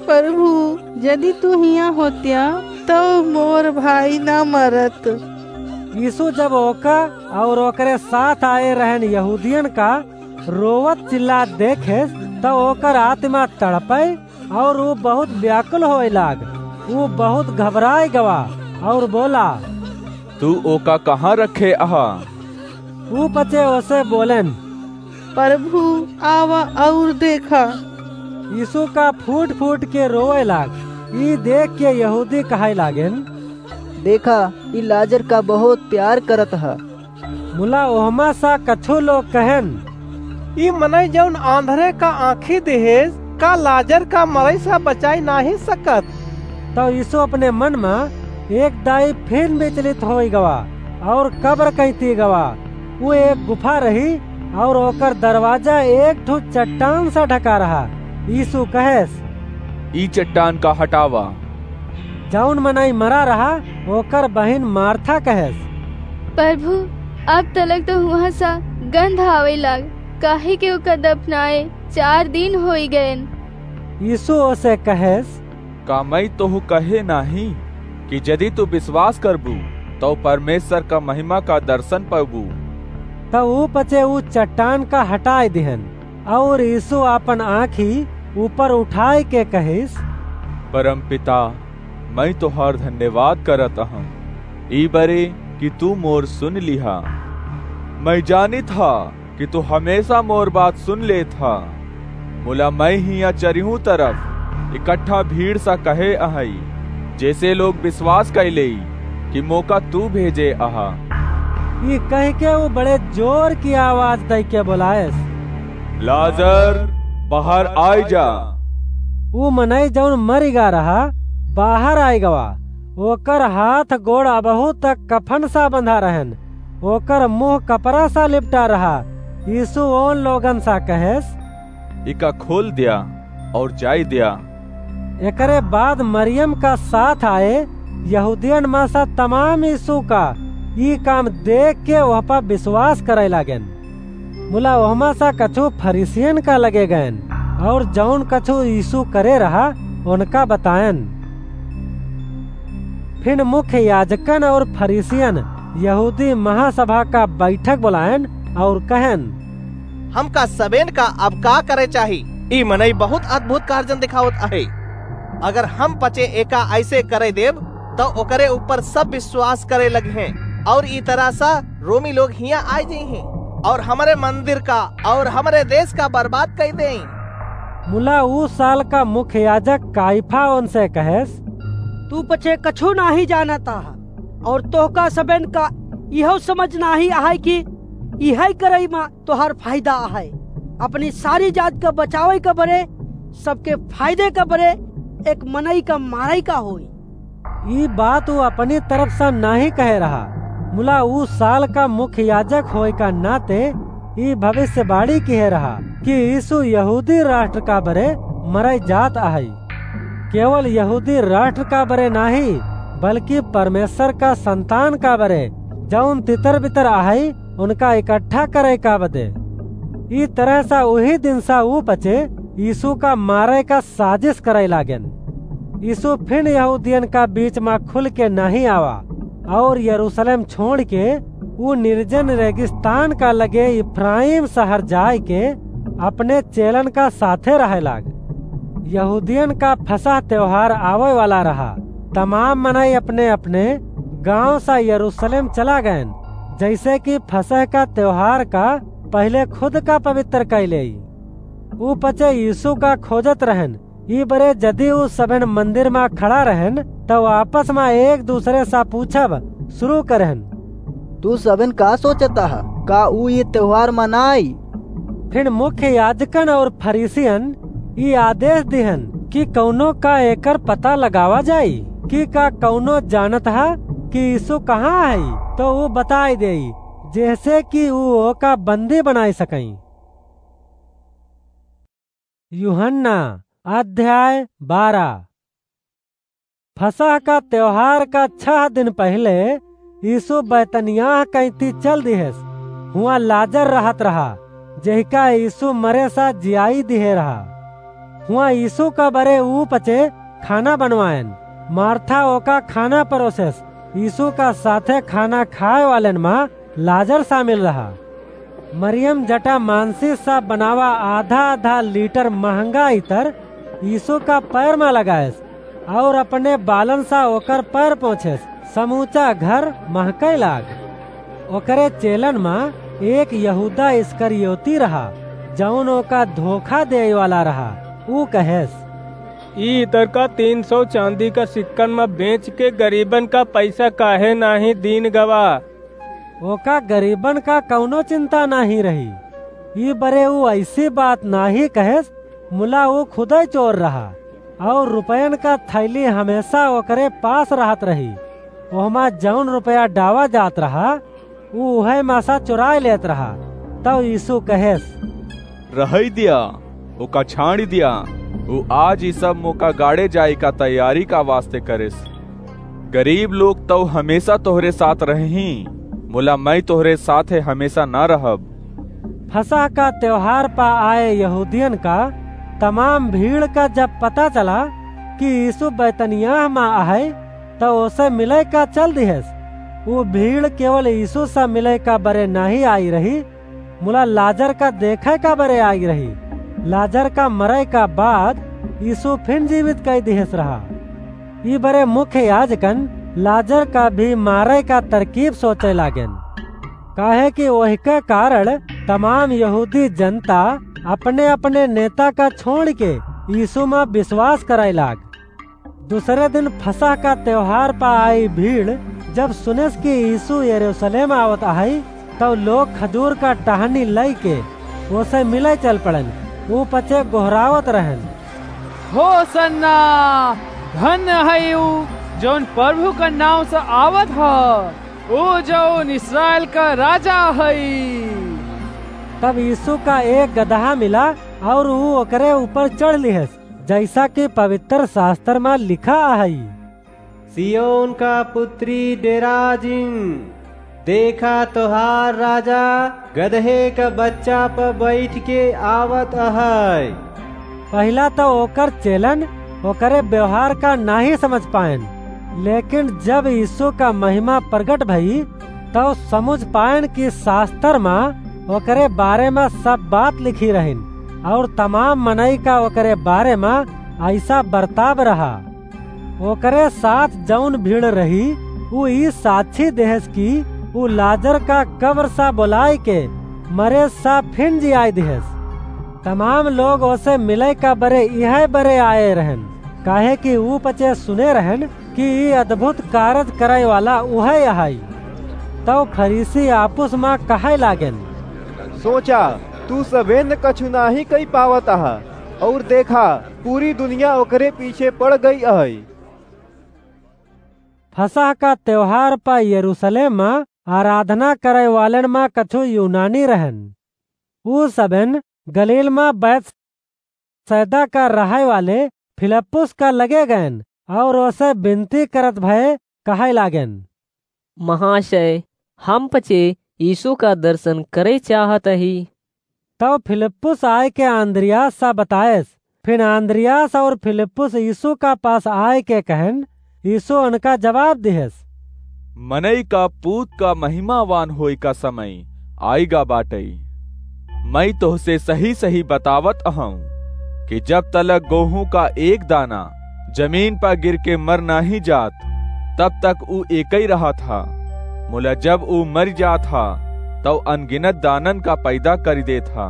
"प्रभु, यदि तू हियाँ होत्या, तौ मोर भाई ना मरत।" यीशु जब ओका और ओकरे साथ आए रहन यहूदियन का रोवत चिल्लात देखेस, तौ ओकर आत्मा तड़पै और ऊ बहुत व्याकुल होए लाग। ऊ बहुत घबराए गवा और बोला, "तू ओका कहाँ रखे अहा?" ऊ पचे ओसे बोलेन, "प्रभु, आवा और देखा।" यीशु का फूट फूट के रोए लाग। ई देख के यहूदी कहै लागेन, "देखा, ई लाजर का बहुत प्यार करत ह।" मुला ओहमा सा कछु लोग कहेन, "ई मनई जौन आंधरे का आँखी दिहेस, का लाजर का मरई सा बचाई नाहीं सकत?" तौ यीशु अपने मन मा एक दाई फिन विचलित होई गवा और कब्र कैती गवा। ऊ एक गुफा रही और ओकर दरवाजा एक ठो चट्टान सा ढका रहा। यीशु कहेस, "ई चट्टान का हटावा।" जौन मनई मरा रहा, ओकर बहिन मार्था कहेस, "प्रभु, अब तलक तो हुआँ सा गंध आवै लाग, काहे कि ओका दफनाए चार दिन होई गएन।" यीशु ओसे कहेस, "का मई तोहू कहे नाहीं कि यदि तू विश्वास करबू, तौ परमेश्वर का महिमा का दर्शन पउबू?" तौ ऊ पचे ऊ चट्टान का हटाए दिहन। और यीशु आपन आँखी ऊपर उठाइके कहिस, "परमपिता, मई तोहार धन्यवाद करत अहौं, ई बरे कि तू मोर सुन लिहा। मई जानित हा कि तू हमेशा मोर बात सुन लेत हा। मुला मई हियाँ चरिहू तरफ इकट्ठा भीड़ सा कहे अहई, जैसे लोग विश्वास कइ लेई कि मोका तू भेजे अहा।" ई कहिके ऊ बड़े जोर की आवाज दइके बोलायस, "लाजर, बाहर आइ जा।" ऊ मनई जौन मरि गा रहा, बाहर आइ गवा। ओकर हाथ गोड़ अबहू तक कफन सा बंधा रहन, ओकर मुँह कपड़ा सा लिपटा रहा। यीशु ओन लोगन सा कहेस, "इका खोल द्या और जाइ द्या।" एकरे बाद मरियम का साथ आए यहूदियन मा सा तमाम यीशु का ई काम देखके ओह पा विश्वास करै लागेन। मुला ओहमा सा कछु फरीसियन का लगे गएन और जौन कछु यीशु करे रहा, ओनका बताएन। फिन मुख्य याजकन और फरीसियन यहूदी महासभा का बैठक बोलाएन और कहेन, "हमका सबेन का अब का करे चाही? ई मनई बहुत अद्भुत कार्जन दिखावत अहै। अगर हम पचे एका अइसे करे देब, तौ ओकरे ऊपर सब विश्वास करे लगिहें, और ई तरह सा रोमी लोग हियाँ आइ जइहें और हमरे मंदिर का और हमरे देश का बर्बाद कइ देइँ।" मुला ऊ साल का मुख्य याजक काइफा ओनसे कहेस, "तू पचे कछु नाहीं जानत अहा, और तोहका सबेन का इहौ समझ नाहीं अहै कि इहै करई मा तोहार फायदा अहै। अपनी सारी जात का बचावै का बरे, सबके फायदे का बरे, एक मनई का मारई का होई।" ई बात ऊ अपनी तरफ सा नाहीं कहे रहा, मुला ऊ साल का मुख्य याजक होए का नाते ई भविष्यवाणी किहे रहा कि यीशु यहूदी राष्ट्र का बरे मरई जात अहई। केवल यहूदी राष्ट्र का बरे नाहीं, बल्कि परमेश्वर का संतान का बरे, जौन तितर बितर अहई, उनका इकट्ठा करे का बदे। ई तरह सा उही दिन सा ऊ पचे यीशु का मारे का साजिश करे लागेन। यीशु फिन यहूदियन का बीच मा खुल के नाहीं आवा और यरूशलेम छोड़ के ऊ निर्जन रेगिस्तान का लगे इफ्राइम शहर जाए के अपने चेलन का साथे रहे लाग। यहूदियन का फसह त्योहार आवे वाला रहा। तमाम मनई अपने अपने गांव सा यरूशलेम चला गएन, जैसे कि फसह का त्योहार का पहिले खुद का पवित्र कैले। ऊ पचे यीशु का खोजत रहन। ई बरे जदि ऊ सबेन मंदिर मा खड़ा रहन, तउ आपस मा एक दूसरे सा पूछब शुरू करहन, "तू सबेन का सोचत ह? का ऊ ई त्योहार मनाई?" फिर मुख्य याजकन और फरीसियन ई आदेश दिहन कि कउनो का एकर पता लगावा जाई कि का कउनो जानत ह कि यीशु कहाँ है, तो ऊ बताई देई, जेहसे कि ऊ ओका बंदी बनाई सकई। यूहन्ना अध्याय बारह। फसह का त्योहार का छह दिन पहिले यीशु बैतनियाह कैती चल दिहेस। हुआं लाजर रहत रहा, जेहिका यीशु मरे सा जियाई दिहे रहा। हुआं यीशु का बरे ऊ पचे खाना बनवाएन। मार्था ओका खाना परोसेस। यीशु का साथे खाना खाए वालेन मा लाजर शामिल रहा। मरियम जटा मांसी सा बनावा आधा आधा लीटर महंगा इतर यीशु का पैर मा लगाएस और अपने बालन सा ओकर पैर पोंछेस। समूचा घर महके लाग। ओकरे चेलन मा एक यहूदा इस्करियोती रहा, जौन ओका धोखा देवे वाला रहा। ऊ कहेस, "ई इतर का तीन सौ चांदी का सिक्कन मा बेच के गरीबन का पैसा काहे नाहीं दीन गवा?" ओका गरीबन का कउनो चिंता नाहीं रही। ई बरे ऊ ऐसी बात नाहीं कहेस, मुला ऊ खुदै चोर रहा, और रुपयन का थैली हमेशा ओकरे पास रहत रही। ओहमा जौन रुपया डावा जात रहा, ऊ उहै मा सा चुराए लेत रहा। तब यीशु कहेस, "रहई दिया, ओका छाड़ी दिया। ऊ आज ई सब मोका गाड़े जाए का तैयारी का वास्ते करेस। गरीब लोग तउ हमेशा तोहरे साथ रहही, मुला मैं तोहरे साथे हमेशा ना रहब।" फसह का त्योहार पा आए यहूदियन का तमाम भीड़ का जब पता चला कि यीशु बैतनियाह मा आहे, त ओसे मिले का चल दिहेस। ऊ भीड़ केवल यीशु सा मिले का बरे नाहीं आई रही, मुला लाजर का देखे का बरे आई रही। लाजर का मरे का बाद यीशु फिन जीवित कई दिहेस रहा। ई बरे मुख्य याजकन लाजर का भी मारे का तरकीब सोचे लागेन, काहे कि ओहिके कारण तमाम यहूदी जनता अपने अपने नेता का छोड़ के यीशु मा विश्वास करे लाग। दूसरे दिन फसह का त्योहार पा आई भीड़ जब सुनेस कि यीशु यरूशलेम आवत आहे, तब लोग खजूर का टहनी लई के ओसे मिले चल पड़न। ऊ पचे गोहरावत रहन, "होसन्ना! धन्य है ऊ जौन प्रभु का नाव से आवत ह, ऊ जौन इस्राएल का राजा है।" तब यीशु का एक गदहा मिला और ऊ ओकरे ऊपर चढ़ लिहेस, जैसा कि पवित्र शास्त्र मा लिखा है, "सियोन का पुत्री डेरा जिन, देखा तोहार राजा गदहे का बच्चा पर बैठ के आवत अहै।" पहिला तो ओकर चेलन ओकरे व्यवहार का नाहीं समझ पाएन, लेकिन जब यीशु का महिमा प्रगट भई, तब समझ पाएन कि शास्त्र मा ओकरे बारे मा सब बात लिखी रहिन और तमाम मनई का ओकरे बारे मा ऐसा बर्ताव रहा। ओकरे साथ जौन भीड़ रही, ऊ ई साक्षी देहेस कि ऊ लाजर का कब्र सा बोलाए के मरे सा फिन जियाए दिहेस। तमाम लोग ओसे मिले का बरे इहे बरे आए रहन, काहे कि ऊ पचे सुने रहन कि ई अद्भुत कारज करे वाला उहे अहाई। तब फरीसी आपुस मा कहे लागेन, "सोचा, तू सबेन कछु नाहीं कई पावत अहा, और देखा, पूरी दुनिया ओकरे पीछे पड़ गई अहै।" फसह का त्योहार पा यरूशलेम मा आराधना करे वालेन मा कछु यूनानी रहन। ऊ सबेन गलील मा बैतसैदा का रहे वाले फिलिप्पुस का लगे गएन और ओसे विनती करत भये कहे लागेन, "महाशय, हम पचे यीशु का दर्शन करे चाहत ही।" तब फिलिप्पुस आय के आंद्रियास सा बताएस। फिर आंद्रियास और फिलिप्पुस यीशु का पास आय के कहन, यीशु उनका जवाब दिहेस, मनई का पूत का महिमावान होए का समय आइगा बाटई। मैं तोहसे सही सही बतावत अहूँ कि जब तलक गोहूँ का एक दाना जमीन पर गिर के मर नाही जात, तब तक ऊ एकई रहत हा। मुला जब ऊ मर जात हा, तब अनगिनत दानन का पैदा करि देत हा।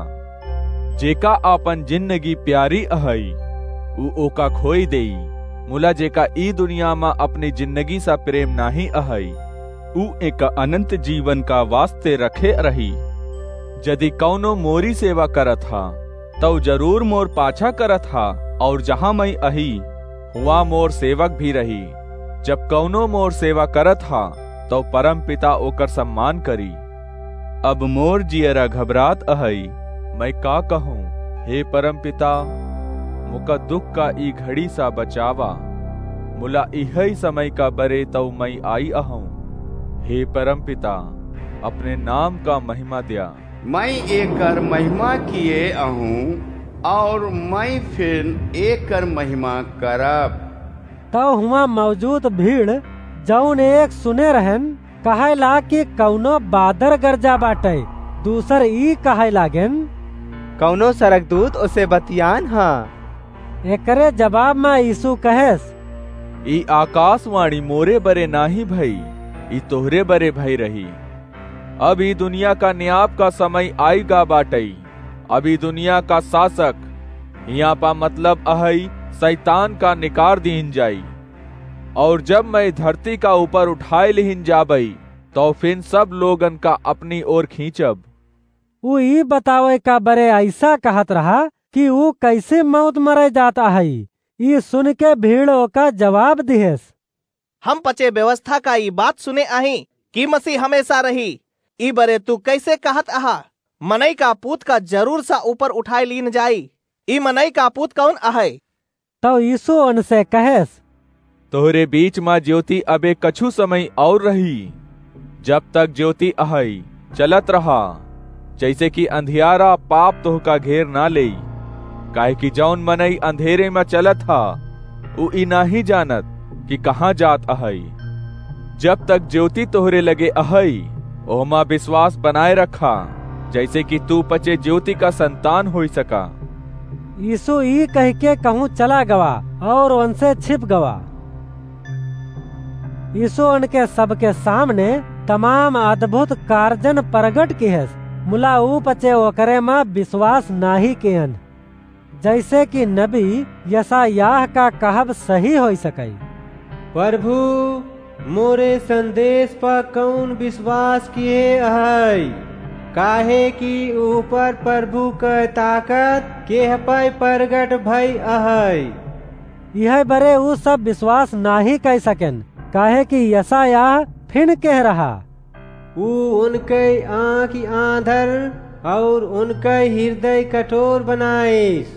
जेका आपन जिंदगी प्यारी अहई, ऊ ओका खोई देई। मुला जेका ई दुनिया मा अपनी जिंदगी सा प्रेम नाही अहई, ऊ एका अनंत जीवन का वास्ते रखे रही। जदि कौनो मोरी सेवा करत हा, तौ जरूर मोर पाछा करत हा, और जहाँ मैं अही, हुआ मोर सेवक भी रही। जब कौनो मोर सेवा करत हा, तौ परम पिता ओकर सम्मान करी। अब मोर जियरा घबरात अहई, मैं का कहूँ? हे परम पिता, मुका दुख का ई घड़ी सा बचावा। मुला इहई समय का बरे तौ मैं आई अहूँ। हे परम पिता, अपने नाम का महिमा द्या। मैं एकर महिमा किए अहूँ, और मैं फिर एकर महिमा करब। तब हुआं मौजूद भीड़, जौन एक सुने रहन, कहै ला कि कौनो बादर गरजा बाटै। दूसर ई कहै लागेन, कौनो सरगदूत ओसे बतियान ह। एकरे जवाब मा यीशु कहेस, ई आकाशवाणी मोरे बरे नाही भई, ई तोहरे बरे भई रही। अब ई दुनिया का न्याप का समय आइगा बाटई। अब ई दुनिया का शासक, हियाँ पा मतलब अहई शैतान का निकार दीन जाई। और जब मैं धरती का ऊपर उठाए लिहिन जाबई, तौ फिन सब लोगन का अपनी ओर खींचब। ऊ ई बतावे का बरे ऐसा कहत रहा कि ऊ कैसे मौत मरे जात अहई। ई सुन के भीड़ ओका जवाब दिहेस, हम पचे व्यवस्था का ई बात सुने अही कि मसीह हमेशा रही। ई बरे तू कैसे कहत अहा, मनई का पूत का जरूर सा ऊपर उठाए लीन जाई? ई मनई का पूत कौन अहै? तौ यीशु उनसे कहेस, तोहरे बीच मा ज्योति अबे कछु समय और रही। जब तक ज्योति अहई, चलत रहा, जैसे कि अंधियारा पाप तोहका घेर ना लेई। काहे कि जौन मनई अंधेरे मा चलत हा, उ ई नाही जानत कि कहाँ जात अहई। जब तक ज्योति तोहरे लगे अहई, ओहमा विश्वास बनाए रखा, जैसे कि तू पचे ज्योति का संतान होई सका। यीशु ई कह के कहूँ चला गवा और उनसे छिप गवा। यीशु उनके सबके सामने तमाम अद्भुत कारजन प्रगट किहेस, मुला ऊ पचे ओकरे मा विश्वास नाही कियन। जैसे कि नबी यशायाह का कहब सही होई सकई, प्रभु, मोरे संदेश पर कौन विश्वास किए अहै? काहे कि ऊपर प्रभु क ताकत केह पै प्रगट भई अहै। यह बरे ऊ सब विश्वास नाही कई सकेन, काहे कि यशायाह फिन कह रहा, ऊ उनकै आँखि आँधर और उनकै हृदय कठोर बनाइस,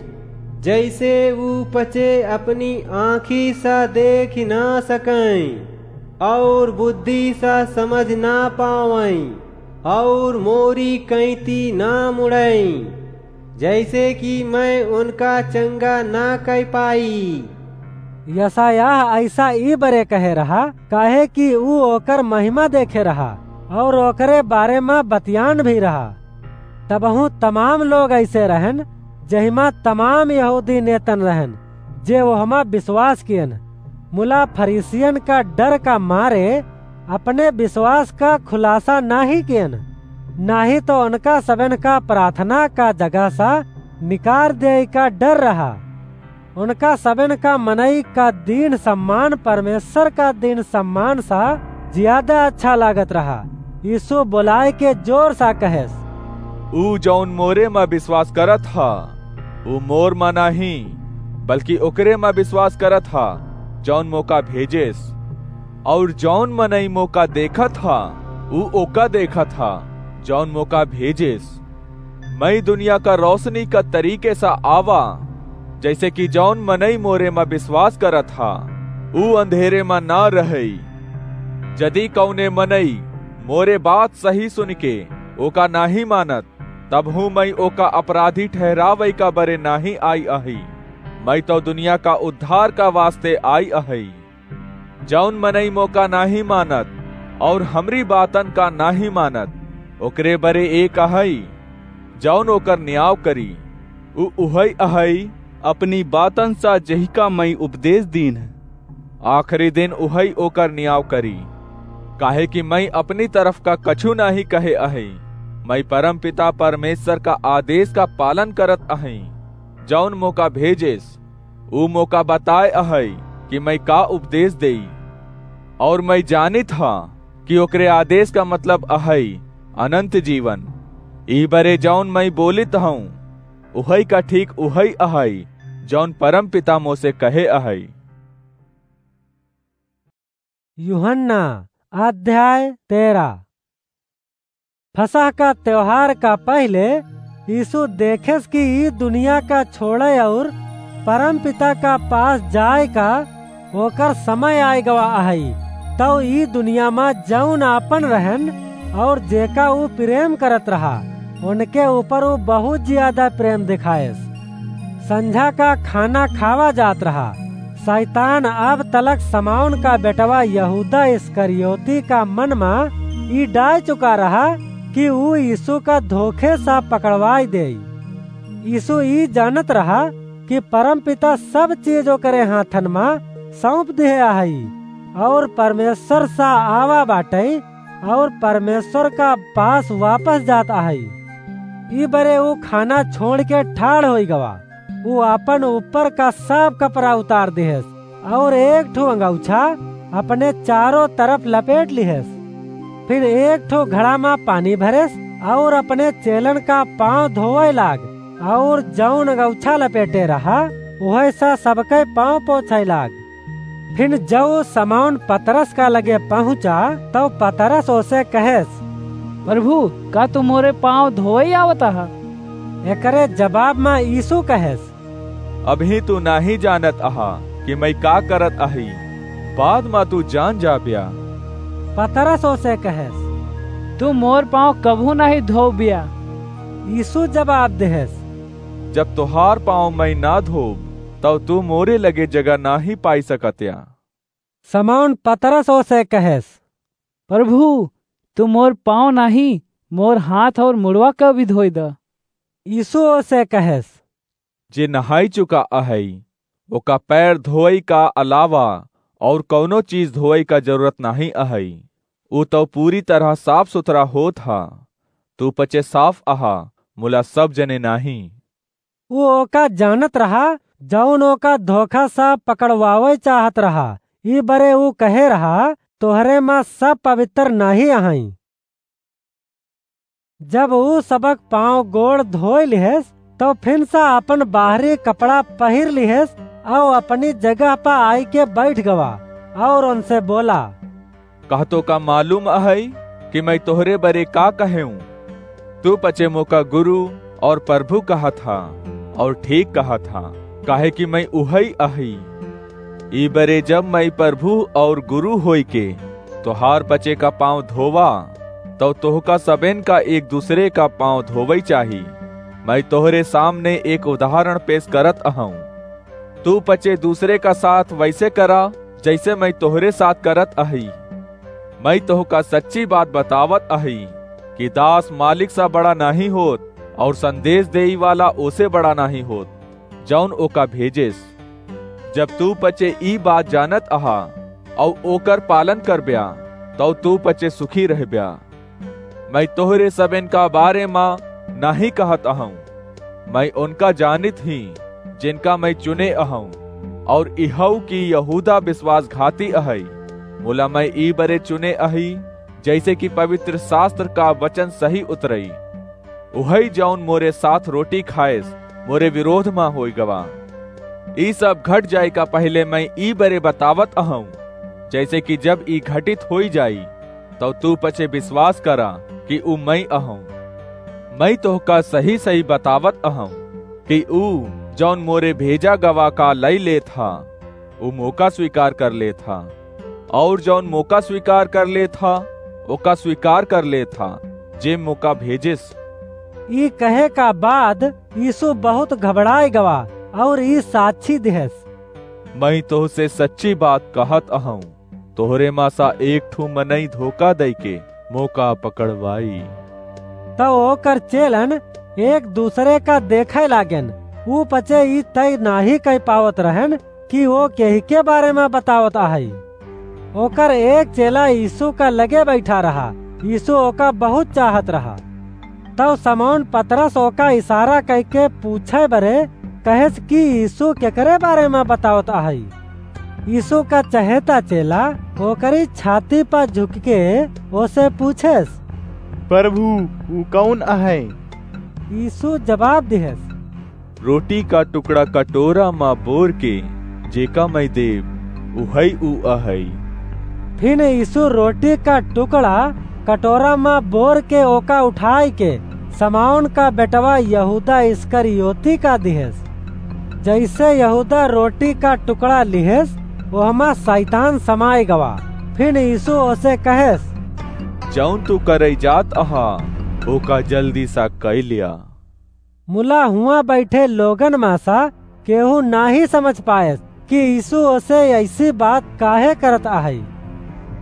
जैसे ऊ पचे अपनी आँखि सा देखि ना सकैं और बुद्धि सा समझ ना पावैं और मोरी कैंती ना मुड़ैं, जैसे कि मैं उनका चंगा ना कई पाई। यशायाह ऐसा ई बरे कहे रहा, काहे कि ऊ ओकर महिमा देखे रहा और ओकरे बारे मा बतियान भी रहा। तबहूँ तमाम लोग ऐसे रहन, जहिमा तमाम यहूदी नेतन रहन, जे ओहमा विश्वास कियन। मुला फरीसियन का डर का मारे अपने विश्वास का खुलासा नाही कियन, नाही तो उनका सबन का प्रार्थना का जगह सा निकार देई का डर रहा। उनका सबन का मनई का दीन सम्मान परमेश्वर का दीन सम्मान सा ज्यादा अच्छा लागत रहा। यीशु बोलाए के जोर सा कहेस, ऊ जौन मोरे मा विश्वास करत हा, ऊ मोर मा नाही, बल्कि ओकरे मा विश्वास करत हा, जौन मोका भेजेस। और जौन मनई मोका देखत हा, ऊ ओका देखत हा, जौन मोका भेजेस। मैं दुनिया का रोशनी का तरीके सा आवा, जैसे कि जौन मनई मोरे मा विश्वास करत हा, ऊ अंधेरे मा ना रहई। जदि कौने मनई मोरे बात सही सुन के ओका नाही मानत, तबहूँ मइँ ओका अपराधी ठहरावइ का बरे नाहीं आई अहइ। मइँ तउ दुनिया का उद्धार का वास्ते आई अहइ। जउन मनई मोका नाहीं मानत अउर हमरी बातन का नाहीं मानत, ओकरे बरे एक अहइ, जउन ओकर नियाव करी। उ उहइ अहइ, अपनी बातन सा जेहिका मइँ उपदेस दीन्ह, आखिरी दिन उहइ ओकर नियाव करी। काहेकि मइँ अपनी तरफ का कछू नाहीं कहे अहइ, मइँ परमपिता परमेस्वर का आदेस का पालन करत अहइ, जउन मोका भेजेस। उ मोका बताए अहइ कि मइँ का उपदेस देई, अउर मइँ जानित हाँ कि ओकरे आदेस का मतलब अहइ अनन्त जीवन। ई बरे जउन मइँ बोलित हउँ, उहइ का ठीक उहइ अहइ, जउन परमपिता मोसे कहे अहइ। यूहन्ना अध्याय तेरह। फसह का त्योहार का पहिले यीशु देखेस कि ई दुनिया का छोड़े अउर परमपिता का पास जाए का ओकर समय आए गवा अहइ। तउ ई दुनिया मा जउन आपन रहन अउर जेका ऊ प्रेम करत रहा, उनके ऊपर ऊ बहुत ज्यादा प्रेम दिखाएस। संझा का खाना खावा जात रहा। शैतान अब तलक समौन का बेटवा यहूदा इस्करियोती का मन मा ई डाल चुका रहा कि ऊ यीशु का धोखे सा पकड़वाई देई। यीशु ई जानत रहा कि परमपिता सब चीज ओकरे हाथन मा सौंप दिहे अहइ अउर परमेस्वर सा आवा बाटइ अउर परमेस्वर का पास वापस जात अहइ। ई बरे ऊ खाना छोड़ के ठाड़ होइ गवा। ऊ आपन ऊपर का सब कपड़ा उतार दिहेस अउर एक ठो अंगौछा अपने चारों तरफ लपेट लिहेस। फिर एक ठो घड़ा मा पानी भरेस अउर अपने चेलन का पाँव धोवइ लाग अउर जउन अंगौछा लपेटे रहा, उहइ सा सबके पाँव पोंछइ लाग। फिर जउ समौन पतरस का लगे पहुँचा, तउ पतरस ओसे कहेस, "प्रभु, का तू मोरे पाँव धोवइ आवत अहा?" एकरे जबाब मा यीशु कहेस, "अबहीं तू नाहीं जानत अहा कि मइँ का करत अही, बाद मा तू जान जाब्या।" पतरस ओसे कहेस, "तू मोर पाँव कबहूँ नाहीं धोब्या।" यीशु जबाब देहेस, "जब तोहार पाँव मइँ ना धोब, तउ तू मोरे लगे जगह नाहीं पाइ सकत्या।" समौन पतरस ओसे कहेस, "प्रभु, तू मोर पाँव नाहीं, मोर हाथ अउर मुड़वा का भी धोइ द।" यीशु ओसे कहेस, "जे नहाइ चुका अहइ, ओका पैर धोवइ का अलावा अउर कउनो चीज धोवइ का जरूरत नाहीं अहइ। ऊ तउ पूरी तरह साफ सुथरा होत ह। तू पचे साफ अहा, मुला सब जने नाहीं।" ऊ ओका जानत रहा, जउन ओका धोखा सा पकड़वावइ चाहत रहा। ई बरे ऊ कहे रहा, "तोहरे मा सब पवित्र नाहीं अहइँ।" जब ऊ सबक पाँव गोड़ धोइ लिहेस, तउ फिन सा आपन बाहरी कपड़ा पहिर लिहेस, अउर अपनी जगह प आइके बइठ गवा, अउर ओनसे बोला, "का तोका मालूम अहइ कि मइँ तोहरे बरे का कहेउँ? तू पचे मोका गुरु अउर प्रभु कहत ह, अउर ठीक कहत ह, काहेकि मइँ उहइ अही। ई बरे जब मइँ प्रभु अउर गुरु होइके तोहार पचे का पाँव धोवा, तउ तोहका सबेन का एक दूसरे का पाँव धोवइ चाही। मइँ तोहरे सामने एक उदाहरण पेस करत अहउँ। तू पचे दूसरे का साथ वइसे करा, जइसे मइँ तोहरे साथ करत अही। मइँ तोहका सच्ची बात बतावत अही कि दास मालिक सा बड़ा नाहीं होत, अउर संदेस देइ वाला ओसे बड़ा नाहीं होत, जउन ओका भेजेस। जब तू पचे ई बात जानत अहा, अउर ओकर पालन करब्या, तउ तू पचे सुखी रहब्या। मइँ तोहरे सबेन का बारे मा नाहीं कहत अहउँ, मइँ ओनका जानित ही, जेनका मइँ चुने अहउँ, अउर इहउ कि यहूदा बिसवासघाती अहइ, मुला मइँ ई बरे चुने अही, जइसे कि पवित्र सास्तर का बचन सही उतरइ। उहइ जउन मोरे साथ रोटी खाएस, मोरे बिरोध मा होइ गवा। ई सब घट जाइ का पहिले मइँ ई बरे बतावत अहउँ, जइसे कि जब ई घटित होइ जाई, तउ तू पचे बिसवास करा कि ऊ मइँ अहउँ। मइँ तोहका सही-सही बतावत अहउँ कि ऊ, जउन मोरे भेजा गवा का लइ लेत ह, ऊ मोका स्वीकार कर लेत ह, अउर जउन मोका स्वीकार कर लेत ह, ओका स्वीकार कर लेत ह, जे मोका भेजिस। ई कहे का बाद यीशु बहुत घबड़ाए गवा और ई साक्षी दिहेस, "मैं तोहसे सच्ची बात कहत अहूँ, तोहरे मा सा एक ठू मनई धोखा दइके मोका पकड़वाई।" तब ओकर चेलन एक दूसरे का देखे लागेन, ऊ पचे ई तय नाही कह पावत रहन कि वो केही के बारे में बतावत आहई। ओकर एक चेला यीशु का लगे बैठा रहा। यीशु ओका बहुत चाहत रहा। तब समौन पतरस ओका इशारा कइके पूछे बरे कहेस कि यीशु केकरे बारे में बतावत आहई। यीशु का चहेता चेला ओकरी छाती पर झुक के ओसे पूछेस, "प्रभु, ऊ कौन अहै?" यीशु जवाब दिहेस, "रोटी का टुकड़ा कटोरा मा बोर के जेका मैं देब, उहई ऊ अहई।" फिन यीशु रोटी का टुकड़ा कटोरा मा बोर के ओका उठाई के समौन का बेटवा यहूदा इस्करियोती का दिहेस। जैसे यहूदा रोटी का टुकड़ा लिहेस, ओहमा शैतान समाए गवा। फिन यीशु ओसे कहेस, "जौन तू करई जात अहा, ओका जल्दी सा कई लिया।" मुला हुआ बैठे लोगन मा सा केहू नाही समझ पाएस कि यीशु ओसे ऐसी बात काहे करत आहई।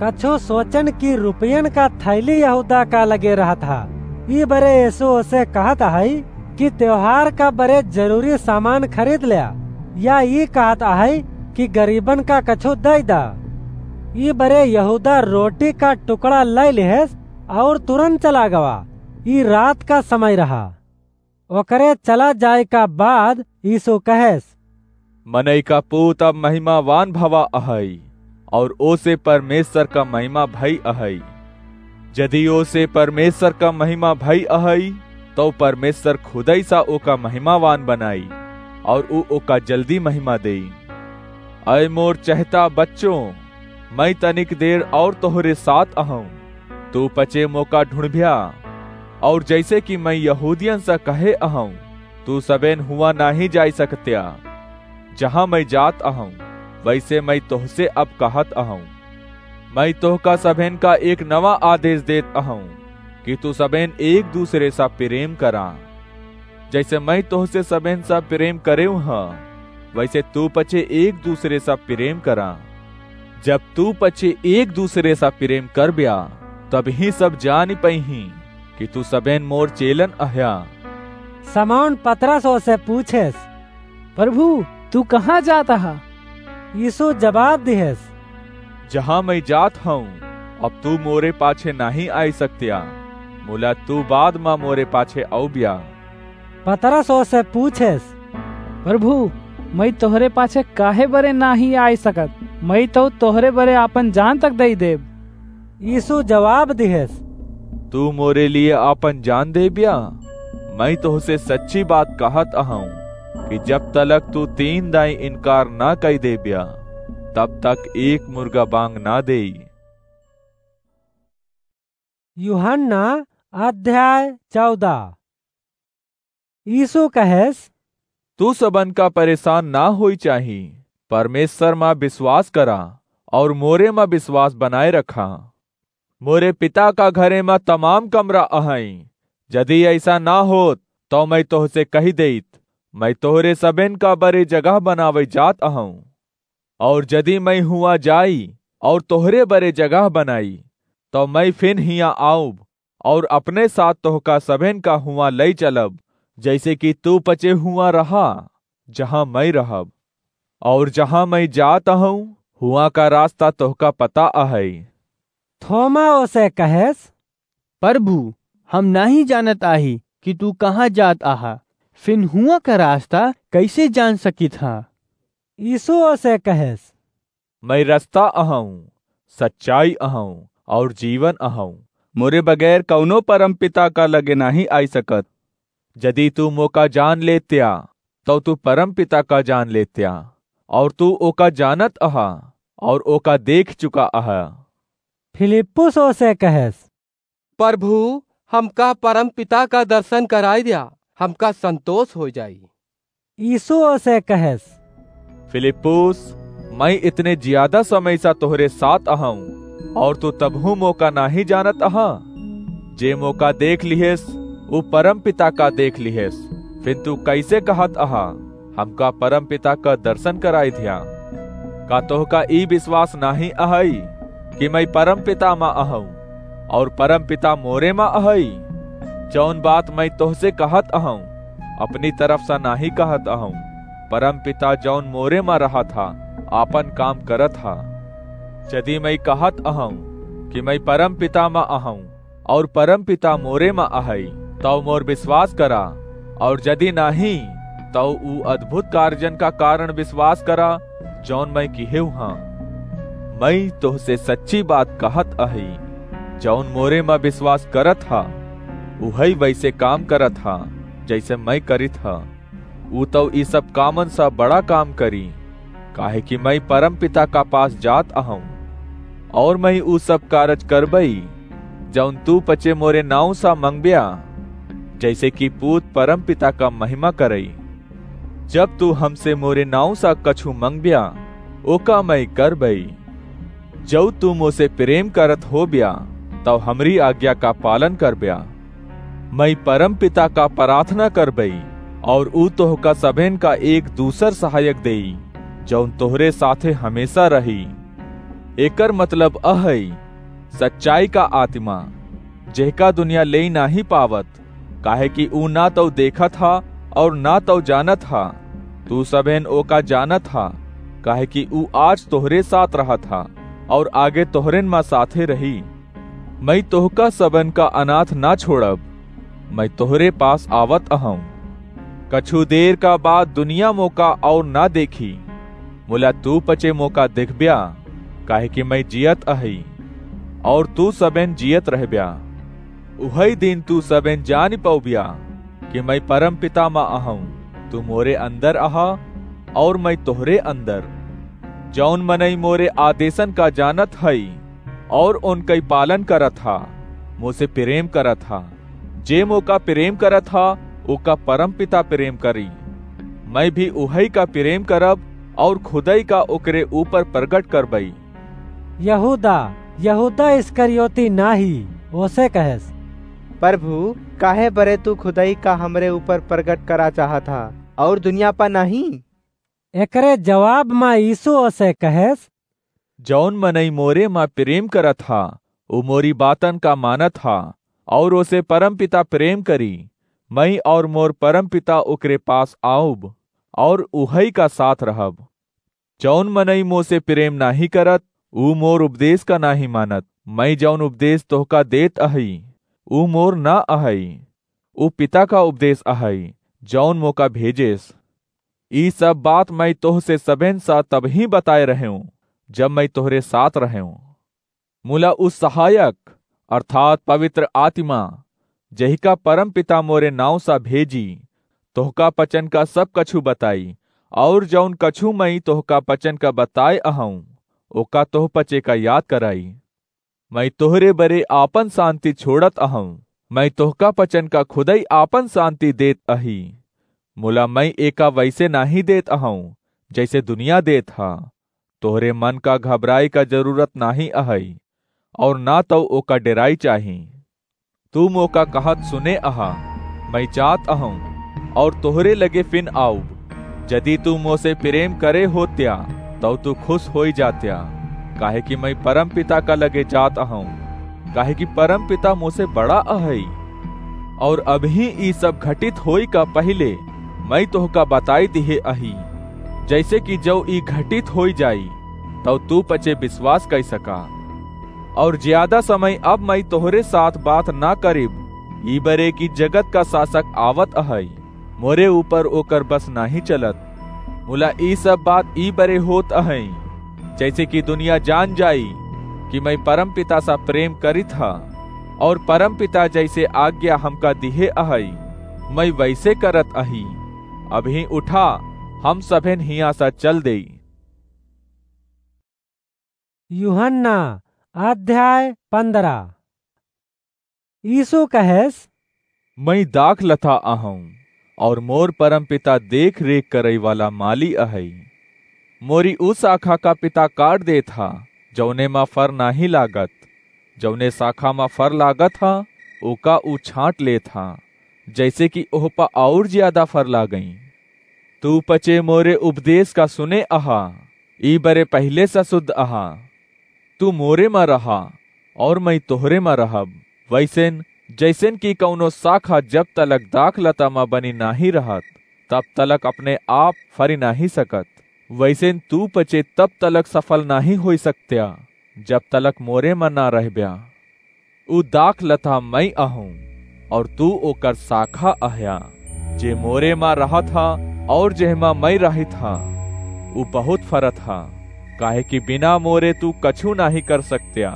कछु सोचन कि रुपयन का थैली यहूदा का लगे रहत हा। ई बरे यीशु ओसे कहत आहई कि त्योहार का बरे जरूरी सामान खरीद ल्या, या ई कहत आहई कि गरीबन का कछु दई दा। ई बरे यहूदा रोटी का टुकड़ा लय लिहेस और तुरंत चला गवा। ई रात का समय रहा। ओकरे चला जाए का बाद यीशु कहेस, "मनई का पूत अब महिमावान भवा अहई, और ओसे परमेश्वर का महिमा भई अहई। यदि ओसे परमेश्वर का महिमा भई अहई, तो परमेश्वर खुदई सा ओका महिमावान बनाई, और ऊ ओका जल्दी महिमा देई। अय मोर चहेता बच्चों, मैं तनिक देर और तोहरे साथ अहूँ। तू पचे मोका ढूंढब्या, और जैसे कि मैं यहूदियन से कहे अहूँ, तू सबेन हुआ नाही जाई सकत्या। जहाँ मैं जात अहूँ, वैसे मैं तोहसे अब कहत अहूँ। मैं तोहका सबेन का एक नवा आदेश देत अहूँ कि तू सबेन एक दूसरे सा प्रेम करा। जैसे मैं तोहसे सबेन सा प्रेम करेव ह, वैसे तू पचे एक दूसरे सा प्रेम करा। जब तू पचे एक दूसरे सा प्रेम करब्या, तबही सब जानी पइहीं कि तू सबेन मोर चेलन अह्या।" समौन पतरस ओसे पूछेस, "प्रभु, तू कहाँ जात अहा?" यीशु जवाब दिहेस, "जहाँ मैं जात हूँ, अब तू मोरे पाछे नाही आई सकत्या, मुला तू बाद मा मोरे पाछे अउब्या।" पतरस ओसे पूछेस, "प्रभु, मैं तोहरे पाछे काहे बरे नाही आई सकत? मैं तो तोहरे बरे आपन जान तक दई देब।" यीशु जवाब दिहेस, "तू मोरे लिए आपन जान देब्या? मैं तोहसे सच्ची बात कहत अहूँ कि जब तलक तू तीन दाई इनकार ना कई देब्या, तब तक एक मुर्गा बांग ना देई।" यूहन्ना अध्याय चौदह। यीशु कहेस, "तू सबन का परेशान ना होई चाही, परमेश्वर मा विश्वास करा और मोरे मा विश्वास बनाए रखा। मोरे पिता का घरे मा तमाम कमरा अहई, यदि ऐसा ना होत, तो मैं तोहसे कही देइत, मैं तोहरे सबेन का बरे जगह बनावे जात अहूँ। और यदि मैं हुआं जाई और तोहरे बरे जगह बनाई, तो मैं फिन हियां आउब और अपने साथ तोहका सबेन का हुआं लई चलब, जैसे कि तू पचे हुआं रहा, जहाँ मैं रहब। और जहाँ मैं जात अहूँ, हुआं का रास्ता तोहका पता अहई।" थोमा ओसे कहेस, "प्रभु, हम नाही जानत आही कि तू कहाँ जात आहा, फिन हुआं का रास्ता कैसे जान सकित हा?" यीशु ओसे कहेस, "मैं रस्ता अहूँ, सच्चाई अहूँ और जीवन अहूँ। मोरे बगैर कौनो परम पिता का लगे नाही आई सकत। यदि तू मोका जान लेत्या, तो तू परम पिता का जान लेत्या, और तू ओका जानत अहा और ओका देख चुका अहा।" फिलिप्पुस ओसे कहेस, "प्रभु, हमका परम पिता का दर्शन कराई द्या, हमका संतोष हो जाई।" यीशु ओसे कहेस, "फिलिप्पुस, मैं इतने ज्यादा समय सा तोहरे साथ अहूँ, और तू तबहू मोका नाही जानत अहा? जे मोका देख लिहेस, उ परम पिता का देख लिहेस, फिर तू कैसे कहत अहा, "हमका परम पिता का दर्शन कराई ध्या"? का तोहका ई विश्वास नाहीं अहई कि मैं परम पिता मा अहूँ और परम पिता मोरे मा अहई? जौन बात मैं तोहसे कहत अहूँ, अपनी तरफ से नाहीं कहत अहूँ, परम पिता जौन मोरे मा रहत हा, आपन काम करत हा। यदि मैं कहत अहूँ कि मैं परम पिता मा अहूँ और परम पिता मोरे मा अहई, तौ मोर विश्वास करा, और यदि नाहीं, तौ उ अद्भुत कार्यन का कारण विश्वास करा, जौन मैं किहेउ हाँ। मैं तोहसे सच्ची बात कहत अही, जौन मोरे मा विश्वास करत हा, उहई वैसे काम करत हा, जैसे मैं करित हा। उ तौ ई सब कामन सा बड़ा काम करी, काहे कि मैं परम पिता का पास जात अहूँ। और मैं उ सब कारज करबई, जौन तू पचे मोरे नाव सा मंगब्या, जैसे कि पूत परम पिता का महिमा करई। जब तू हमसे मोरे नाव सा कछु मंगब्या, ओका मैं करबई। जौ तू मोसे प्रेम करत होब्या, तौ हमरी आज्ञा का पालन करब्या। मैं परम पिता का प्रार्थना करबई, और उ तोहका सभेन का एक दूसर सहायक देई, जौन तोहरे साथे हमेशा रही। एकर मतलब अहई सच्चाई का आत्मा, जेहका दुनिया लेई नाहीं पावत, काहे कि उ ना तौ देखत हा और ना तौ जानत हा। तू सभेन ओका जानत हा, काहे कि उ आज तोहरे साथ रहत हा और आगे तोहरेन मा साथे रही। मैं तोहका सबन का अनाथ ना छोड़ब, मैं तोहरे पास आवत अहूँ। कछु देर का बाद दुनिया मोका और ना देखी, मुला तू पचे मोका देखब्या, काहे कि मैं जियत अही, और तू सबेन जियत रहब्या। उहई दिन तू सबेन जान पौब्या कि मैं परम पिता मा अहूँ, तू मोरे अंदर अहा और मैं तोहरे अंदर। जौन मनई मोरे आदेशन का जानत हई और उनकई पालन करत हा, मोसे प्रेम करत हा। जे मोका प्रेम करत हा, ओका परम पिता प्रेम करी। मैं भी उहई का प्रेम करब और खुदई का ओकरे ऊपर प्रगट करबई। यहूदा, यहूदा इस्करियोती नाही, ओसे कहेस, "प्रभु, काहे बरे तू खुदई का हमरे ऊपर प्रगट करा चाहत हा और दुनिया पा नाही?" एकरे जवाब मा यीशु ओसे कहेस, "जौन मनई मोरे मा प्रेम करत हा, उ मोरी बातन का मानत हा, और ओसे परमपिता प्रेम करी। मैं और मोर परमपिता ओकरे पास आउब, और उहई का साथ रहब। जौन मनई मोसे प्रेम नाहीं करत, उ मोर उपदेश का नाहीं मानत। मैं जौन उपदेश तोहका देत अहई, उ मोर ना अहई, उ पिता का उपदेश अहई, जौन मोका भेजेस। ई सब बात मैं तोहसे सबेन सा तबहीं बताए रहेंव, जब मैं तोहरे साथ रहेंव। मुला उ सहायक, अर्थात पवित्र आत्मा, जहिका परमपिता मोरे नाउँ सा भेजी, तोहका पचन का सब कछु बताई, और जौन कछु मैं तोहका पचन का बताए अहऊँ, ओका तोह पचे का याद कराई। मैं तोहरे बरे आपन शांति छोड़त अहऊँ, मैं तोहका पचन का खुदई आपन शांति देत अही। मुला मैं एका वैसे नाहीं देत अहऊँ, जैसे दुनिया देत हा। तोहरे मन का घबराए का जरूरत नाहीं अहई, और ना तौ ओका डेराई चाही। तू मोका कहत सुने अहा, मैं जात अहऊँ, और तोहरे लगे फिन आउब। जदि तू मोसे प्रेम करे होत्या, तौ तू खुश होई जात्या, काहे कि मैं परमपिता का लगे जात अहऊँ, काहे कि परमपिता मोसे बड़ा अहई। और अबहीं ई सब घटित होई का पहिले मैं तोहका बताई दिहे अही, जैसे कि जौ ई घटित होई जाई, तौ तू पचे विश्वास कई सका। और ज्यादा समय अब मैं तोहरे साथ बात ना करिब, ई बरे कि जगत का शासक आवत अहई, मोरे ऊपर ओकर बस नाहीं चलत। मुला ई सब बात ई बरे होत अहई, जैसे कि दुनिया जान जाई कि मैं परमपिता सा प्रेम करित हा, और परमपिता जैसे आज्ञा हमका दिहे अहई, मैं वैसे करत अही। अबहीं उठा, हम सभेन हियाँ सा चल देई। यूहन्ना अध्याय पन्द्रह। यीशु कहेस, "मैं दाख लथा अहऊँ, और मोर परमपिता देख रेख करई वाला माली अहई। मोरी उ शाखा का पिता काट देत हा, जौने मा फर नाहीं लागत। जौने शाखा मा फर लागत हा, ओका उ छाँट लेत हा, जैसे कि ओह प और ज्यादा फर लागई। तू पचे मोरे उपदेश का सुने अहा, ई बरे पहिले स सुद्ध अहा। तू मोरे म रहा, और मई तोहरे म रहब। वैसेन, जैसेन कि कौनो शाखा जब तलक दाख लता म बनी नाहीं रहत, तब तलक अपने आप फरी नाहीं सकत, वैसेन तू पचे तब तलक सफल नाहीं होई सकत्या, जब तलक मोरे म ना रहब्या। उ दाख लता मई अहूँ, और तू ओकर शाखा अह्या, जे मोरे म रहत ह, और जेहमा मई रहित ह, उ बहुत फरत ह, काहे कि बिना मोरे तू कछू नाहीं कर सकत्या।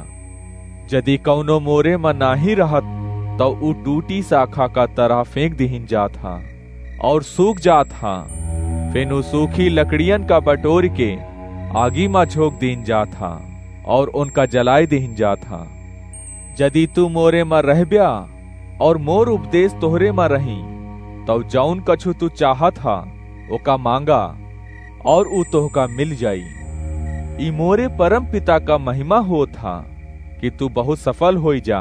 जदि कौनो मोरे म नाहीं रहत, तौ उ टूटी शाखा का तरह फेंक दिहिन जात ह, और सूख जात ह। फिन उ सूखी लकड़ियन का बटोर के आगी म झोंक दीन जात ह, और उनका जलाए दीन जात ह। जदि तू मोरे म रहब्या, और मोर उपदेश तोहरे म रही, तौ जौन कछु तू चाहत ह, ओका मांगा, और उ तोहका मिल जाई। ई मोरे परम पिता का महिमा होत ह कि तू बहुत सफल होई जा,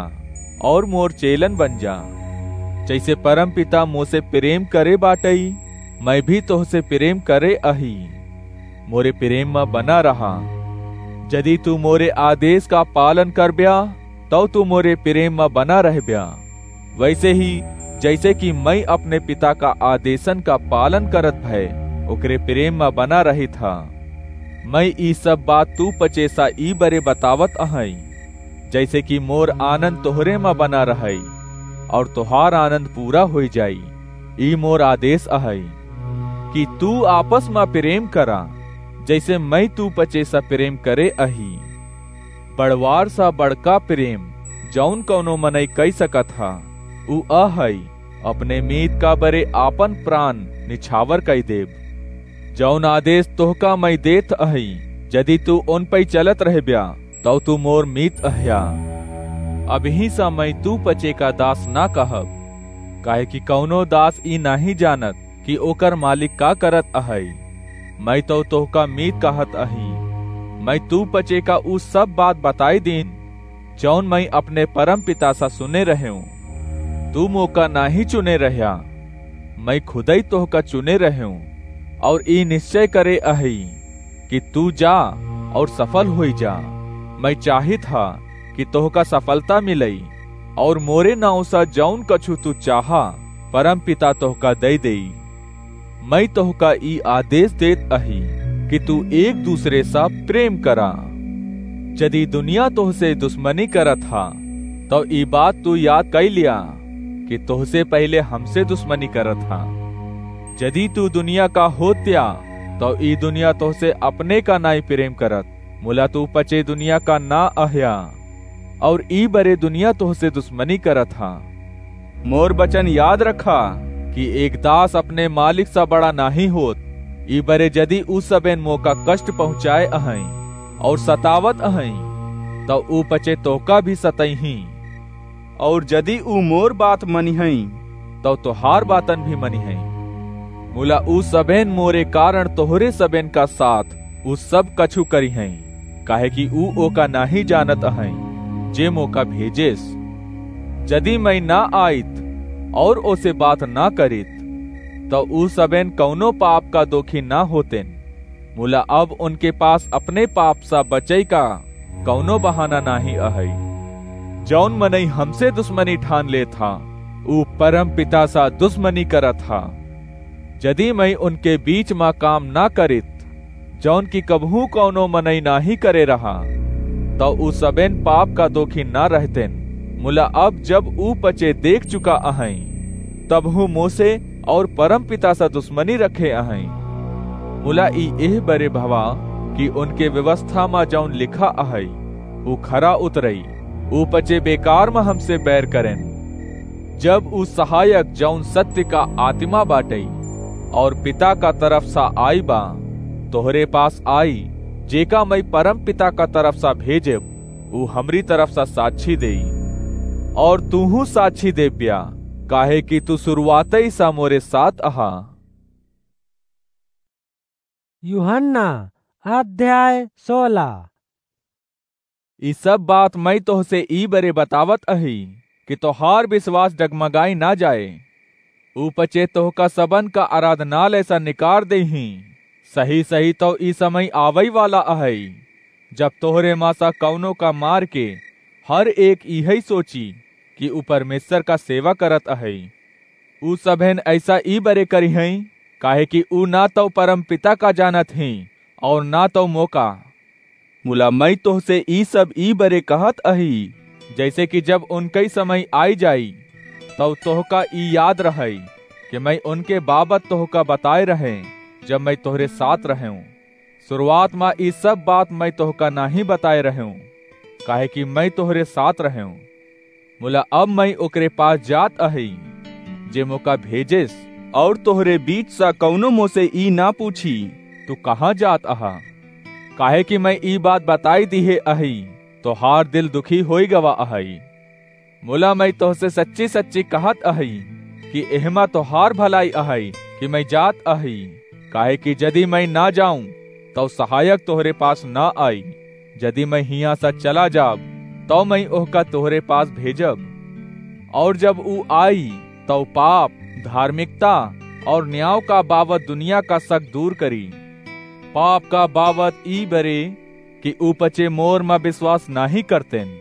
और मोर चेलन बन जा। जैसे परम पिता मोसे प्रेम करे बाटई, मई भी तोहसे प्रेम करे अही। मोरे प्रेम म बना रहा। जदि तू मोरे आदेश का पालन करब्या, तौ तू मोरे प्रेम म बना रहब्या। वैसे ही, जैसे कि मई अपने पिता का आदेशन का पालन करत भय ओकरे प्रेम म बना रहित ह, मई ई सब बात तू पचे सा ई बरे बतावत अहई, जैसे कि मोर आनंद तोहरे म बना रहई, और तोहार आनंद पूरा होई जाई। ई मोर आदेश अहई कि तू आपस म प्रेम करा, जैसे मई तू पचे सा प्रेम करे अही। बड़वार सा बड़का प्रेम जौन कौनो मनई कई सकत ह, उ अहई, अपने मीत का बरे आपन प्राण निछावर कई देब। जौन आदेश तोहका मई देत अही, जदि तू उन पई चलत रहब्या, तौ तू मोर मीत अह्या। अबहीं सा मई तू पचे का दास ना कहब, काहे कि कौनो दास ई नाहीं जानत कि ओकर मालिक का करत अहई। मई तौ तोहका मीत कहत अही। मई तू पचे का उ सब बात बताई दीन, जौन मई अपने परम पिता सा सुने रहेऊँ। तू मोका नाहीं चुने रह्या, मई खुदई तोहका चुने रहेऊँ, और ई निश्चय करे अही कि तू जा और सफल होई जा। मई चाहित हा कि तोहका सफलता मिलई, और मोरे नाव सा जौन कछु तू चाहा, परम पिता तोहका दई देई। मई तोहका ई आदेश देत अही कि तू एक दूसरे सा प्रेम करा। जदि दुनिया तोहसे दुश्मनी करत हा, तौ ई बात तू याद कई लिया कि तोहसे पहिले हमसे दुश्मनी करत हा। जदि तू दुनिया का होत्या, तौ ई दुनिया तोहसे अपने का नाई प्रेम करत। मुला तू पचे दुनिया का ना अह्या, और ई बरे दुनिया तोहसे दुश्मनी करत हा। मोर वचन याद रखा कि एक दास अपने मालिक सा बड़ा नाहीं होत। ई बरे जदि उ सबेन मोका कष्ट पहुँचाए अहई और सतावत अहई, तौ उ पचे तोहका भी सतइहीं। और जदि उ मोर बात मनिहई, तौ तोहार बातन भी मनिहई। मुला उ सबेन मोरे कारण तोहरे सबेन का साथ उ सब कछु करिहई, काहे कि उ ओका नाहीं जानत अहई, जे मोका भेजेस। जदि मई ना आइत और ओसे बात ना करित, तौ उ सबेन कौनो पाप का दोखी ना होतेन। मुला अब उनके पास अपने पाप सा बचई का कौनो बहाना नाहीं अहई। जौन मनई हमसे दुश्मनी ठान लेत हा, उ परम पिता सा दुश्मनी करत हा। जदि मई उनके बीच मा काम ना करित, जौन की कबहूँ कौनो मनई नाहीं करे रहा, तौ उ सबेन पाप का दोखी ना रहतेन। मुला अब जब उ पचे देख चुका अहई, तबहूँ मोसे और परम पिता सा दुश्मनी रखे अहई। मुला ई एह बरे भवा कि उनके व्यवस्था मा जौन लिखा अहई, उ खरा उतरई। उ पचे बेकार मा हमसे बैर करेन। जब उ सहायक जौन सत्य का आत्मा बाटई और पिता का तरफ सा आई बा, तोहरे पास आई, जेका मई परम पिता का तरफ सा भेजेब, उ हमरी तरफ सा साक्षी देई। और तूहूँ साक्षी देब्या, काहे कि तू शुरुआतई सा मोरे साथ अहा। यूहन्ना अध्याय सोलह। ई सब बात मई तोहसे ई बरे बतावत अही कि तोहार विश्वास डगमगाई ना जाए। ऊ पचे तोहका सबन का आराधनालय सा निकार देही। सही सही तउ ई समय आवइ वाला अहइ, जब तोहरे मा सा कउनो का मार के हर एक इहइ सोची कि ऊ परमेश्वर का सेवा करत अहइ। ऊ सभेन अइसा ई बरे करिहइँ, काहे कि ऊ ना तउ परमपिता का जानत हीं, अउर ना तउ मोका। मुला मइँ तोहसे ई सब ई बरे कहत अही, जइसे कि जब उनकइ समय आइ जाई, तउ तोहका ई याद रहइ कि मइँ उनके बाबत तोहका बताए रहें, जब मइँ तोहरे साथ रहेंव। सुरुआत मा ई सब बात मइँ तोहका नाहीं बताए रहेंव, काहे कि मइँ तोहरे साथ रहेंव। मुला अब मइँ ओकरे पास जात अही, जे मोका भेजेस, अउर तोहरे बीच सा कउनो मोसे ई ना पूछी, "तू कहाँ जात अहा?" काहे कि मइँ ई बात बताई दिहे अही, तोहार दिल दुखी होइ गवा अहइ। मुला मइँ तोहसे सच्ची सच्ची कहत अही कि एहमा तोहार भलाई अहइ कि मइँ जात अही, काहे कि जदि मइँ ना जाऊँ, तउ सहायक तोहरे पास ना आई। जदि मइँ हियाँ सा चला जाब, तउ मइँ ओहका तोहरे पास भेजब। अउर जब ऊ आई, तउ पाप, धार्मिकता अउर न्याव का बाबत दुनिया का शक दूर करी। पाप का बाबत ई बरे कि ऊ पचे मोर मा विश्वास नाहीं करतेन।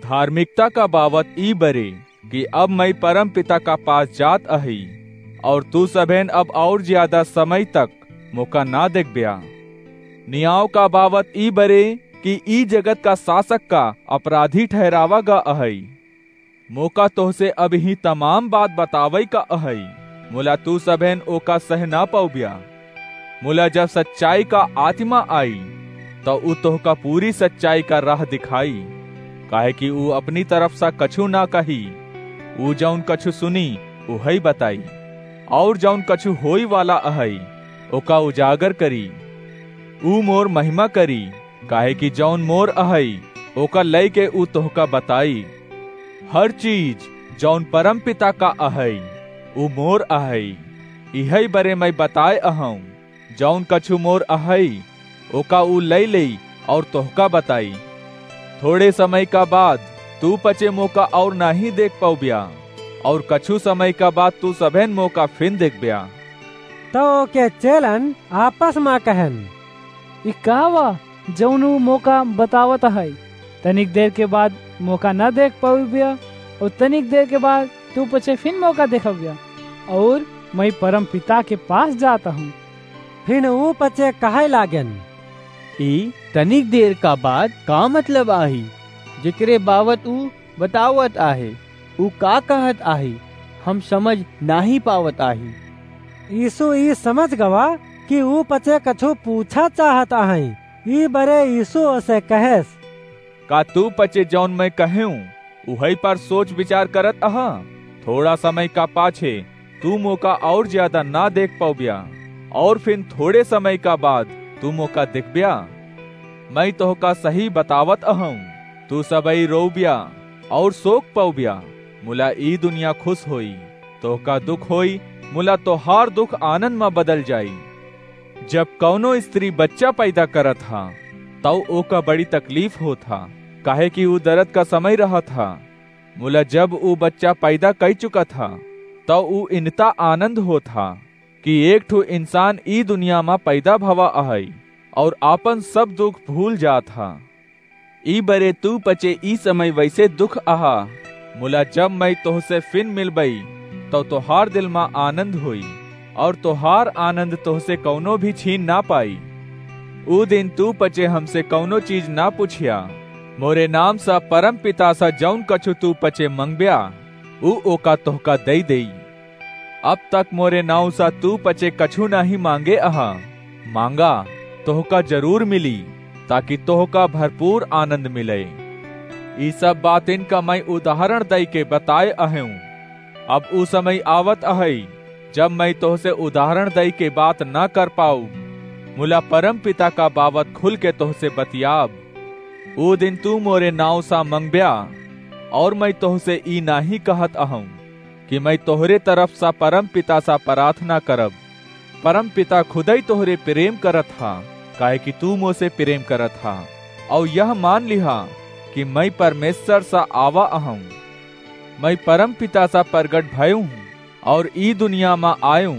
धार्मिकता का बाबत ई बरे कि अब मइँ परमपिता का पास जात अही, अउर तू सभेन अब अउर ज्यादा समय तक मोका ना देखब्या। न्याव का बाबत ई बरे कि ई जगत का शासक का अपराधी ठहरावा गा अहइ। मोका तोहसे अबहीं तमाम बात बतावइ का अहइ, मुला तू सभेन ओका सह ना पउब्या। मुला जब सच्चाई का आत्मा आई, तउ ऊ तोहका पूरी सच्चाई का राह दिखाई, काहे कि ऊ अपनी तरफ सा कछु ना कही, ऊ जउन कछु सुनी, उहइ बताई, अउर जउन कछु होई वाला अहइ, ओका उजागर करी। ऊ मोर महिमा करी, काहे कि जउन मोर अहइ, ओका लइके ऊ तोहका बताई। हर चीज जउन परमपिता का अहइ, ऊ मोर अहइ। इहइ बरे मइँ बताए अहउँ, जउन कछु मोर अहइ, ओका ऊ लइ लेई अउर तोहका बताई। थोड़े समय का बाद तू पचे मोका अउर नाहीं देख पउब्या, अउर कछु समय का बाद तू सभेन मोका फिन देखब्या। तउ ओके चेलन आपस मा कहन, "ई का वा, जउन ऊ मोका बतावत अहइ? तनिक देर के बाद मोका न देख पउब्या, अउर तनिक देर के बाद तू पचे फिन मोका देखब्या, अउर मइँ परमपिता के पास जात अहउँ।" फिन ऊ पचे कहइ लागेन, "ई तनिक देर का बाद का मतलब आही, जेकरे बाबत ऊ बतावत आहे? ऊ का कहत आहे, हम समझ नाहीं पावत आही।" यीशु ई समझ गवा कि ऊ पचे कछु पूछा चाहत अहइँ। ई बरे यीशु ओसे कहेस, "का तू पचे जउन मइँ कहेउँ, उहइ पर सोच विचार करत अहा? थोड़ा समय का पाछे तू मोका अउर ज्यादा ना देख पउब्या, अउर फिन थोड़े समय का बाद तू मोका देखब्या। मइँ तोहका सही बतावत अहउँ, तू सबइ रोउब्या अउर सोक पउब्या, मुला ई दुनिया खुस होई। तोहका दुख होई, मुला तोहार दुख आनंद मा बदल जाई।" जब कउनो स्त्री बच्चा पैदा करत हा, तउ ओका बड़ी तकलीफ होत हा, काहे कि ऊ दरद का समय रहत हा। मुला जब ऊ बच्चा पैदा कइ चुकत हा, तउ ऊ इनता आनंद होत हा कि एक ठो इंसान ई दुनिया मा पैदा भवा अहइ अउर आपन सब दुख भूल जात हा। ई बरे तू पचे ई समय वइसे दुख अहा, मुला जब मइँ तोहसे फिन मिलबई, तउ तोहार दिल मा आनंद होई, अउर तोहार आनंद तोहसे कउनो भी छीन ना पाई। ऊ दिन तू पचे हमसे कउनो चीज ना पुछिया, मोरे नाम सा परमपिता सा जउन कछु तू पचे मंगब्या, ऊ ओका तोहका दइ देई। अब तक मोरे नाउँ सा तू पचे कछु नाहीं माँगे अहा, माँगा, तोहका जरूर मिली, ताकि तोहका भरपूर आनंद मिले। ई सब बातिन का मइँ उदाहरण दइके बताए अहउँ। अब ऊ समय आवत अहइ, जब मइँ तोहसे उदाहरण दइके बात न कर पाउब, मुला परमपिता का बाबत खुलके तोहसे बतियाब। ऊ दिन तू मोरे नाउँ सा मंगब्या, अउर मइँ तोहसे ई नाहीं कहत अहउँ कि मइँ तोहरे तरफ सा परमपिता सा पराथना करब। परमपिता खुदइ तोहरे प्रेम करत हा, काहे कि तू मोसे प्रेम करत हा, अउर यह मान लिहा कि मइँ परमेश्वर सा आवा अहउँ। मइँ परमपिता सा परगट भयउँ हूँ, और ई दुनिया मा आयूं,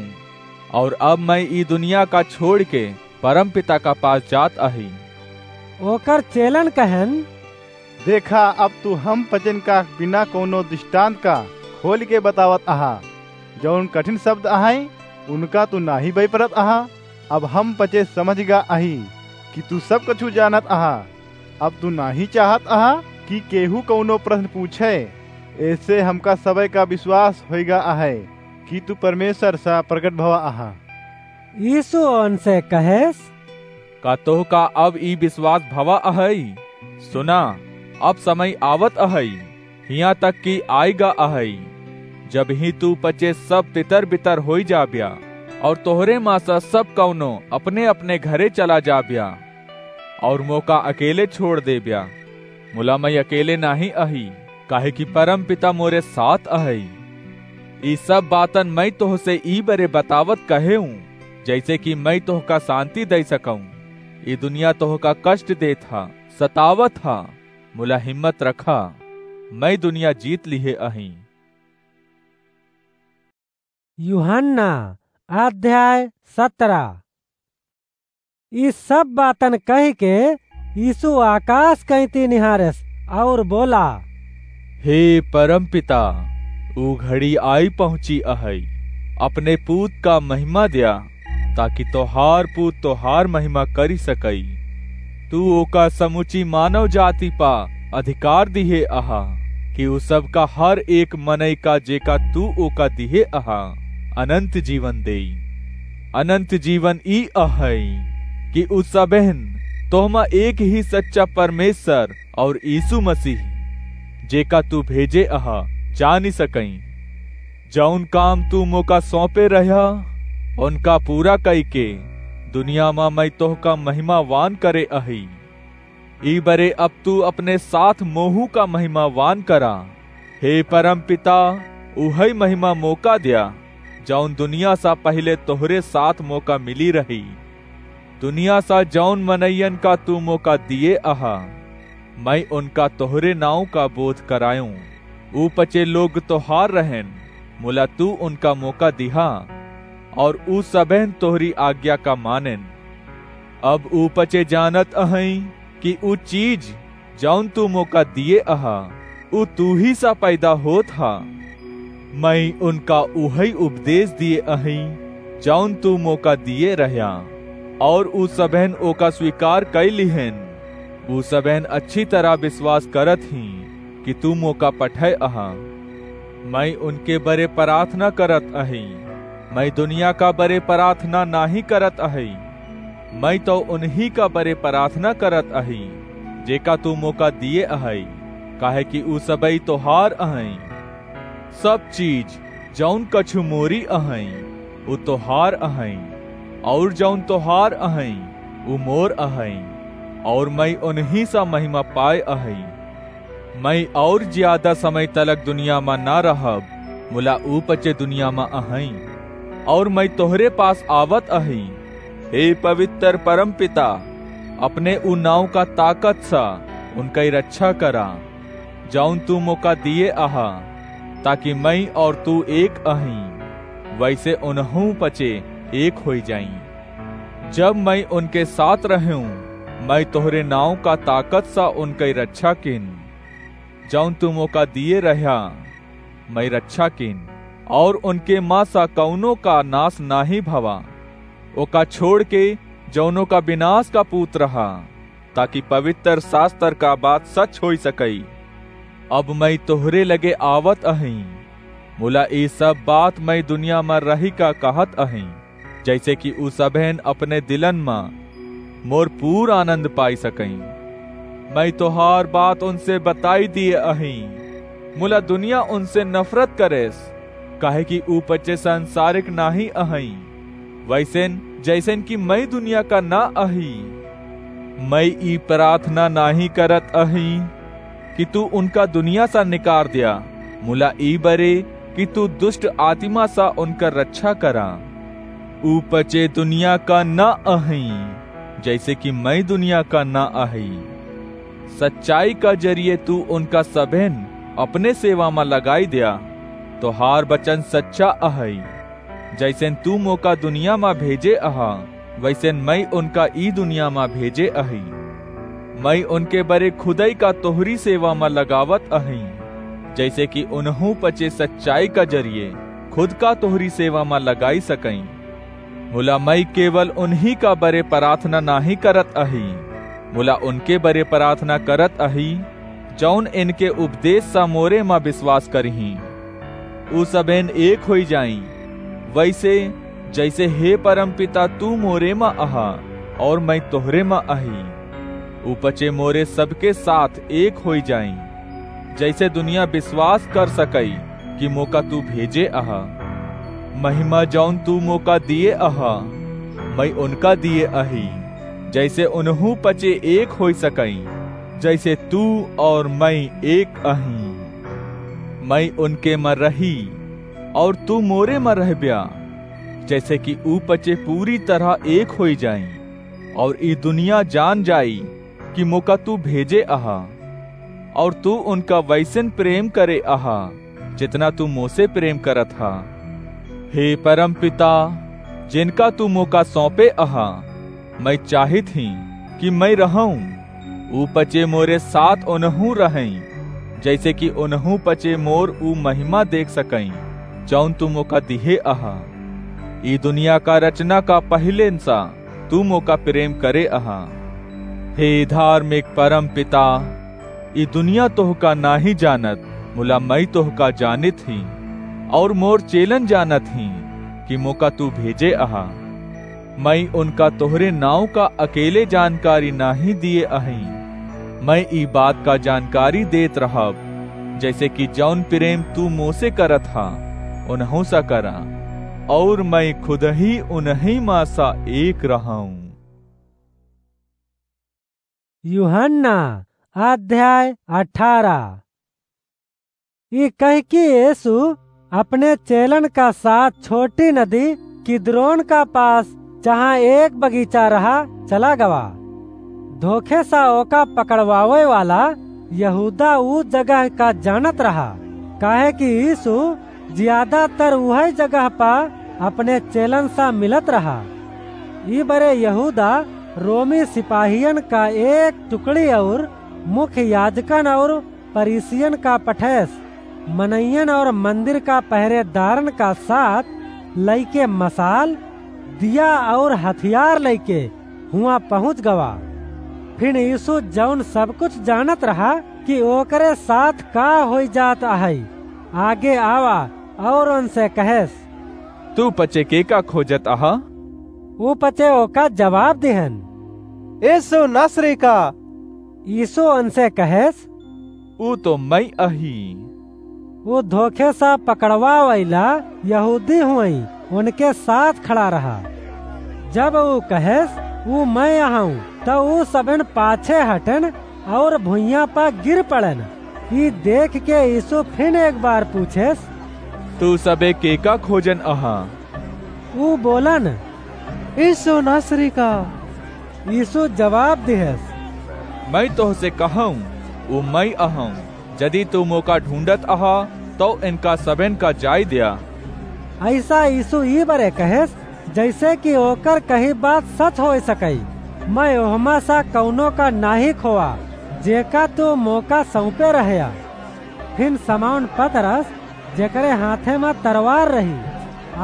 और अब मैं ई दुनिया का छोड़ के परमपिता का पास जात अही। ओकर चेलन कहन, देखा, अब तू हम पचेन का बिना कौनो दृष्टांत का खोल के बतावत अहा। जौन कठिन शब्द अहई, उनका तू नाही बइपरत अहा। अब हम पचे समझ गा अही कि तू सब कछु जानत अहा। अब तू नाही चाहत अहा कि केहू कौनो प्रश्न पूछे। ऐसे हमका सबे का विश्वास होइगा अहै कि तू परमेश्वर सा प्रकट भवा अहा। यीशु उनसे कहेस, का तोहका अब ई विश्वास भवा अहई? सुना, अब समय आवत अहई, हियां तक कि आइगा अहई, जब ही तू पचे सब तितर बितर होई जाब्या, और तोहरे मा सा सब कौनो अपने अपने घरे चला जाब्या, और मोका अकेले छोड़ देब्या। मुला मैं अकेले नाही अही, काहे कि परम पिता मोरे साथ अहई। ई सब बातन मैं तोहसे ई बरे बतावत कहे हूँ, जैसे कि मैं तोहका शांति दे सकूं। ई दुनिया तोहका कष्ट देत हा, सतावत हा, मुला हिम्मत रखा, मैं दुनिया जीत लिहे अही। यूहन्ना अध्याय सतरा। ई सब बातन कहि के यीशु आकाश कइती निहारेस और बोला, हे परम पिता, ऊ घड़ी आई पहुंची अहई, अपने पूत का महिमा द्या, ताकि तोहार पूत तोहार महिमा करी सकई। तू ओका समुची मानव जाति पा अधिकार दिहे अहा, कि उ सबका हर एक मनई का जेका तू ओका दिहे अहा, अनंत जीवन देई। अनंत जीवन ई अहई, कि उ सबेन तोहमा एक ही सच्चा परमेश्वर और यीशु मसीह, जेका तू भेजे अहा, जानी सकई। जौन काम तू मोका सौंपे रह्या, उनका पूरा कई के दुनिया मा मैं तोहका महिमावान करे अही। ई बरे अब तू अपने साथ मोहू का महिमावान करा। हे परम पिता, उहई महिमा मोका द्या, जौन दुनिया सा पहिले तोहरे साथ मोका मिली रही। दुनिया सा जौन मनइयन का तू मोका दिए अहा, मैं उनका तोहरे नाव का बोध करायूं। ऊ पचे लोग तोहार रहेन, मुला तू उनका मोका दिहा, और ऊ सबेन तोहरी आज्ञा का मानेन। अब ऊ पचे जानत अहई कि ऊ चीज जौन तू मोका दिए अहा, ऊ तू ही सा पैदा होत हा। मैं उनका उहई उपदेश दिए अही, जौन तू मोका दिए रह्या, और ऊ सबेन ओका स्वीकार कई लिहेन। ऊ सबेन अच्छी तरह विश्वास करत ही कि तू मोका पठय अहा। मैं उनके बरे प्रार्थना करत अही, मैं दुनिया का बरे प्रार्थना नाही करत अही। मैं तो उन्हीं का बरे प्रार्थना करत अही, जेका तू मोका दिए अहई, काहे कि ऊ सबई तोहार अहई। सब चीज जौन कछु मोरी अहई, ऊ तोहार अहई, और जौन तोहार अहई, ऊ मोर अहई, और मैं उन्हीं सा महिमा पाए अहई। मैं और ज्यादा समय तलक दुनिया मा ना रहब, मुला ऊ पचे दुनिया मा अहई, और मैं तोहरे पास आवत अही। हे पवित्र परम पिता, अपने ऊ नाव का ताकत सा उनकई रक्षा करा, जौन तू मोका दिए अहा, ताकि मैं और तू एक अही, वैसे उनहू पचे एक होई जाई। जब मैं उनके साथ रहूं, मैं तोहरे नाव का ताकत सा उनकई रक्षा किन। जौन तू मोका दिए रह्या, मैं रक्षा किन, और उनके मा सा कौनो का नाश नाही भवा। ओका छोड़ के जौनो का विनाश का पूत रहा, ताकि पवित्र शास्त्र का बात सच होई सकई। अब मैं तोहरे लगे आवत अही, मुला ई सब बात मैं दुनिया मा रही का कहत अही, जैसे कि ऊ सबेन अपने दिलन मा मोर पूर आनंद पाई सकई। मैं तोहार बात उनसे बताई दिए अही, मुला दुनिया उनसे नफरत करेस, काहे कि ऊ पचे सांसारिक नाही अहई, वैसेन जैसेन कि मैं दुनिया का ना अही। मैं ई प्रार्थना नाही करत अही कि तू उनका दुनिया सा निकार द्या, मुला ई बरे कि तू दुष्ट आत्मा सा उनका रक्षा करा। ऊ पचे दुनिया का ना अही, जैसे कि मैं दुनिया का ना अही। सच्चाई का जरिए तू उनका सबेन अपने सेवा मा लगाई द्या, तोहार बचन सच्चा अहइ। जइसेन तू मोका दुनिया मा भेजे अहा, वइसेन मइँ उनका ई दुनिया मा भेजे अही। मइँ उनके बरे खुदइ का तोहरी सेवा मा लगावत अही, जइसे कि उनहूँ पचे सच्चाई का जरिये खुद का तोहरी सेवा मा लगाइ सकइँ। मुला मइँ केवल उनहीं का बरे पराथना नाहीं करत अही, मुला उनके बरे पराथना करत अही, जउन इनके उपदेस सा मोरे मा बिसवास करिहीं। उ सबेन एक होइ जाइँ, वइसे जइसे हे परमपिता तू मोरे मा अहा अउर मइँ तोहरे मा अही, उ पचे मोरे सबके साथ एक होइ जाइँ, जइसे दुनिया बिसवास कर सकइ कि मोका तू भेजे अहा। महिमा जउन तू मोका दिए अहा, मइँ उनका दिए अही, जइसे उनहूँ पचे एक होइ सकइँ, जइसे तू अउर मइँ एक अही। मइँ उनके मा रही अउर तू मोरे मा रहब्या, जइसे कि उ पचे पूरी तरह एक होइ जाइँ, अउर ई दुनिया जान जाई कि मोका तू भेजे अहा, अउर तू उनका वइसेन प्रेम करे अहा, जितना तू मोसे प्रेम करत हा। हे परमपिता, जिनका तू मोका सौंपे अहा, मइँ चाहित ही कि मइँ रहउँ, उ पचे मोरे साथ उनहूँ रहइँ, जइसे कि उनहूँ पचे मोर उ महिमा देख सकइँ, जउन तू मोका दिहे अहा। ई दुनिया का रचना का पहिलेन सा तू मोका प्रेम करे अहा। हे धार्मिक परमपिता, ई दुनिया तोहका नाहीं जानत, मुला मइँ तोहका जानित ही, अउर मोर चेलन जानत ही कि मोका तू भेजे अहा। मइँ उनका तोहरे नाउँ का अकेले जानकारी नाहीं दिए अही। मइँ ई बात का जानकारी देत रहब, जइसे कि जउन प्रेम तू मोसे करत हा, उनहूँ सा करा, अउर मइँ खुदही उनहीं मा सा एक रहउँ। यूहन्ना अध्याय अठारह। ई कहिके यीशु अपने चेलन का साथ छोटी नदी किद्रोन का पास, जहाँ एक बगीचा रहा, चला गवा। धोखे सा ओका पकड़वावे वाला यहूदा ऊ जगह का जानत रहा, काहे कि यीशु ज्यादातर उहइ जगह पा अपने चेलन सा मिलत रहा। ई बरे यहूदा रोमी सिपाहियन का एक टुकड़ी अउर मुख्य याजकन अउर फरीसियन का पठेस मनइयन अउर मंदिर का पहरेदारन का साथ लइके मसाल, दिया अउर हथियार लइके हुआं पहुँच गवा। फिन यीशु जउन सब कुछ जानत रहा कि ओकरे साथ का होइ जात अहइ, आगे आवा अउर उनसे कहेस, "तू पचे केका खोजत अहा?" ऊ पचे ओका जवाब दिहन, "यीशु नासरी का।" यीशु उनसे कहेस, "ऊ तो मइँ अही।" ऊ धोखे सा पकड़वावइला यहूदी हुवइँ उनके साथ खड़ा रहा। जब ऊ कहेस, "ऊ मइँ अहउँ," त ऊ सबेन पाछे हटेन अउर भुइयाँ पा गिर पड़ेन। ई देखके यीशु फिन एक बार पूछेस, "तू सबे केका खोजन अहा?" ऊ बोलन, "यीशु नासरी का।" यीशु जवाब दिहेस, "मइँ तोहसे कहउँ, ऊ मइँ अहउँ। जदि तू मोका ढूँढत अहा, तउ इनका सबेन का जाइ द्या।" अइसा यीशु ई बरे कहेस, जइसे कि ओकर कही बात सच होइ सकइ, "मइँ ओहमा सा कउनो का नाहीं खोआ, जेका तू मोका सउँपे रहया।" फिन समौन पतरस, जेकरे हाथे मा तरवार रही,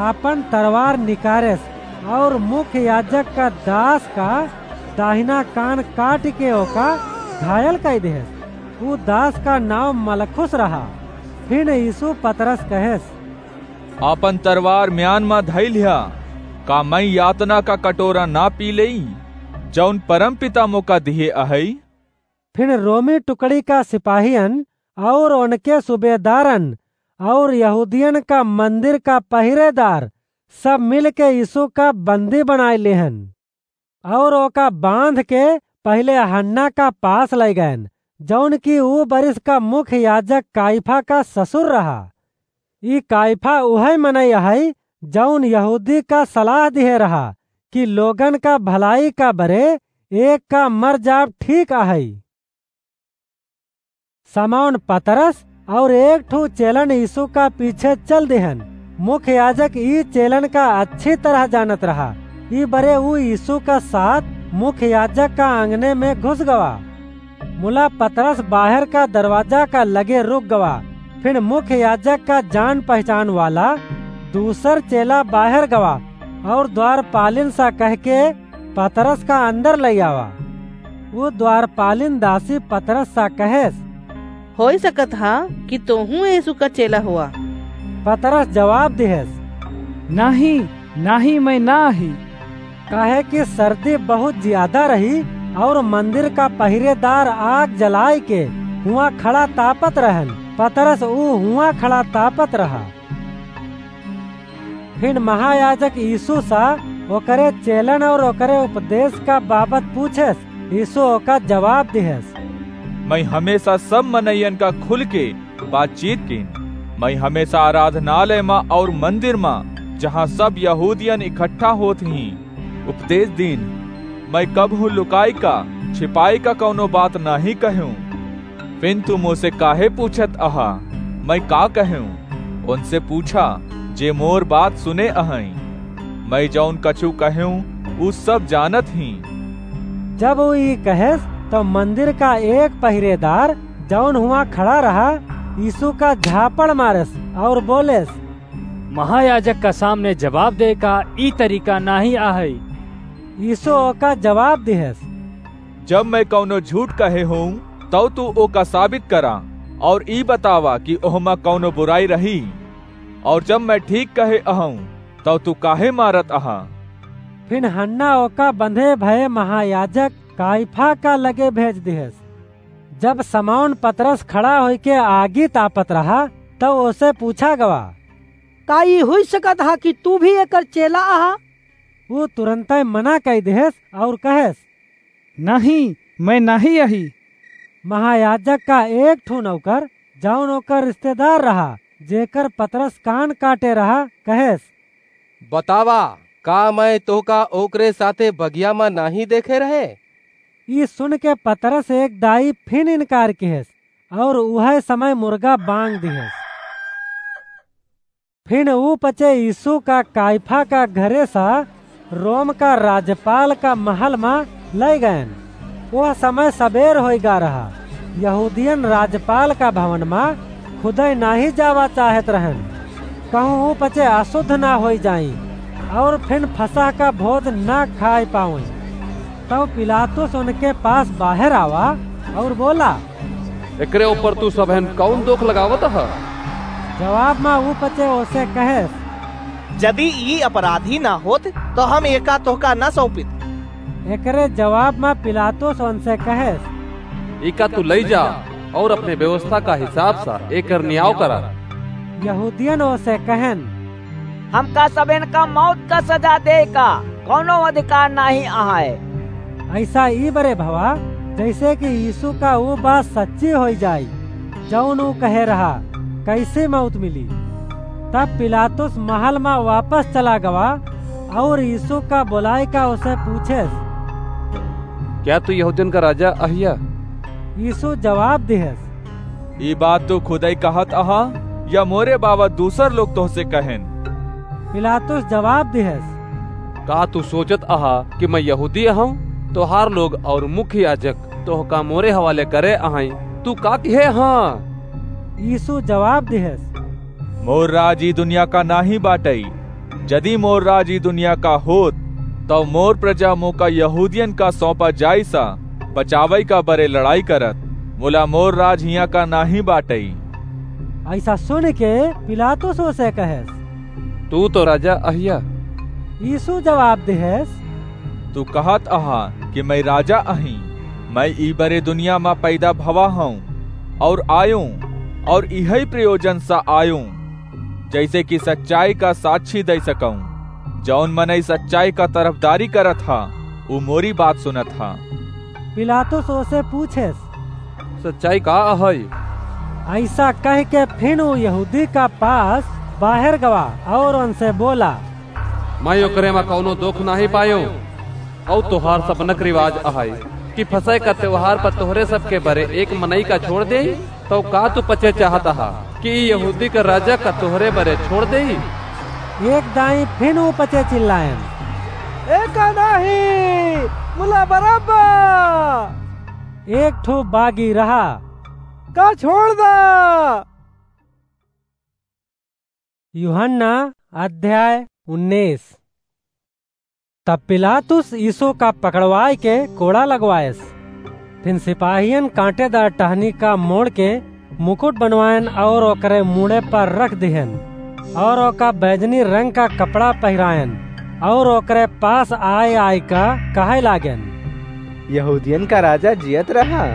आपन तरवार निकारेस अउर मुख्य याजक का दास का दाहिना कान काटिके ओका घायल कइ देहेस। ऊ दास का नाउँ मलखुस रहा। फिन यीशु पतरस कहेस, "आपन तरवार म्यान मा धइ लिहा। का मइँ यातना का कटोरा ना पी लेई, जउन परमपिता मोका दिहे अहइ?" फिन रोमी टुकड़ी का सिपाहियन अउर उनके सूबेदारन अउर यहूदियन का मंदिर का पहिरेदार सब मिलके यीशु का बंदी बनाइ लेहन अउर ओका बाँधके पहिले हन्ना का पास लइगएन, जउन कि ऊ बरिस का मुख्य याजक काइफा का ससुर रहा। ई काइफा उहइ मनई अहइ, जउन यहूदी का सलाह दिहे रहा कि लोगन का भलाई का बरे एक का मर जाब ठीक अहइ। समौन पतरस और एक ठो चेलन यीशु का पीछे चल दिहन। मुख्य याजक ई चेलन का अच्छी तरह जानत रहा। ई बरे ऊ यीशु का साथ मुख्य याजक का आंगने में घुस गवा। मुला पतरस बाहर का दरवाजा का लगे रुक गवा। फिर मुख्य याजक का जान पहचान वाला दूसर चेला बाहर गवा और द्वारपालिन सा कह के पतरस का अंदर लइ आवा। वो द्वारपालिन दासी पतरस सा कहेस, "होई सकत हा कि तोहू यीशु का चेला हुआ।" पतरस जवाब दिहेस, "नाही, नाही, मैं ना ही।" काहे कि सर्दी बहुत ज्यादा रही और मंदिर का पहिरेदार आग जलाए के हुआ खड़ा तापत रहन। पतरस ऊ हुआ खड़ा तापत रहा। फिर महायाजक यीशु सा ओकरे चेलन और ओकरे उपदेश का बाबत पूछेस। यीशु ओका जवाब दिहेस, "मैं हमेशा सब मनइयन का खुल के बातचीत कीन। मैं हमेशा आराधनालय मा और मंदिर मा, जहाँ सब यहूदियन इकट्ठा होत ही, उपदेश दीन। मैं कबहूँ लुकाई का, छिपाई का कौनो बात नाही कहूँ। फिन तू मोसे काहे पूछत अहा, मैं का कहूँ? उनसे पूछा, जे मोर बात सुने अहई। मैं जौन कछु कहूँ, ऊ सब जानत ही।" जब ऊ ई कहेस, तो मंदिर का एक पहिरेदार, जौन हुआ खड़ा रहा, यीशु का झापड़ मारेस और बोलेस, "महायाजक का सामने जवाब दे का ई तरीका नाही आहई।" यीशु ओका जवाब दिहेस, "जब मैं कौनो झूठ कहे हूँ, तौ तू ओका साबित करा और ई बतावा कि ओहमा कौनो बुराई रही, और जब मैं ठीक कहे अहूँ, तौ तू काहे मारत अहा?" फिन हन्ना ओका बंधे भये महायाजक काइफा का लगे भेज दिहेस। जब समौन पतरस खड़ा होइके आगी तापत रहा, तब ओसे पूछा गवा, "का ई हुई सकत हा कि तू भी एकर चेला अहा?" ऊ तुरंतै मना कइ दिहेस और कहेस, "नहीं, मैं नाही अही।" महायाजक का एक ठो नौकर, जौन ओकर रिश्तेदार रहा, जेकर पतरस कान काटे रहा, कहेस, "बतावा, का मैं तोहका ओकरे साथे बगिया मा नाही देखे रहे?" ई सुन के पतरस एक दाई फिन इनकार किहेस, और उहै समय मुर्गा बांग दिहेस। फिन ऊ पचे यीशु का काइफा का घरे सा रोम का राज्यपाल का महल मा लइ गयन। वह समय सबेर होइगा रहा। यहूदियन राज्यपाल का भवन मा खुदै नाही जावा चाहत रहन, कहूँ ऊ पचे अशुद्ध ना होई जाई और फिन फसह का भोज ना खाए पावई। तब पिलातुस उनके पास बाहर आवा और बोला, "एकरे ऊपर तू सबहन कौन दोख लगावत ह?" जवाब मा ऊ पचे ओसे कहेस, "जदि ई अपराधी ना होत, तो हम एका तोहका ना सौंपित।" एकरे जवाब मा पिलातुस उनसे कहेस, "एका तू लई जा और अपने व्यवस्था का हिसाब सा एकर न्याव करा।" यहूदियन ओसे कहन, "हमका सबेन का मौत का सजा दे का कौनो अधिकार नाही अहै।" ऐसा ई बरे भवा, जैसे कि यीशु का ऊ बात सच्ची होई जाई, जौन ऊ कहे रहा, "कैसे मौत मिली?" तब पिलातुस महल मा वापस चला गवा और यीशु का बोलाए का उसे पूछेस, "क्या तू यहूदियन का राजा अहिया?" यीशु जवाब दिहेस, "ई बात तू खुदै कहत अहा या मोरे बाबत दूसर लोग तोहसे कहन?" पिलातुस जवाब दिहेस, "का तू सोचत अहा कि मैं यहूदी अहूँ? तोहार लोग और मुख्य याजक तोहका मोरे हवाले करे अहई। तू का किहे हाँ?" यीशु जवाब दिहेस, "मोर राज ई दुनिया का नाही बाटई। जदि मोर राज ई दुनिया का होत, तब मोर प्रजा मोका यहूदियन का सौंपा जाई सा बचावई का बरे लड़ाई करत। मुला मोर राज हियाँ का नाही बाटई।" ऐसा सुन के पिलातुस ओसे कहेस, "तू तो राजा अहिया।" यीशु जवाब दिहेस, "तू कहत अहा कि मैं राजा अही। मैं ई बरे दुनिया मा पैदा भवा हूँ और आयूँ और इहई प्रयोजन सा आयूँ, जैसे कि सच्चाई का साक्षी दे सकूँ। जौन मनई सच्चाई का तरफदारी करत हा, ऊ मोरी बात सुनत हा।" पिलातुस ओसे पूछेस, "सच्चाई का अहई?" ऐसा कह के फिन ऊ यहूदी का पास बाहर गवा और उनसे बोला, "मैं ओकरे मा कौनो दोख नाही पायो। और तोहार सब नक रिवाज अहई कि फसह का त्योहार पर तोहरे सबके बरे एक मनई का छोड़ देई?" तौ का तू पचे चाहत हा कि ई यहूदी का राजा का तोहरे बरे छोड़ देई? एक दाईं फिन ऊ पचे चिल्लायन, "एका नाहीं, मुला बरब्बा!" एक ठो बागी रहा, "का छोड़ दा?" यूहन्ना अध्याय उन्नीस। तब पिलातुस यीशु का पकड़वाय के कोड़ा लगवायस। फिन सिपाहियन कांटेदार टहनी का मोड़ के मुकुट बनवायन और ओकरे मूड़े पर रख दिहन और ओका बैजनी रंग का कपड़ा पहिरायन और ओकरे पास आय आय का कहै लागेन, "यहूदियन का राजा जियत रहा।"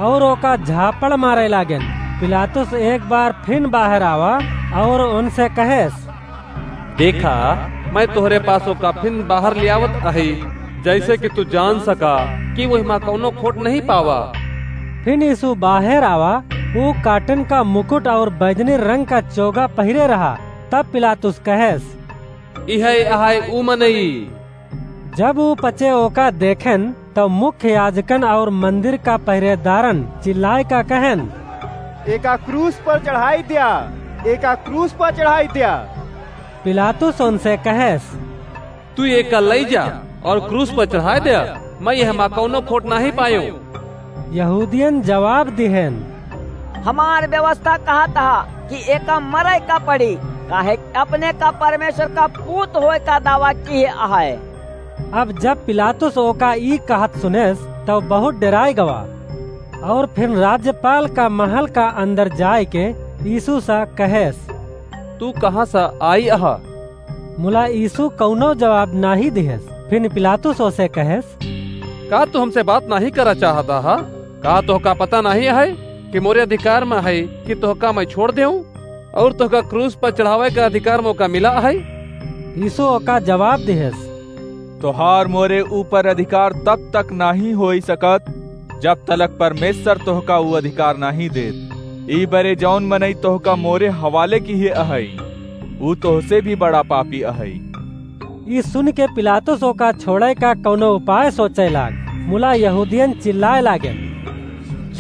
और ओका झापड़ मारे लागेन। पिलातुस एक बार फिन बाहर आवा और उनसे कहेस, "देखा, मैं तोहरे पास ओका फिन बाहर लियावत अही, जैसे कि तू जान सका कि वो हिमा कौनो खोट नहीं पावा।" फिन यीशु बाहर आवा, ऊ काटन का मुकुट और बैजनी रंग का चोगा पहिरे रहा। तब पिलातुस कहेस, "इहै अहै ऊ मनई।" जब ऊ पचे ओका देखेन, तब मुख्य याजकन और मंदिर का पहरेदारन चिल्लाय का कहेन, "एका क्रूस पर चढ़ाई द्या, एका क्रूस पर चढ़ाई द्या।" पिलातुस उनसे कहेस, "तू एका लई जा और क्रूस पर चढ़ाय द्या, मैं एहमा कौनो खोट नाहीं पायो।" यहूदियन जवाब दिहेन, "हमार व्यवस्था कहत हा कि एका मरे का पड़ी, काहे कि अपने का परमेश्वर का पूत होए का दावा किहे अहै।" अब जब पिलातुस ओका ई कहत सुनेस, तब बहुत डेराय गवा, और फिर राज्यपाल का महल का अंदर जाय के यीशु सा कहेस, "तू कहाँ सा आई अहा?" मुला यीशु कौनो जवाब नाहीं दिहेस। फिर पिलातुस ओसे कहेस, "का तू हमसे बात नाहीं करा चाहत अहा? का तोहका पता नाहीं अहै कि मोरे अधिकार मा अहै कि तोहका मैं छोड़ देऊं और तोहका क्रूस पर चढ़ावै का अधिकार मोका मिला अहै?" यीशु ओका जवाब दिहेस, "तोहार मोरे ऊपर अधिकार तब तक नाहीं होई सकत, जब तलक परमेश्वर तोहका ऊ अधिकार नाहीं देत। ई बरे जौन मनई तोहका मोरे हवाले किहे अहै, ऊ तोहसे भी बड़ा पापी अहै।" ई सुन के पिलातुस ओका छोड़ै का कौनो उपाय सोचै लाग। मुला यहूदियन चिल्लाय लागेन,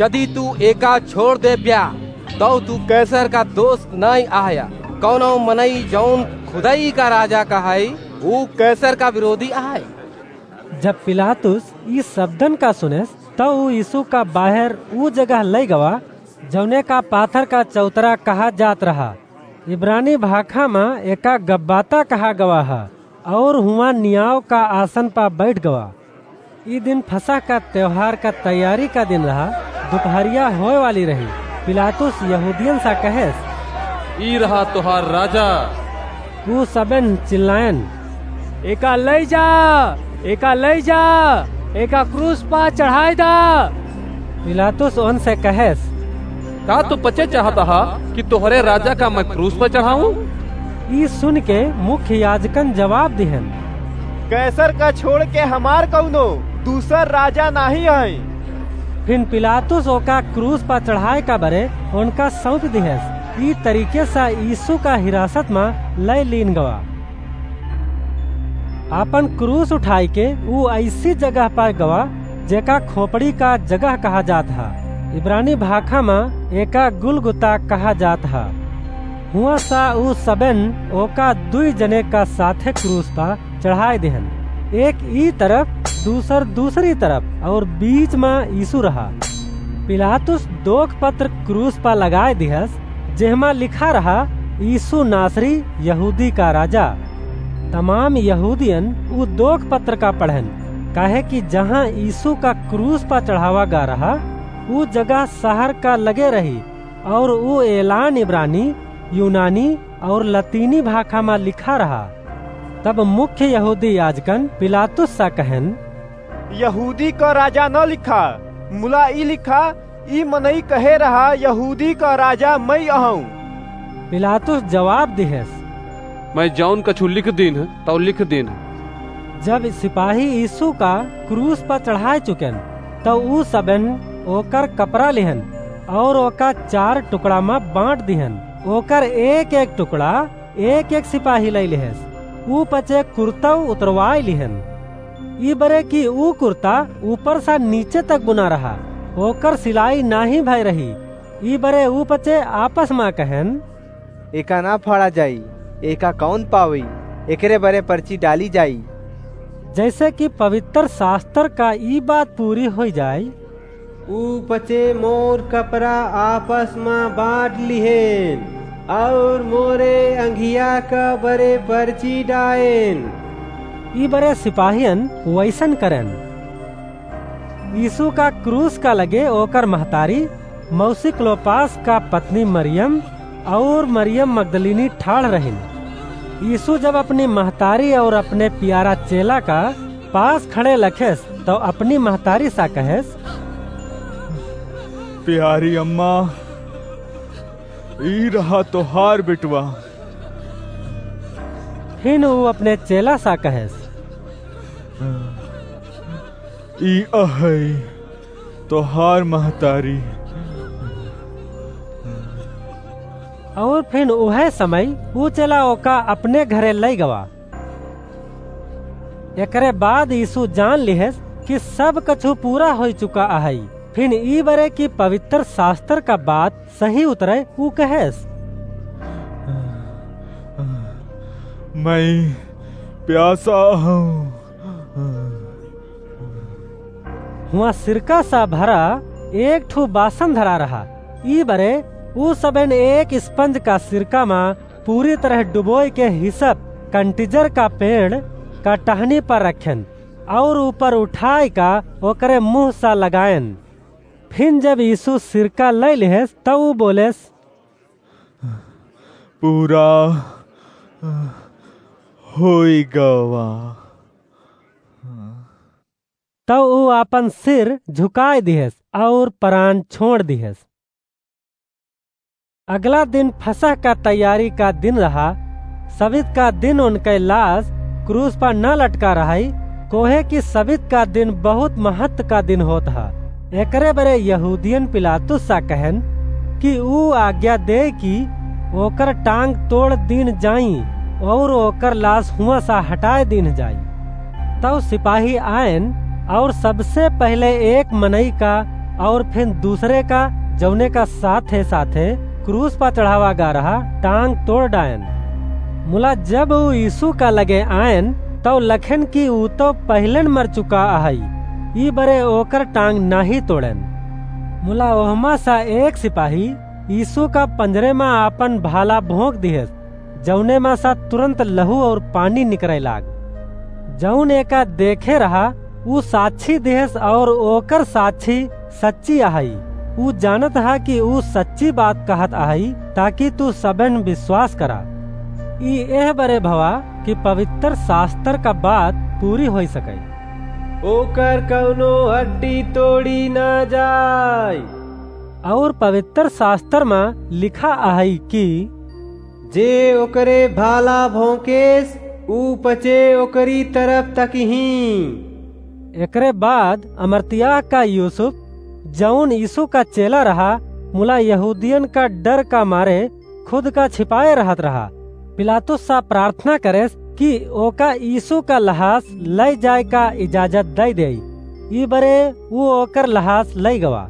"यदि तू एका छोड़ देब्या, तौ तू कैसर का दोस्त नाहीं अहया। कौनो मनई जौन खुदई का राजा कहै, ऊ कैसर का विरोधी अहै।" जब पिलातुस ई शब्दन का सुनेस, तौ ऊ यीशु का बाहर ऊ जगह लई गवा, जौने का पाथर का चौतरा कहा जात रहा। इब्रानी भाखा मा एका गब्बाता कहा गवा हा, और हुआं नियाव का आसन पा बैठ गवा। ई दिन फसह का त्योहार का तैयारी का दिन रहा, दुपहरिया होए वाली रही। पिलातुस यहूदियन सा कहेस, "ई रहा तोहार राजा।" ऊ सबेन चिल्लायन, "एका लई जा, एका लई जा, एका क्रूस पा चढ़ाय दा।" पिलातुस ओनसे कहेस, "का तू पचे चाहत हा कि तोहरे राजा का मैं क्रूस पर चढ़ाऊं?" ई सुन के मुख्य याजकन जवाब दिहेन, "कैसर का छोड़ के हमार कौनो दूसर राजा नाहीं है।" फिन पिलातुस ओका क्रूस पर चढ़ाए का बरे ओनका सौंप दिहेस। ई तरीके से यीशु का हिरासत में लय लीन गवा। आपन क्रूस उठाई के ऊ ऐसी जगह पर गवा, जेका खोपड़ी का जगह कहा जात हा। इब्रानी भाखा में एका गुलगुता कहा जात हा। हुआं सा ऊ सबेन ओका दुई जने का साथे क्रूस पर चढ़ाए देहन, एक ई तरफ, दूसर दूसरी तरफ, और बीच में यीशु रहा। पिलातुस दोख पत्र क्रूस पर लगाए दिहस, जेहमा लिखा रहा, "यीशु नासरी, यहूदी का राजा।" तमाम यहूदियन ऊ दोख पत्र का पढ़ेन, काहे कि जहाँ यीशु का क्रूस पर चढ़ावा गा रहा, ऊ जगह शहर का लगे रही, और ऊ एलान इब्रानी, यूनानी और लतीनी भाखा में लिखा रहा। तब मुख्य यहूदी याजकन पिलातुस सा कहेन, "यहूदी का राजा न लिखा, मुला ई लिखा, ई मनई कहे रहा, यहूदी का राजा मई अहूं।" पिलातुस जवाब दिहेस, "मैं जौन कछु लिख दीन है, तौ लिख दीन है।" जब सिपाही यीशु का क्रूस पर चढ़ाए चुकेन, तौ ऊ सबेन ओकर कपड़ा लिहन और ओका चार टुकड़ा में बांट दिहन। ओकर एक-एक टुकड़ा एक-एक सिपाही लई लिहेस। ऊ पचे कुर्तौ उतरवाई लिहन। ई बरे कि ऊ कुर्ता ऊपर से नीचे तक बुना रहा, ओकर सिलाई नाहीं भय रही, ई बरे ऊ पचे आपस मा कहेन, "एका ना फाड़ा जाई, एका कौन पावी? एकरे बरे पर्ची डाली जाई।" जैसे कि पवित्र शास्त्र का ई बात पूरी होई जाई, "ऊ पचे मोर कपड़ा आपस मा बाँट लिहेन, और मोरे अंगिया का बरे पर्ची डाएन।" ई बरे सिपाहियन वैसन करेन। यीशु का क्रूस का लगे ओकर महतारी, मौसी क्लोपास का पत्नी मरियम और मरियम मगदलीनी ठाढ़ रहिन। यीशु जब अपनी महतारी और अपने प्यारा चेला का पास खड़े लखेस, तो अपनी महतारी सा कहेस, "प्यारी अम्मा, ई रहा तोहार बेटवा।" फिन ऊ अपने चेला सा कहेस, "ई अहई तोहार महतारी।" और फिन उहे समय ऊ चेला ओका अपने घरे लई गवा। एकरे बाद यीशु जान लिहेस कि सब कछु पूरा होई चुका अहई। फिन ई बरे कि पवित्र शास्त्र का बात सही उतरे, ऊ कहेस, "मैं प्यासा हूँ।" हुआ सिरका सा भरा एक ठो बासन धरा रहा। ई बरे ऊ सबेन एक स्पंज का सिरका मा पूरी तरह डुबोय के हिसप कंटिजर का पेड़ का टहनी पर रखेन और ऊपर उठाय का ओकरे मुँह सा लगाएन। फिन जब यीशु सिरका लय लिहेस, तब ऊ बोलेस, "पूरा होई गवा।" तब ऊ आपन सिर झुकाय दिहेस और परान छोड़ दिहेस। अगला दिन फसह का तैयारी का दिन रहा। सबित का दिन उनके लाश क्रूस पर न लटका रहई, कोहे कि सबित का दिन बहुत महत्व का दिन होत हा। एकरे बरे यहूदियन पिलातुस सा कहेन कि ऊ आज्ञा दे कि ओकर टांग तोड़ दीन जाई और ओकर लाश हुआं सा हटाए दीन जाई। तब सिपाही आएन और सबसे पहले एक मनई का और फिर दूसरे का, जौने का साथे साथे क्रूस पर चढ़ावा गा रहा, टांग तोड़ डायन। मुला जब ऊ यीशु का लगे आएन, तब लखेन कि ऊ तो पहिलेन मर चुका अहई, ई बरे ओकर टांग नाही तोड़ेन। मुला ओहमा सा एक सिपाही यीशु का पंजरे मा आपन भाला भोंक दिहेस, जौने मा सा तुरंत लहू और पानी निकरे लाग। जौन एका देखे रहा, ऊ साक्षी दिहेस और ओकर साक्षी सच्ची अहई। ऊ जानत हा कि ऊ सच्ची बात कहत अहई, ताकि तू सबेन विश्वास करा। ई एह बरे भवा कि पवित्र शास्त्र का बात पूरी होई सके। ओकर कौनो हड्डी तोड़ी ना जाए। और पवित्र शास्त्र मा लिखा अहई कि जे ओकरे भाला भोंकेस, ऊ पचे ओकरी तरफ तकही। एकरे बाद अमरतियाह का यूसुफ, जौन यीशु का चेला रहा, मुला यहूदियन का डर का मारे खुद का छिपाए रहत रहा। पिलातुस सा प्रार्थना करेस कि ओका यीशु का लहास लय जाए का इजाजत दई देई। ई बरे ऊ ओकर लहास लय गवा।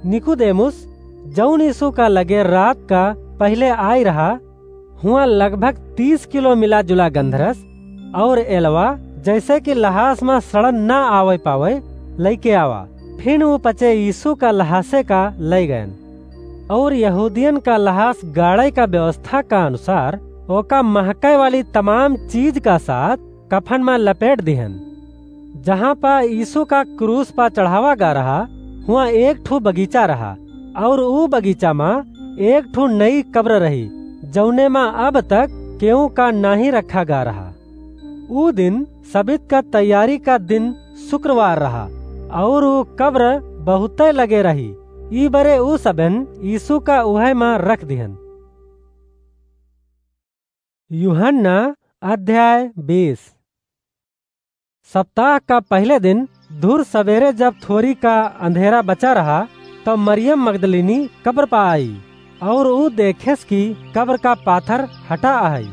निकुदेमुस, जौन यीशु का लगे रात का पहिले आय रहा, हुआं लगभग तीस किलो मिला जुला गंधरस और एलवा, जैसे कि लहास मा सड़न ना आवे पावे, लइके आवा। फिर ऊ पचे यीशु का लहासे का लय गयन। और यहूदियन का लहास गाड़े का व्यवस्था का अनुसार ओका महके वाली तमाम चीज का साथ कफन मा लपेट दिहन। जहाँ पा यीशु का क्रूस पा चढ़ावा गा रहा, हुआं एक ठो बगीचा रहा, और ऊ बगीचा मा एक ठो नई कब्र रही, जौने मा अब तक केहू का नाही रखा गा रहा। ऊ दिन सबित का तैयारी का दिन शुक्रवार रहा, और ऊ कब्र बहुते लगे रही। ई बरे ऊ सबन यीशु का उहे मा रख दिहन। यूहन्ना अध्याय बीस। सप्ताह का पहिले दिन धुर सबेरे जब थोरी का अंधेरा बचा रहा, तब मरियम मगदलिनी कब्र पा आई, और ऊ देखेस कि कब्र का पाथर हटा अहई।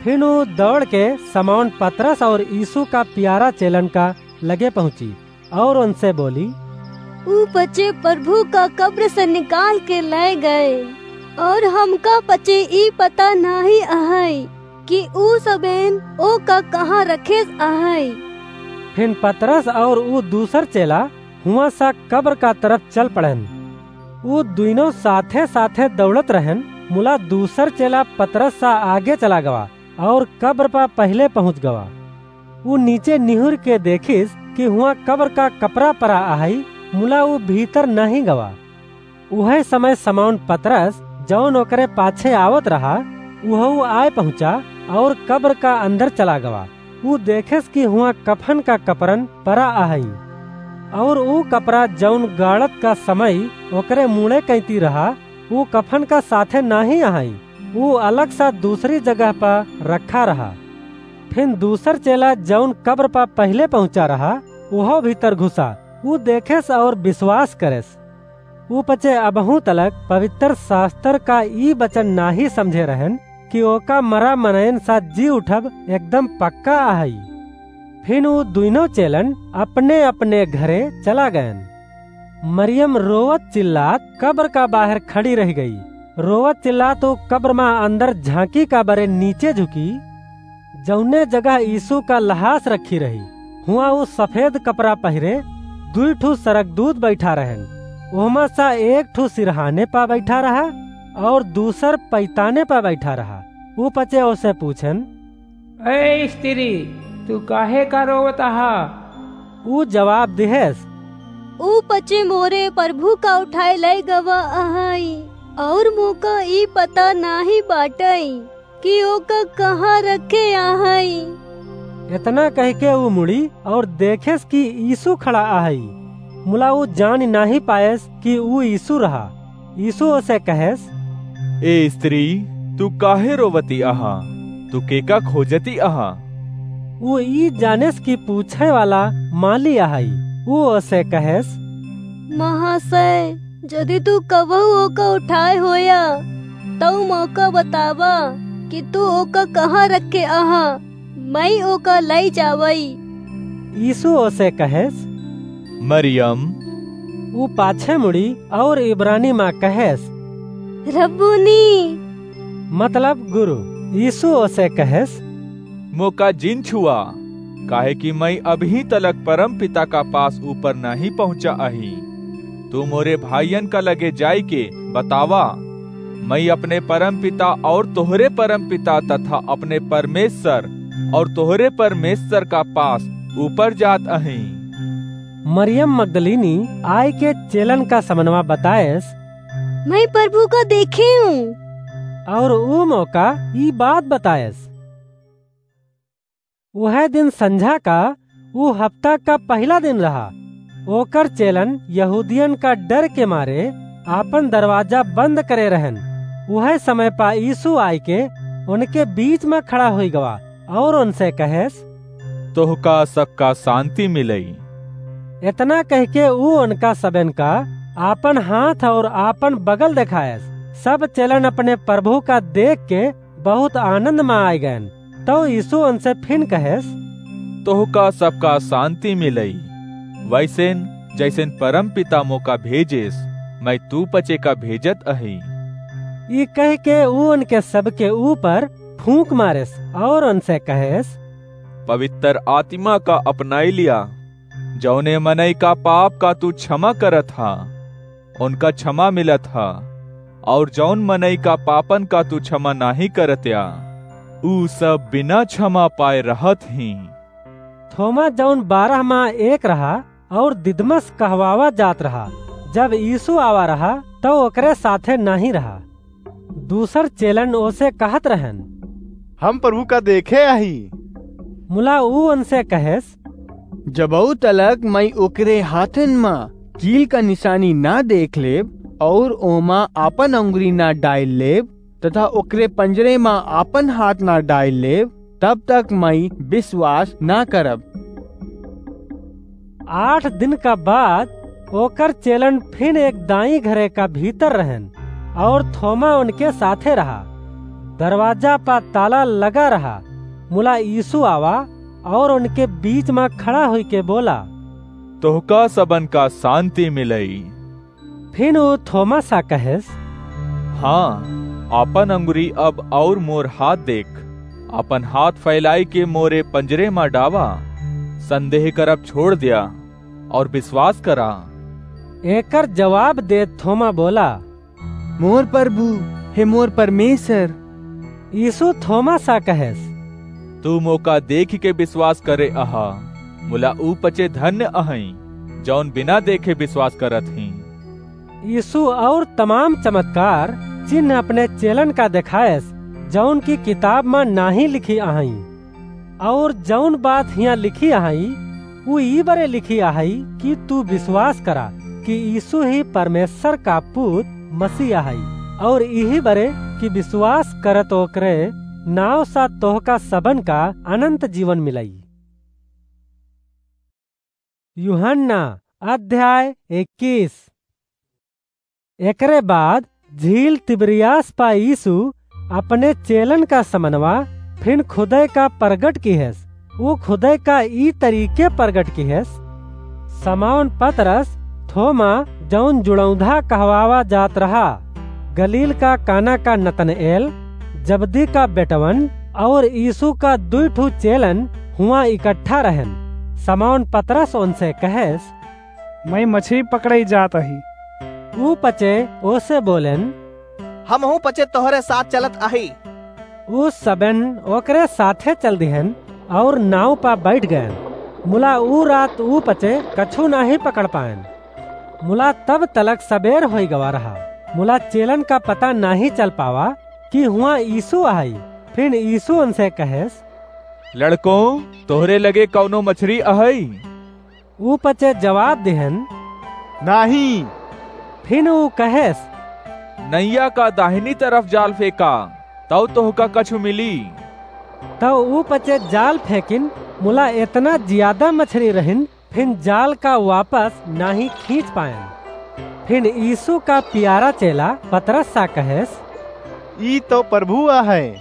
फिर ऊ दौड़ के समौन पतरस और यीशु का प्यारा चेलन का लगे पहुँची, और उनसे बोली, ऊ पचे प्रभु का कब्र से निकाल के लै गए, और हमका पचे ई पता नाहीं अहइ कि ऊ सबेन ओका कहाँ रखेस अहइ। फिन पतरस और ऊ दूसर चेला हुआँ सा कब्र का तरफ चल पड़ेन। ऊ दुइनों साथे-साथे दौड़त रहेन, मुला दूसर चेला पतरस सा आगे चला गवा और कब्र पा पहिले पहुँच गवा। ऊ नीचे निहुर के देखिस कि हुआँ कब्र का कपड़ा परा अहइ, मुला ऊ भीतर नाहीं गवा। उहइ समय समौन पतरस, जौन ओकरे पाछे आवत रहा, उहउ आय पहुँचा और कब्र का अंदर चला गवा। ऊ देखेस कि हुआँ कफन का कपरन परा अहइ, और ऊ कपड़ा जौन गाड़त का समय ओकरे मुड़े कैती रहा, ऊ कफन का साथे नाहीं अहइ, ऊ अलग सा दूसरी जगह पा रखा रहा। फिन दूसर चेला जौन कब्र पा पहिले पहुँचा रहा, उहउ भीतर घुसा, ऊ देखेस और बिसवास करेस। ऊ पचे अबहूँ तलक पवित्र शास्त्र का ई बचन नाहीं समझे रहेन कि ओका मरा मनयन सा जी उठब एकदम पक्का अहइ। फिन ऊ दुइनों चेलन अपने-अपने घरे चला गएन। मरियम रोवत चिल्लात कब्र का बाहर खड़ी रहि गई। रोवत चिल्लात ऊ कब्र मा अंदर झाँकी का बरे नीचे झुकी, जौने जगह यीशु का लहास रखी रही, हुआँ ऊ सफेद कपड़ा पहिरे दुइ ठू सरगदूत बैठा रहेन। ओहमा सा एक ठू सिरहाने पा बैठा रहा और दूसर पैताने पा बैठा रहा। ऊ पचे ओसे पूछेन, "ए स्त्री, तू काहे का रोवत अहा?" ऊ जवाब दिहेस, "ऊ पचे मोरे प्रभु का उठाए लै गवा अहइ, और मोका ई पता नाहीं बाटइ कि ओका कहाँ रखे अहइ।" एतना कहिके ऊ मुड़ी और देखेस कि यीशु खड़ा अहइ। मुला ऊ जान नाहीं पाएस कि ऊ यीशु रहा। यीशु ओसे कहेस, "ए स्त्री, तू काहे रोवती अहा? तू केका खोजती अहा?" ऊ ई जानेस कि पूछे वाला माली अहइ। ऊ ओसे कहेस, "महाशय, जदि तू कबहू ओका उठाए होया, तउ मोका बतावा कि तू ओका कहाँ रखे अहा, मइँ ओका लइ जावइ।" यीशु ओसे कहेस, "मरियम।" ऊ पाछे मुड़ी और इब्रानी मा कहेस, "रब्बूनी।" मतलब गुरु। यीशु ओसे कहेस, "मोका जिन छुआ, काहे कि मइँ अबहीं तलक परम पिता का पास ऊपर नाहीं पहुँचा अही। तू मोरे भाइयन का लगे जाइके बतावा, मइँ अपने परम पिता और तोहरे परम पिता तथा अपने परमेश्वर और तोहरे परमेश्वर का पास ऊपर जात अही।" मरियम मगदलीनी आइके चेलन का समनवा बताएस, "मइँ प्रभु का देखेउ।" और ऊ मोका ई बात बताएस। उहइ दिन संझा का, ऊ हफ्ता का पहिला दिन रहा। ओकर चेलन यहूदियन का डर के मारे आपन दरवाजा बंद करे रहेन। उहइ समय पा यीशु आइके उनके बीच मा खड़ा होइ गवा और उनसे कहेस, "तोहका सबका शांति मिलइ।" एतना कहिके ऊ उनका सबेन का आपन हाथ और आपन बगल देखाएस। सब चेलन अपने प्रभु का देखके बहुत आनंद मा आइ गएन। तउ यीशु उनसे फिन कहेस, "तोहका सबका शांति मिलइ। वइसेन जइसेन परम पिता मोका भेजेस, मइँ तू पचे का भेजत अही।" ई कहिके ऊ उनके सबके ऊपर फूँक मारेस और उनसे कहेस, "पवित्र आत्मा का अपनाइ लिया। जउने मनई का पाप का तू क्षमा करत हा, उनका क्षमा मिलत हा, और जौन मनई का पापन का तू क्षमा नाहीं करत्या, ऊ सब बिना क्षमा पाए रहत हीं।" थोमा, जौन बारह मा एक रहा और दिदमस कहवावा जात रहा, जब यीशु आवा रहा, तउ ओकरे साथे नाहीं रहा। दूसर चेलन ओसे कहत रहन, "हम प्रभु का देखे आही।" मुला ऊ उनसे कहेस, "जबऊ तलक मई ओकरे हाथन मा कील का निशानी ना देख लेब और ओमा आपन अंगुरी ना डाइल लेब तथा ओकरे पंजरे मा आपन हाथ ना डाइल लेब, तब तक मई विश्वास ना करब।" आठ दिन का बाद ओकर चेलन फिन एक दाई घरे का भीतर रहन और थोमा उनके साथे रहा। दरवाजा पा ताला लगा रहा। मुला यीशु आवा और उनके बीच मा खड़ा होइके बोला, तोहका सबन का शांति मिलई। फिन ऊ थोमा सा कहेस, हाँ, आपन अंगुरी अब और मोर हाथ देख, आपन हाथ फैलाई के मोरे पंजरे मा डावा, संदेह करब छोड़ द्या और विश्वास करा। एकर जवाब देत थोमा बोला, मोर प्रभु, हे मोर परमेश्वर। यीशु थोमा सा कहेस, तू मोका देखि के विश्वास करे अहा, मुला ऊ पचे धन्य अहई, जौन बिना देखे विश्वास करत ही। यीशु और तमाम चमत्कार, चिन्ह अपने चेलन का देखायस, जौन की किताब मा नाहीं लिखी अहई। और जौन बात हियाँ लिखी अहई, ऊ ई बरे लिखी अहई कि तू विश्वास करा कि यीशु ही परमेश्वर का पूत मसीह अहई, और इही बरे कि विश्वास करत ओकरे नाव सा तोहका सबन का अनंत जीवन मिलई। यूहन्ना अध्याय इक्कीस। एकरे बाद झील तिबिरियास पा यीशु अपने चेलन का समनवा फिन खुदे का प्रगट किहेस। ऊ खुदे का ई तरीके प्रगट किहेस, समौन पतरस, थोमा, जौन जुड़ौधा कहवावा जात रहा, गलील का काना का नतनएल, जबदी का बेटवन, और यीशु का दुई ठू चेलन हुआं इकट्ठा रहन। समौन पतरस उनसे कहेस, मैं मछरी पकड़ई जात अही। ऊ पचे ओसे बोलेन, हमहू पचे तोहरे साथ चलत अही। ऊ सबेन ओकरे साथे चल दिहेन और नाव पा बैठ गएन। मुला ऊ रात ऊ पचे कछु नाहीं पकड़ पाएन। मुला तब तलक सबेर होई गवा रहा। मुला चेलन का पता नाहीं चल पावा कि हुआं यीशु अहई। फिन यीशु उनसे कहेस, लड़कों, तोहरे लगे कौनो मछरी अहई? ऊ पचे जवाब दिहेन, नाहीं। फिन ऊ कहेस, नैया का दाहिनी तरफ जाल फेंका, तौ तोहका कछु मिली। तौ ऊ पचे जाल फेंकिन, मुला एतना जियादा मछरी रहिन, फिन जाल का वापस नाहीं खींच पाएन। फिन यीशु का पियारा चेला पतरस सा कहेस, ई तौ प्रभु अहै।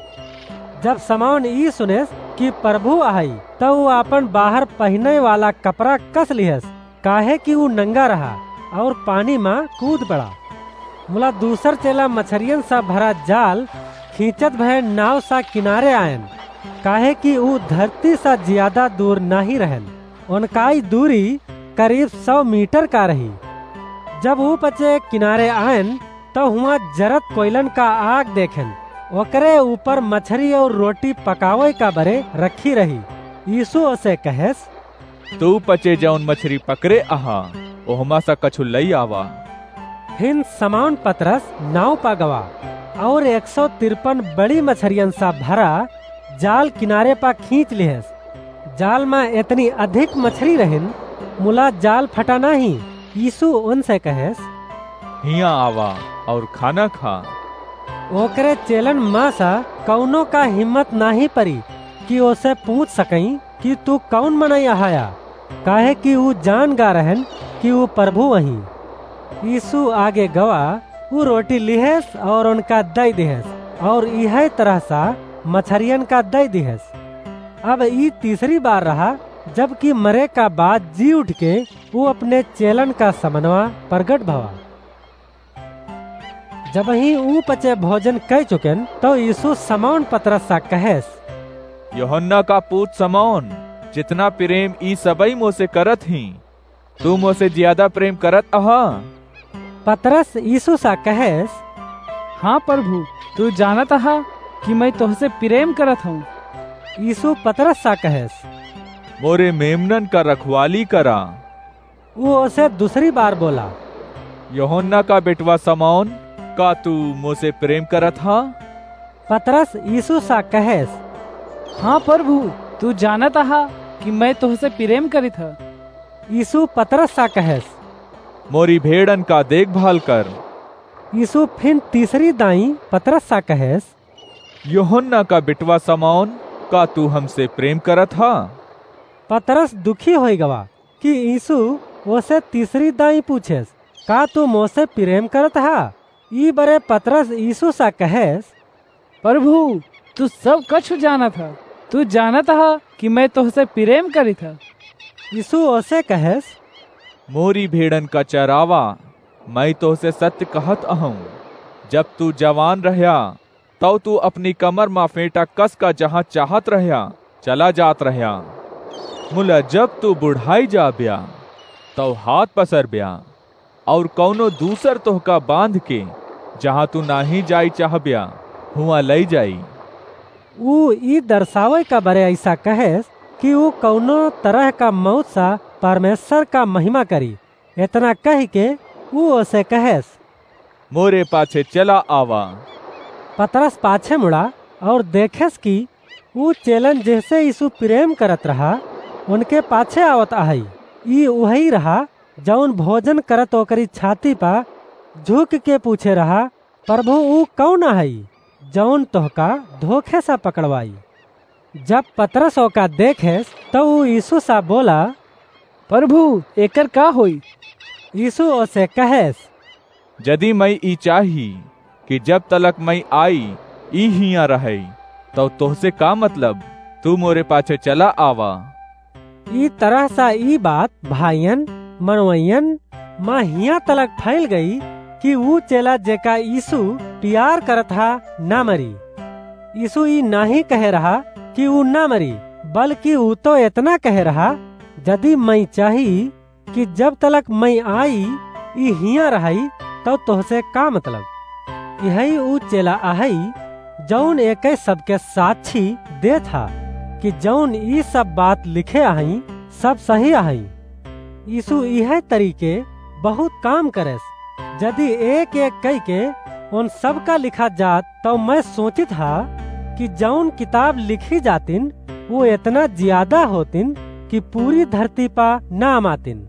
जब समौन ई सुनेस कि प्रभु अहई, तौ ऊ आपन बाहर पहिने वाला कपड़ा कस लिहेस, काहे कि ऊ नंगा रहा और पानी मा कूद पड़ा। मुला दूसर चेला मछरियन सा भरा जाल खींचत भए नाव सा किनारे आएन, काहे कि ऊ धरती सा जियादा दूर नाहीं रहेन। उनकाई दूरी करीब सौ मीटर का रही। जब ऊ पचे किनारे आएन, तौ हुआं जरत कोइलन का आग देखेन, ओकरे ऊपर मछरी और रोटी पकावे का बरे रखी रही। यीशु ओसे कहेस, तू पचे जौन मछरी पकरे अहा, ओहमा सा कछु लई आवा। फिन समौन पतरस नाव पा गवा और एक सौ तिरपन बड़ी मछरियन सा भरा जाल किनारे पा खींच लिहेस। जाल मा एतनी अधिक मछरी रहिन, मुला जाल फटा नाहीं। यीशु उनसे कहेस, हियाँ आवा और खाना खा। ओकरे चेलन मा सा कौनो का हिम्मत नाहीं परी कि ओसे पूछ सकई कि तू कौन मनई अहया, काहे कि ऊ जान गा रहेन कि ऊ प्रभु अहीं। यीशु आगे गवा, ऊ रोटी लिहेस और उनका दई दिहेस, और इहै तरह सा मछरियन का दई दिहेस। अब ई तीसरी बार रहा, जबकि मरे का बाद जी उठ के ऊ अपने चेलन का समनवा प्रगट भवा। जबहीं ऊ पचे भोजन कइ चुकेन, तौ यीशु समौन पतरस सा कहेस, यूहन्ना का पूत समौन, जितना प्रेम ई सबई मोसे करत हीं, तू मोसे जियादा प्रेम करत अहा? पतरस यीशु सा कहेस, हाँ प्रभु, तू जानत अहा कि मैं तोहसे प्रेम करत हूँ। यीशु पतरस सा कहेस, मोरे मेमनन का रखवाली करा। ऊ ओसे दूसरी बार बोला, यूहन्ना का बेटवा समौन, का तू मोसे प्रेम करत हा? पतरस यीशु सा कहेस, हाँ प्रभु, तू जानत अहा कि मैं तोहसे प्रेम करित ह। यीशु पतरस सा कहेस, मोरी भेड़न का देखभाल कर। यीशु फिन तीसरी दाई पतरस सा कहेस, यूहन्ना का बेटवा समौन, का तू हमसे प्रेम करत हा? पतरस दुखी होई गवा कि यीशु ओसे तीसरी दाई पूछेस, का तू मोसे प्रेम करत हा? ई बरे पतरस यीशु सा कहेस, प्रभु, तू सब कछु जानत ह, तू जानत ह कि मैं तोहसे प्रेम करित ह। यीशु ओसे कहेस, मोरी भेड़न का चरावा, मैं तोहसे सत्य कहत अहूँ, जब तू जवान रहया, तौ तू अपनी कमर मा फेंटा कस का जहाँ चाहत रहया, चला जात रहया। मुला जब तू बुढ़ाई जाब्या, तौ हाथ पसरब्या, और कौनो दूसर तोहका बांध के, जहाँ तू नाहीं जाई चाहब्या, हुआँ लई जाई। ऊ ई दर्शावै का बरे अइसा कहेस कि ऊ कौनो तरह का मौत सा परमेश्वर का महिमा करी। एतना कहि के ऊ ओसे कहेस, मोरे पाछे चला आवा। पतरस पाछे मुड़ा और देखेस कि ऊ चेलन जेहसे यीशु प्रेम करत रहा, उनके पाछे आवत आहई। ई उहई रहा, जौन भोजन करत ओकरी छाती पा झुक के पूछे रहा, प्रभु, ऊ कौन आहई, जौन तोहका धोखे सा पकड़वाई? जब पतरस ओका देखेस, तौ ऊ यीशु सा बोला, प्रभु, एकर का होई? यीशु ओसे कहेस, जदि मैं ई चाही कि जब तलक मैं आई, ई हियाँ रहई, तौ तोहसे का मतलब? तू मोरे पाछे चला आवा। ई तरह सा ई बात भाइयन, मनवइयन मा हियाँ तलक फैल गई कि ऊ चेला जेका यीशु प्यार करत हा, ना मरी। यीशु ई नाहीं कहे रहा कि ऊ ना मरी, बल्कि ऊ तो एतना कहे रहा, जदि मैं चाही कि जब तलक मैं आई, ई हियाँ रहई, तौ तोहसे का मतलब? इहई ऊ चेला आहई, जौन एके सबके साक्षी देत हा कि जौन ई सब बात लिखे आहई, सब सही आहई। यीशु इहे तरीके बहुत काम करेस। जदि एक एक कई के उन सबका लिखा जात, तौ मैं सोचित हा कि जौन किताब लिखी जातिन, वो एतना ज्यादा होतिन कि पूरी धरती पा ना अमातिन।